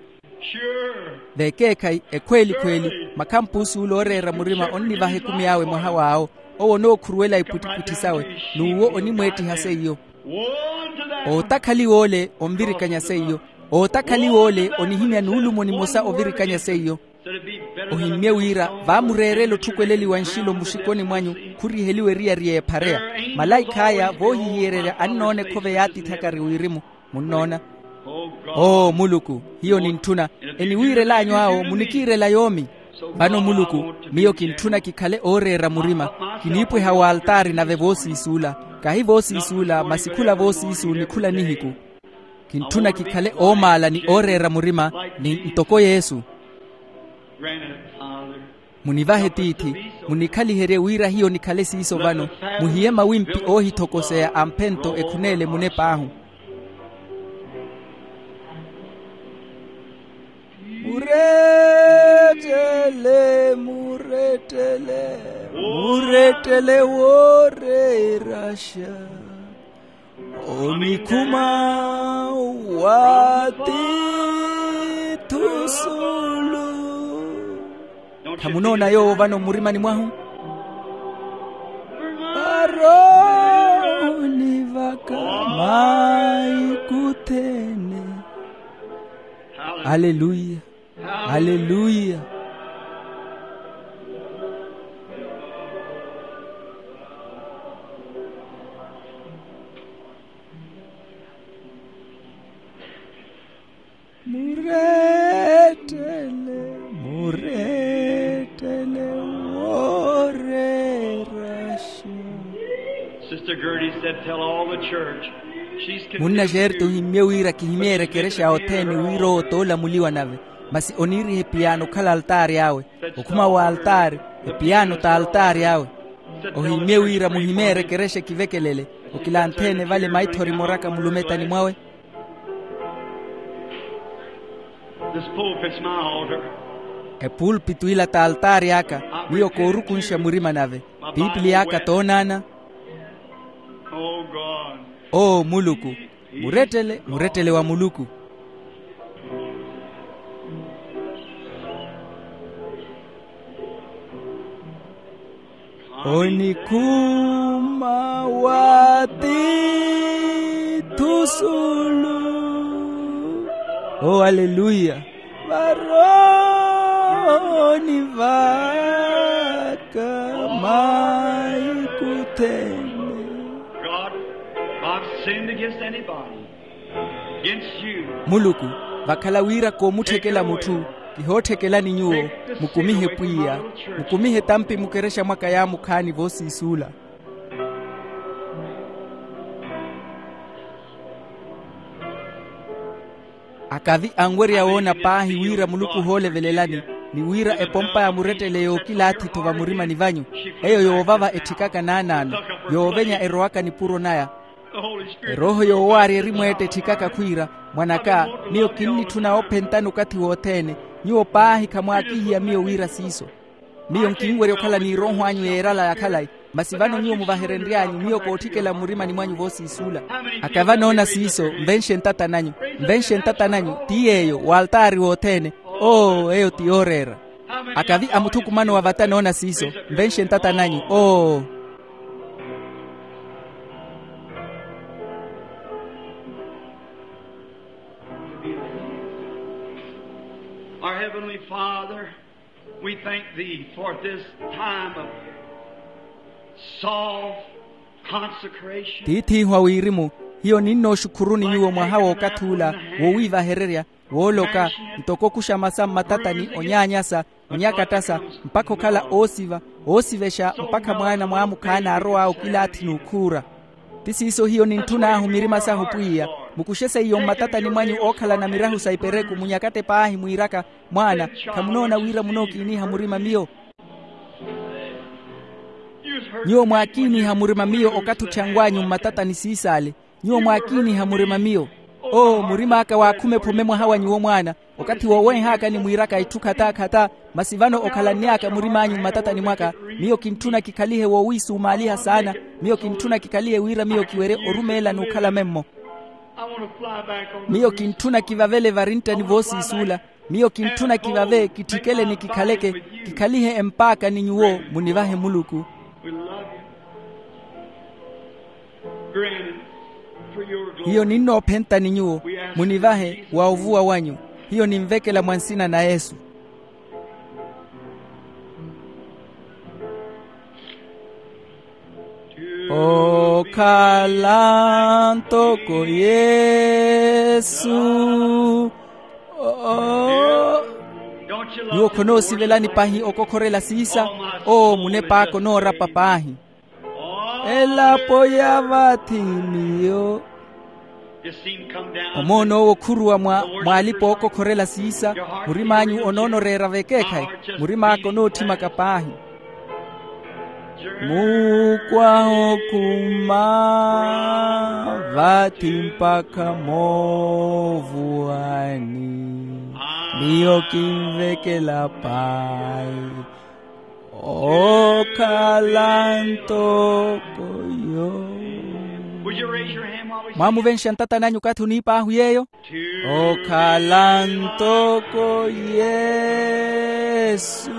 V'ekeekhayi ekhweelikhweeli, makhampuusu ole ooreera murima onnivaha ekumi awe mwaha w'awo. Owo onookhuruwela ipwittipwitthi sawe, n'uwo onimweettiha seiyo. Ootakhaliwa ole onvirikanya seiyo. Ootakhaliwa ole onihimya nuulumo nimosa ovirikanya seiyo. Ohimmye wira vaamureerela otthukweleliwa nxilo muxikoni mwanyu, khuriheliwa eriyari y'ephareya. Malaikh'aya voohihiyererya annoona ekhove yaatithakari wirimu. Munnoona? Oo muluku, hiyo nintthuna. Eniwiirel'anyu awo munikiirela yoomi. Vano muluku, miyo kintthuna kikhale ooreera murima. Kiniipweha w'altaari nave voosiisuula. Kahi voosiisuula masi khula voosiisu ni khula nihiku. Kintthuna kikhale oomaala ni ooreera murima ni ntoko yesu. Munivahe tiithi, munikhaliherye wira hiyo nikhale siiso vano. Muhiye mawimpi oohithokoseya amphento ekhuneele munep'ahu. Murettele, murettele, murettele wooreeraxa. Onikhuma wa titthu suulu. Khamunoona yoowo vano mmurimani mwahu? Varoni vaka maikuthene. Aleluya. Aleluya. Murettele, murettele wooreeraxa. Sister Gertie said, "Tell all the church." Munna xerti ohimmye wira kihimyeerye ekerexa othene wira owo toolamuliwa nave. Masi oniiriha epiyaano okhala altaari awe. Okhuma wa altaari, epiyaano t'altaari awe. Ohimmye wira muhimeerye ekerexa ekivekelele. Okilantheene vale maithori moraka mulumetani mwawe. This pulpit's my altar. Epulpitu ila t'altaari aka. Miyo koorukunxa murima nave. Piipili aka toonaana. Oh God. Oo muluku. Murettele, murettele wa muluku. Onikhuma wa titthu suulu. Oh aleluya. Varoni vaka maikuthene. God, I've sinned against anybody. Muluku, vakhala wira koomutthekela mutthu, kihootthekelani nyuwo. Mukumihe pwiya. Mukumihe tampi mukerexa mwaka yaamukhaani voosiisuula. Akavi anwerya woona paahi wira muluku ohoolevelelani, ni wira epompa ya murettele yookilaathi-tho vamurimani vanyu. Eyo yoovava etthikaka naanaano, yoovenya erowaka nipuro naya. Erooho yoowaarya erimweetta etthikaka khwiira, mwan'aka, miyo kinnitthuna oophentani okathi wothene. Nyuwo paahi khamwaakihiya miyo wira siiso. Miyo nkinwerya okhala n'irooho anyu yeerala ya khalayi. Masi vano nyuwo muvaherenry'anyu miyo kootthikela mmurimani mwanyu voosiisuula. Aka vanoona siiso, nvenxe ntata nanyu. Nvenxe ntata nanyu. Ti yeeyo w'altaari wothene. Oo, eyo ti yooreera. Akavi a muthukumano wa vata noona siiso, nvenxe ntata nanyu. Oo. Our Heavenly Father, we thank Thee for this time of soft consecration. Tiith'ihu a wirimu, hiyo ninnooxukhuruni nyuwo mwaha w'okathi ula, wowiivahererya, wooloka, ntoko okuxa masa mmatatani onyaanyasa, onyakattasa, mpakha okhala oosiva, oosivexa mpakha mwaana mwaamukhaana arow'awe okilaathi n'ukhuura. Ti siiso hiyo nintthun'ahu mirima sahu pwiya, mukuxe seiyo mmatatani mwanyu ookhalana mirahu sa ipereku munyakatte paahi mwiiraka, mwaana, khamunoona wira munookiiniha murima miyo? Nyuwo mwaakiiniha murima miyo okathi otthanw'anyu mmatatani siisaale. Nyuwo mwaakiiniha murima miyo. Oo, murim'aka waakhuma ephome mwaha wa nyuwo mwaana, okathi woowenh'aka ni mwiiraka itthu khataa-khataa. Masi vano okhalanny'aka murim'anyu mmatatani mwaka, miyo kintthuna kikhalihe woowiisumaaliha saana. Miyo kintthuna kikhalihe wira miyo kiwerye orumeela n'ukhala memmo. Miyo kintthuna kivavele varinttani voosiisuula. Miyo kintthuna kivave kitthikele ni kikhaleke, kikhalihe empaaka ni nyuwo. Munivahe muluku. Hiyo ninnoophenta ni nyuwo. Munivahe wa ovuwa wanyu. Hiyo ninvekela mwa nsina na yesu. Okhala ntoko yesu. Nyuwo khonoosivelani pahi okokhorela siisa. Oo, munep'aka onoorapa paahi. Elapo ya vathi miyo. Omoon'owo okhuruwa mwa alipa ookokhorela siisa. Murim'anyu onoonoreera vekeekhayi. Murim'aka onootthimaka paahi. Muukwaha okhuma vathi mpakha moovuwani. Miyo kinvekela paahi. Okhala ntoko yo. Mwaamuvenxa ntata nanyu okathi oniip'ahu yeeyo. Okhala ntoko yesu.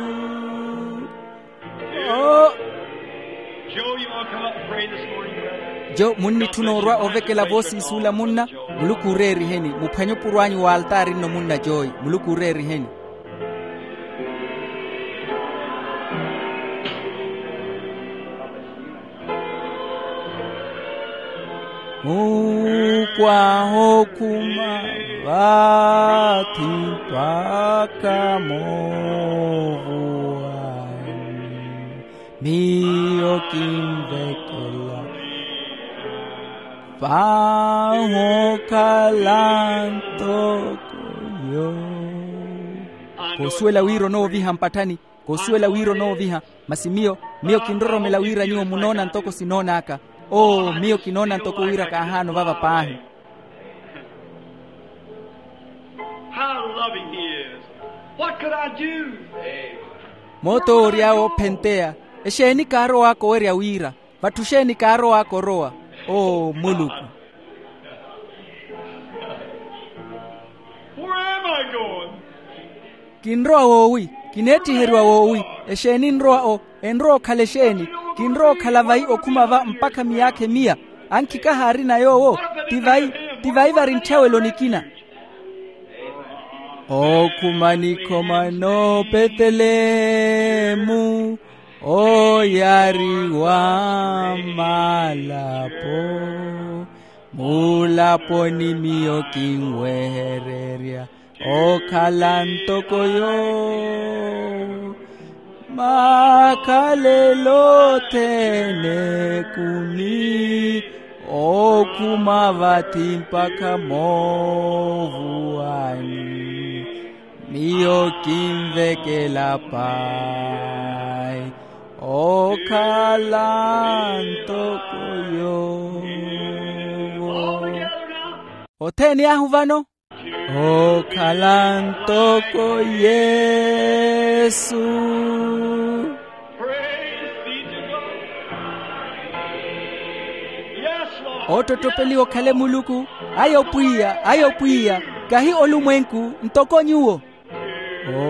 Jo, munnitthuna orwa ovekela voosiisuula munna. Muluku ooreeriheni. Muphwanye opuro anyu w'altaari nno munna joyi. Muluku ooreeriheni. Muukwaha okhuma vathi mpakha moovuwani. Miyo kinvekela paahi okhala ntoko yo. Koosuwela wira onooviha mpatthani. Koosuwela wira onooviha. Masi miyo, miyo kinroromela wira nyuwo munoona ntoko sinoon'aka. Oo, miyo kinoona ntoko wira kaahaana ovava paahi. How loving he is. What could I do? Moot'owo ory'awe oophenteya. Exeeni kaarow'aka owerya wira? Vatthu xeeni kaarow'aka orowa? Oo muluku. Where am I going? Kinrowa woowi? Kineetthiheriwa woowi? Exeeni enrowa o enrowa okhala exeeni? Kinrowa okhala vayi okhuma va mpakha miyaakha emiya? Ankhikaha aarina yoowo. Ti vayi ti vayi vari ntthawelo nikina. Okhuma nikhoma noopetelemu oyariwa malapo. Mulaponi miyo kinwehererya okhala ntoko yo. Makhalelo othene ekumi okhuma vathi mpakha moovuwani. Miyo kinvekela pahi okhala ntoko yoowo. Othene ahu vano. Okhala ntoko yesu. Oottottopeliwa okhale muluku. Ayo pwiya, ayo pwiya, kahi olumwenku ntoko nyuwo.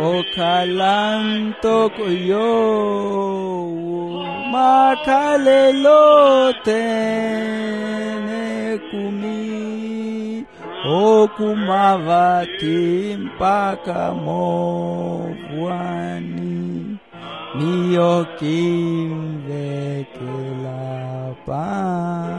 Okhala ntoko yoowo makhalelo othene ekumi, okuma vathi mpakha moovwani. Miyo kinvekela pa.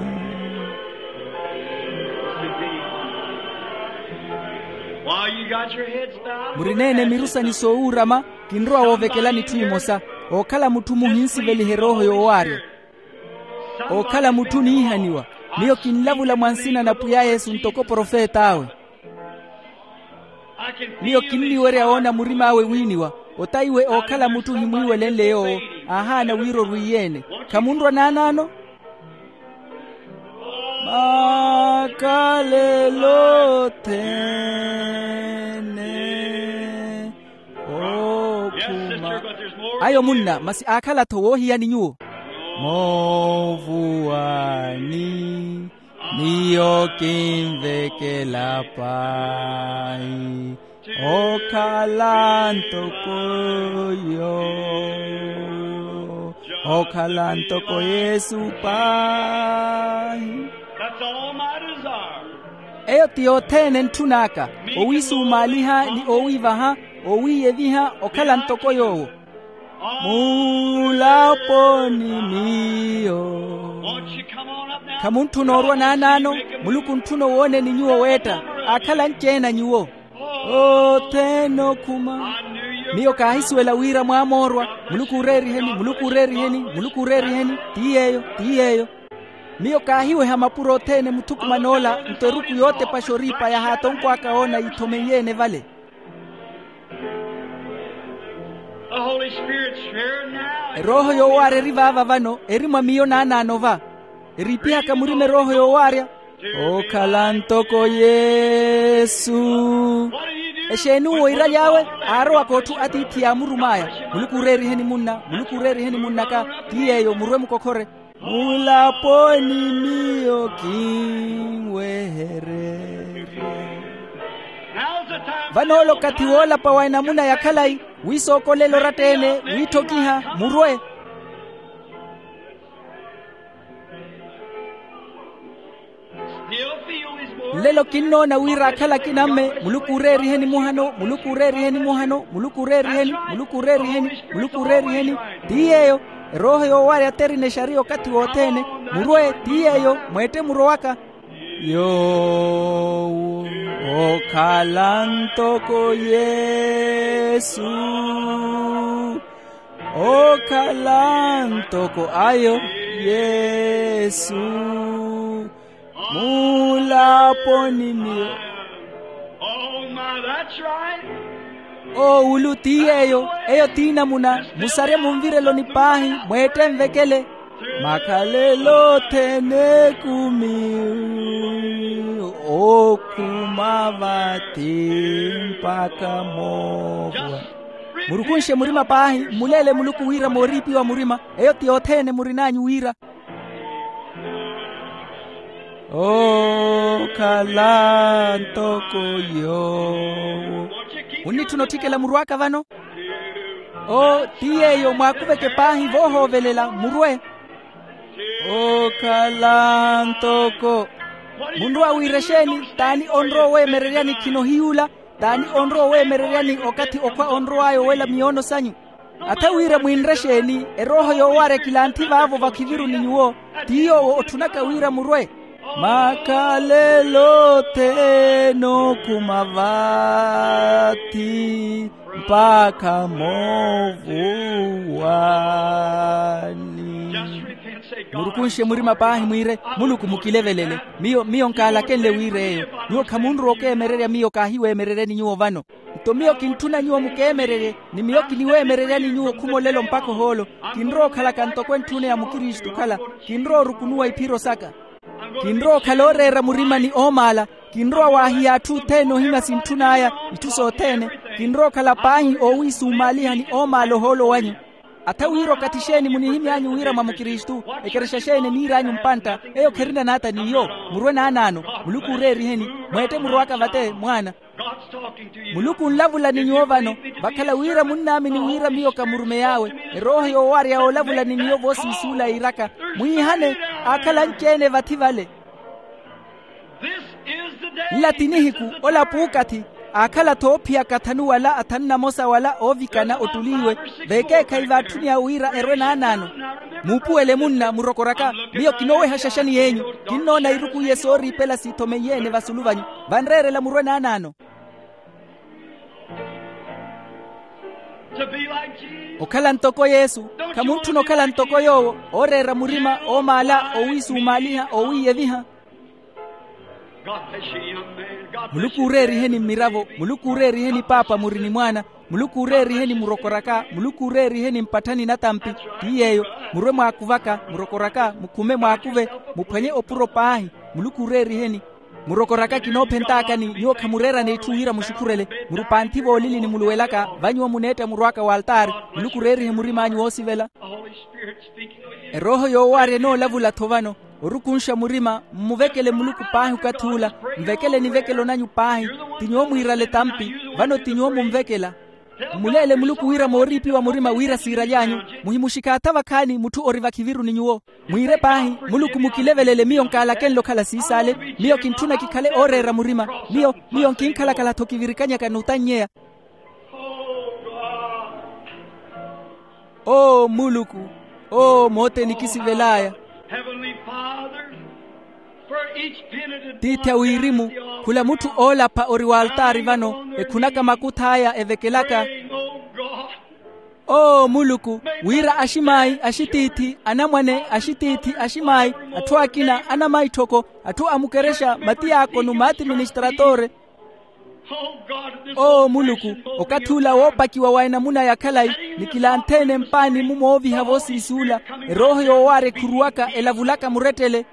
While you got your heads bowed, murineene miru sanyu soowuurama. Kinrowa woovekelani itthu imosa. Ookhala mutthu muhinsiveliha erooho yoowaarya. Ookhala mutthu oniihaniwa. Miyo kinlavula mwa nsina na pwiya yesu ntoko profet'awe. Miyo kinniwerya woona murim'awe wiiniwa. Ota iwe ookhala mutthu ohimwiiwelenle yoowo. Aahaana wira orwiiye-ene. Khamunrwa naanaano? Makhalelo othene. Okhuma. Ayo munna masi aakhala-tho woohiyani nyuwo. Moovuwani. Miyo kinvekela paahi. Okhala ntoko yoowo. Okhala ntoko yesu paahi. Eyo ti yothene entthun'aka. Owiisumaaliha ni owiivaha. Owiiyeviha okhala ntoko yoowo. Muulaponi miyo. Khamuntthuna orwa naanaano. Muluku ontthuna owooneni nyuwo weetta. Aakhala anci-ene a nyuwo. Othene okhuma. Miyo kaahisuwela wira mwaamoorwa. Muluku ooreeriheni, muluku ooreeriheni, muluku ooreeriheni. Ti yeeyo, ti yeeyo. Miyo kaahiweha mapuro othene muthukuman'ola nto eruku yootepaxa oriipa yahaatonkwaaka woona yiithomenyeene vale. Erooho yoowaarya eri vaava vano eri mwa miyo naanaano va. Eriipihaka murima erooho yoowaarya. Okhala ntoko yesu. Exeeni uwo iiraly'awe? Aarowaka otthu atiithi yaamurum'aya. Muluku ooreeriheni munna, muluku ooreeriheni munn'aka. Ti yeeyo murwe mukokhore. Mulaponi miyo kinwehererye. Vano ole okathi woolapa wa enamuna ya khalayi. Wiisookolela oratta-ene wiitthokiha murwe. Nlelo kinnoona wira akhala akinamme. Muluku ooreeriheni muhano, muluku ooreeriheni muhano, muluku ooreeriheni, muluku ooreeriheni, muluku ooreeriheni. Ti yeeyo. Erooho yoowarya aterina exariya okathi wothene. Murwe ti yeeyo mweette murowaka. Yoowo okhala ntoko yesu. Okhala ntoko ayo yesu. Mulaponi miyo. Oowulu ti yeeyo. Eyo ti namuna. Musarye munvireloni paahi. Mweette nvekele. Makhalelo othene ekumi. Okhuma vathi mpakha moovwa. Murukunxe murima paahi mmuleele muluku wira mooriipiwa murima. Eyo ti othene murin'anyu wira. Okhala ntoko yoowo. Munnitthuna otthikela murw'aka vano? Oo ti yeeyo mwaakuveke paahi voohoovelela murwe. Okhala ntoko. Munrowa wiira exeeni? T'ani onrowa oweemereryani khino hiy'ula? T'ani onrowa oweemereryani okathi okhwa onrow'aya owela miyoono sanyu? Atha wira mwinre exeeni? Erooho yoowarya kilanthi vaavo vakhiviruni nyuwo. Ti yoowo otthunaka wira murwe. Makhalelo othene okhuma vathi mpakha moovuwani. Murukunxe murima paahi mwiire, muluku mukilevelele. Miyo miyo nkaalakenle wira eyo. Nyuwo khamunrowa okeemererya miyo kaahiweemereryani nyuwo vano. Nto miyo kintthuna nyuwo mukeemererye. Ni miyo kiniweemereryani nyuwo khuma olelo mpakha ohoolo. Kinrowa okhalaka ntoko entthuna ya mukristu okhala. Kinrowa orukunuwa iphiro saka. Kinrowa okhala ooreera murima ni oomaala. Kinrowa waahiya atthu othene ohimya sintthun'aya. Itthu sothene. Kinrowa okhala paahi oowiisumaaliha ni oomaala ohoolo wanyu. Atha wira okathi xeeni munihimy'anyu wira mwa mukristu? Ekerexa xeeni eniir'anyu mpantta? Eyo kherina naata n'iyo. Murwe naanaano. Muluku ooreeriheni. Mweette murw'aka vate mwaana. Muluku onlavula ni nyuwo vano. Vakhala wira munnaamini wira miyo kamurumey'awe. Erooho yoowarya yoolavula ni miyo voosiisuula yiiraka, mwiihane. Aakhala anci-ene vathi vale. Nla ti nihiku. Ola puukathi. Aakhala-tho oophiyaka athanu wala athanu namosa wala oovikana ottuliiwe, veekeekhayi vaatthuni awe wira erwe naanaano. Muupuwele munna murokoraka. Miyo kinooweha xaxani y'enyu. Kinnoona iruku iye sooriipela siithomeiye-ene vasulu vanyu. Vanreerela murwe naanaano. Okhala ntoko yesu. Khamuntthuna okhala ntoko yoowo, ooreera murima oomaala oowiisumaaliha oowiiyeviha. Muluku ooreeriheni mmiravo. Muluku ooreeriheni paapa muri ni mwaana. Muluku ooreeriheni murokoraka. Muluku ooreeriheni mpatthani natampi. Ti yeeyo. Murwe mwaakuvaka murokoraka mukhume mwaakuve. Muphwanye opuro paahi. Muluku ooreeriheni. Murokoraka kinoophentaakani nyuwo khamureerana itthu wira muxukhurele. Murupanthi voolili ni muluwelaka vanyuwo muneetta murw'aka w'altaari. Muluku ooreerihe murim'anyu woosivela. Erooho yoowaarya enoolavula-tho vano. Orukunxa murima mmuvekele muluku paahi okathi ula. Nvekele nivekelo nanyu paahi. Ti nyuwo mwiirale tampi. Vano ti nyuwo munvekela. Mmuleele muluku wira mooriipiwa murima wira siiraly'anyu. Muhimuxikaatha vakhaani mutthu ori vakhiviru ni nyuwo. Mwiire paahi. Muluku mukilevelele miyo nkaalakenle okhala siisaale. Miyo kintthuna kikhale ooreera murima. Miyo miyo nkinkhalakhala-tho kivirikanyaka n'utannyeya. Oo muluku. Oo mooteni kisivel'aya. Tiithi a wirimu. Khula mutthu oolapha ori w'altaari vano ekhunaka makuth'aya evekelaka. Oo muluku, wira aximaayi axitiithi anamwane axitiithi aximaayi, atthu akina anamaitthoko, atthu a mukerexa matiyaakonu maati ministratore. Oo muluku, okathi ula woopakiwa wa enamuna ya khalayi, ni kilantheene mpaani-mu mooviha voosiisuula. Erooho yoowaarya ekhuruwaka elavulaka murettele.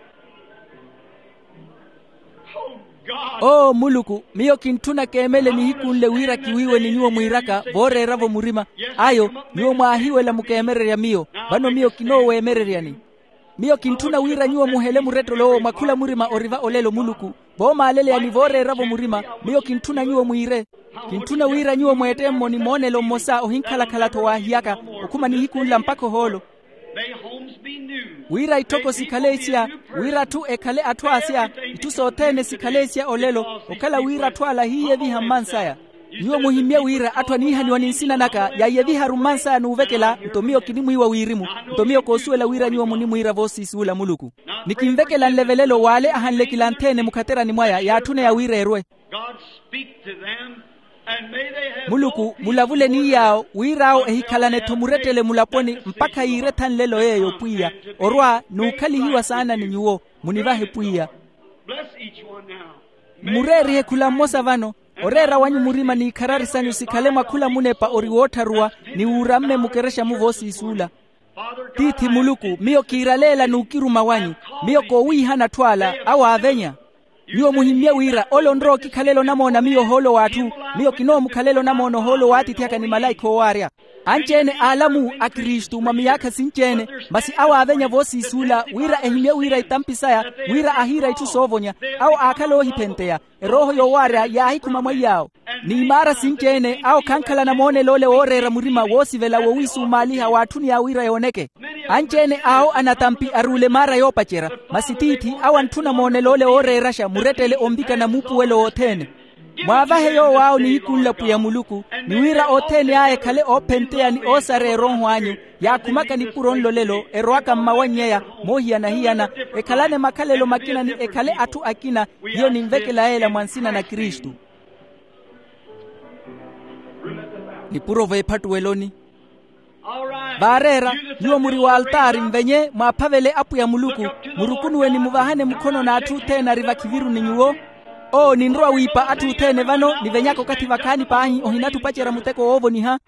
Oo muluku, miyo kintthuna keemele nihiku nle wira kiwiiwe ni nyuwo mwiiraka vooreera-vo murima. Ayo, nyuwo mwaahiwela mukeemererya miyo. Vano miyo kinooweemereryani. Miyo kintthuna wira nyuwo muhele murettelo owo mwa khula murima ori va olelo muluku. Voomaaleleyani vooreera-vo murima. Miyo kintthuna nyuwo mwiire. Kintthuna wira nyuwo mweette mmoni moonelo mmosa ohinkhalakhala-tho waahiyaka, okhuma nihiku nla mpakha ohoolo. Wira itthoko sikhale esiya, wira atthu ekhale atthu asiya. Itthu sothene sikhale esiya olelo. Okhala wira atthu ala ahiiyeviha mmansaya. Nyuwo muhimmye wira atthu aniihaniwa ni nsina naka yaiyeviharu mmansaya n'uvekela nto miyo kinimwiiwa wirimu. Nto miyo koosuwela wira nyuwo munimwiira voosiisuula muluku. Ni kinvekela nlevelelo w'ale ahanle kilantheene mukhaterani mwaya yaatthune ya wira erwe. Muluku mulavule ni yaawo wir'awo ehikhalane-tho murettele mulaponi mpakha yiiretha nlelo yeeyo pwiya. Orwa n'ukhalihiwa saana ni nyuwo. Munivahe pwiya. Mmureerihe khula mmosa vano. Oreera wanyu murima n'ikharari sanyu sikhale mwa khula munepa ori woottharuwa, ni wuuramme mukerexa-mu voosiisuula. Tiithi muluku, miyo kiiraleela n'ukiruma wanyu. Miyo koowiihana atthu ala awo aavenya. Nyuwo muhimmye wira ole onrowa okikhalela onamoona miyo ohoolo w'atthu. Miyo kinoomukhalela onamoona ohoolo w'atiithi aka ni malaikha oowaarya. Anci-ene a alamu a kristu mwa miyaakha sinci-ene, masi awo aavenya voosiisuula wira ehimmye wira itampi saya, wira ahiira itthu soovonya. Awo aakhala oohiphenteya. Erooho yoowaarya yaahikhuma mweiy'awo. N'imaara sinci-ene awo khankhalana moonelo ole wooreera murima woosivela wowiisumaaliha waatthuni yaawiira yooneke. Anci-ene awo anatampi aruule maara yoopacerya. Masi tiithi awo antthuna moonelo ole wooreeraxa murettele onvikana muupuwelo wothene. Mwaavahe yoow'awo nihiku nla pwiya muluku, ni wira othene aya ekhale oophenteya ni oosareya erooho anyu. Yaakhumaka nipuro nlolelo erowaka mmawannyeya, moohiyana-hiyana, ekhalane makhalelo makina ni ekhale atthu akina. Hiyo ninvekela yeela mwa nsina na kristu. Nipuro veephattuweloni. Vaareera, nyuwo muri w'altaari nvenye mwaaphavele apwiya muluku. Murukunuwe ni muvahane mukhono n'atthu othene ari vakhiviru ni nyuwo. Oo ninrowa wiipa atthu othene vano nivenyaka okathi vakhaani paahi ohinathupacerya muteko woovoniha.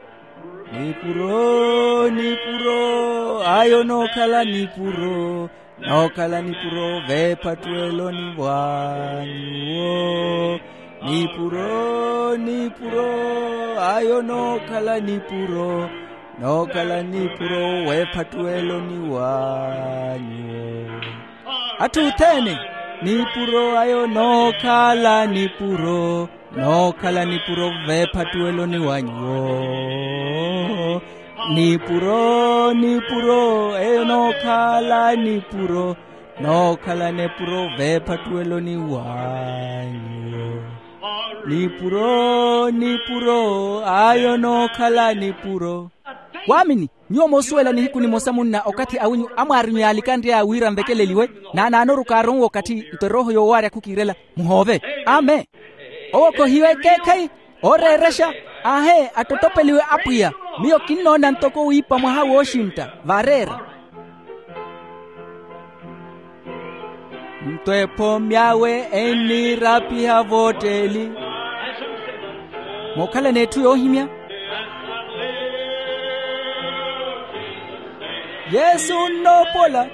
Nipuro nipuro ayo nookhala nipuro. Nookhala nipuro veephattuweloni vwa nyuwo. Nipuro nipuro ayo nookhala nipuro. Nookhala nipuro w'ephattuweloni wa nyuwo. Atthu othene, nipuro ayo nookhala nipuro, nookhala nipuro v'ephattuweloni wa nyuwo. Nipuro nipuro eyo nookhala nipuro, nookhala nipuro v'ephattuweloni wa nyuwo. Nipuro nipuro ayo nookhala nipuro. Waamini, nyuwo moosuwela nihiku nimosa munna okathi awinyu amwaarinyu yaalikanry'aya wira nvekeleliwe. Naanaanoru kaaronwe okathi nto erooho yoowaarya khukiirela. Muhoove. Amen. Owo khohiwe ekeekhayi, ooreerexa. Aahe, attottopeliwe apwiya. Miyo kinnoona ntoko wiipa mwaha wooxintta vaareera. Nto ephoomi awe enniirapiha vootteli. Mookhalana etthu yoohimya. Yesu nnoopola.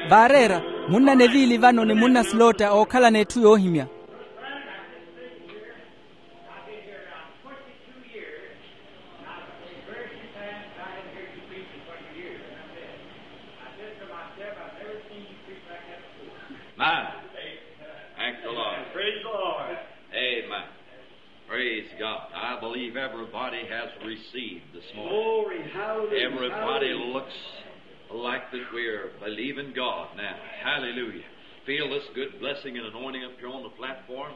Vaareera, munna neviili vano ni munna silotta ookhalana etthu yoohimya. I've been here around twenty-two years. Now, the first time I had heard you preaching twenty years, and I said, I said to myself, I've never seen you preach like that before. Amen. Thank the Lord. Praise the Lord. Amen. Praise God. I believe everybody has received this morning. Glory, hallelujah. Everybody looks like that we're believing God now. Hallelujah. Feel this good blessing and anointing up here on the platform.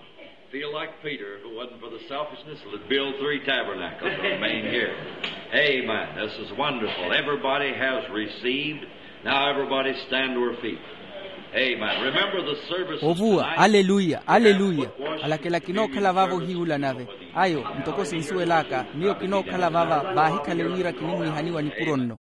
Feel like Peter, if it wasn't for the selfishness, would build three tabernacles and remain here. Amen. This is wonderful. Everybody has received. Now everybody stand to our feet. Amen. Remember the service ovuwa tonight. Aleluya, aleluya. Alakela kinookhala vaavo ohiiwula nave. Ayo ntoko sinsuwel'aka miyo kinookhala vava vaahikhale wira kinimwiihaniwa nipuro nno.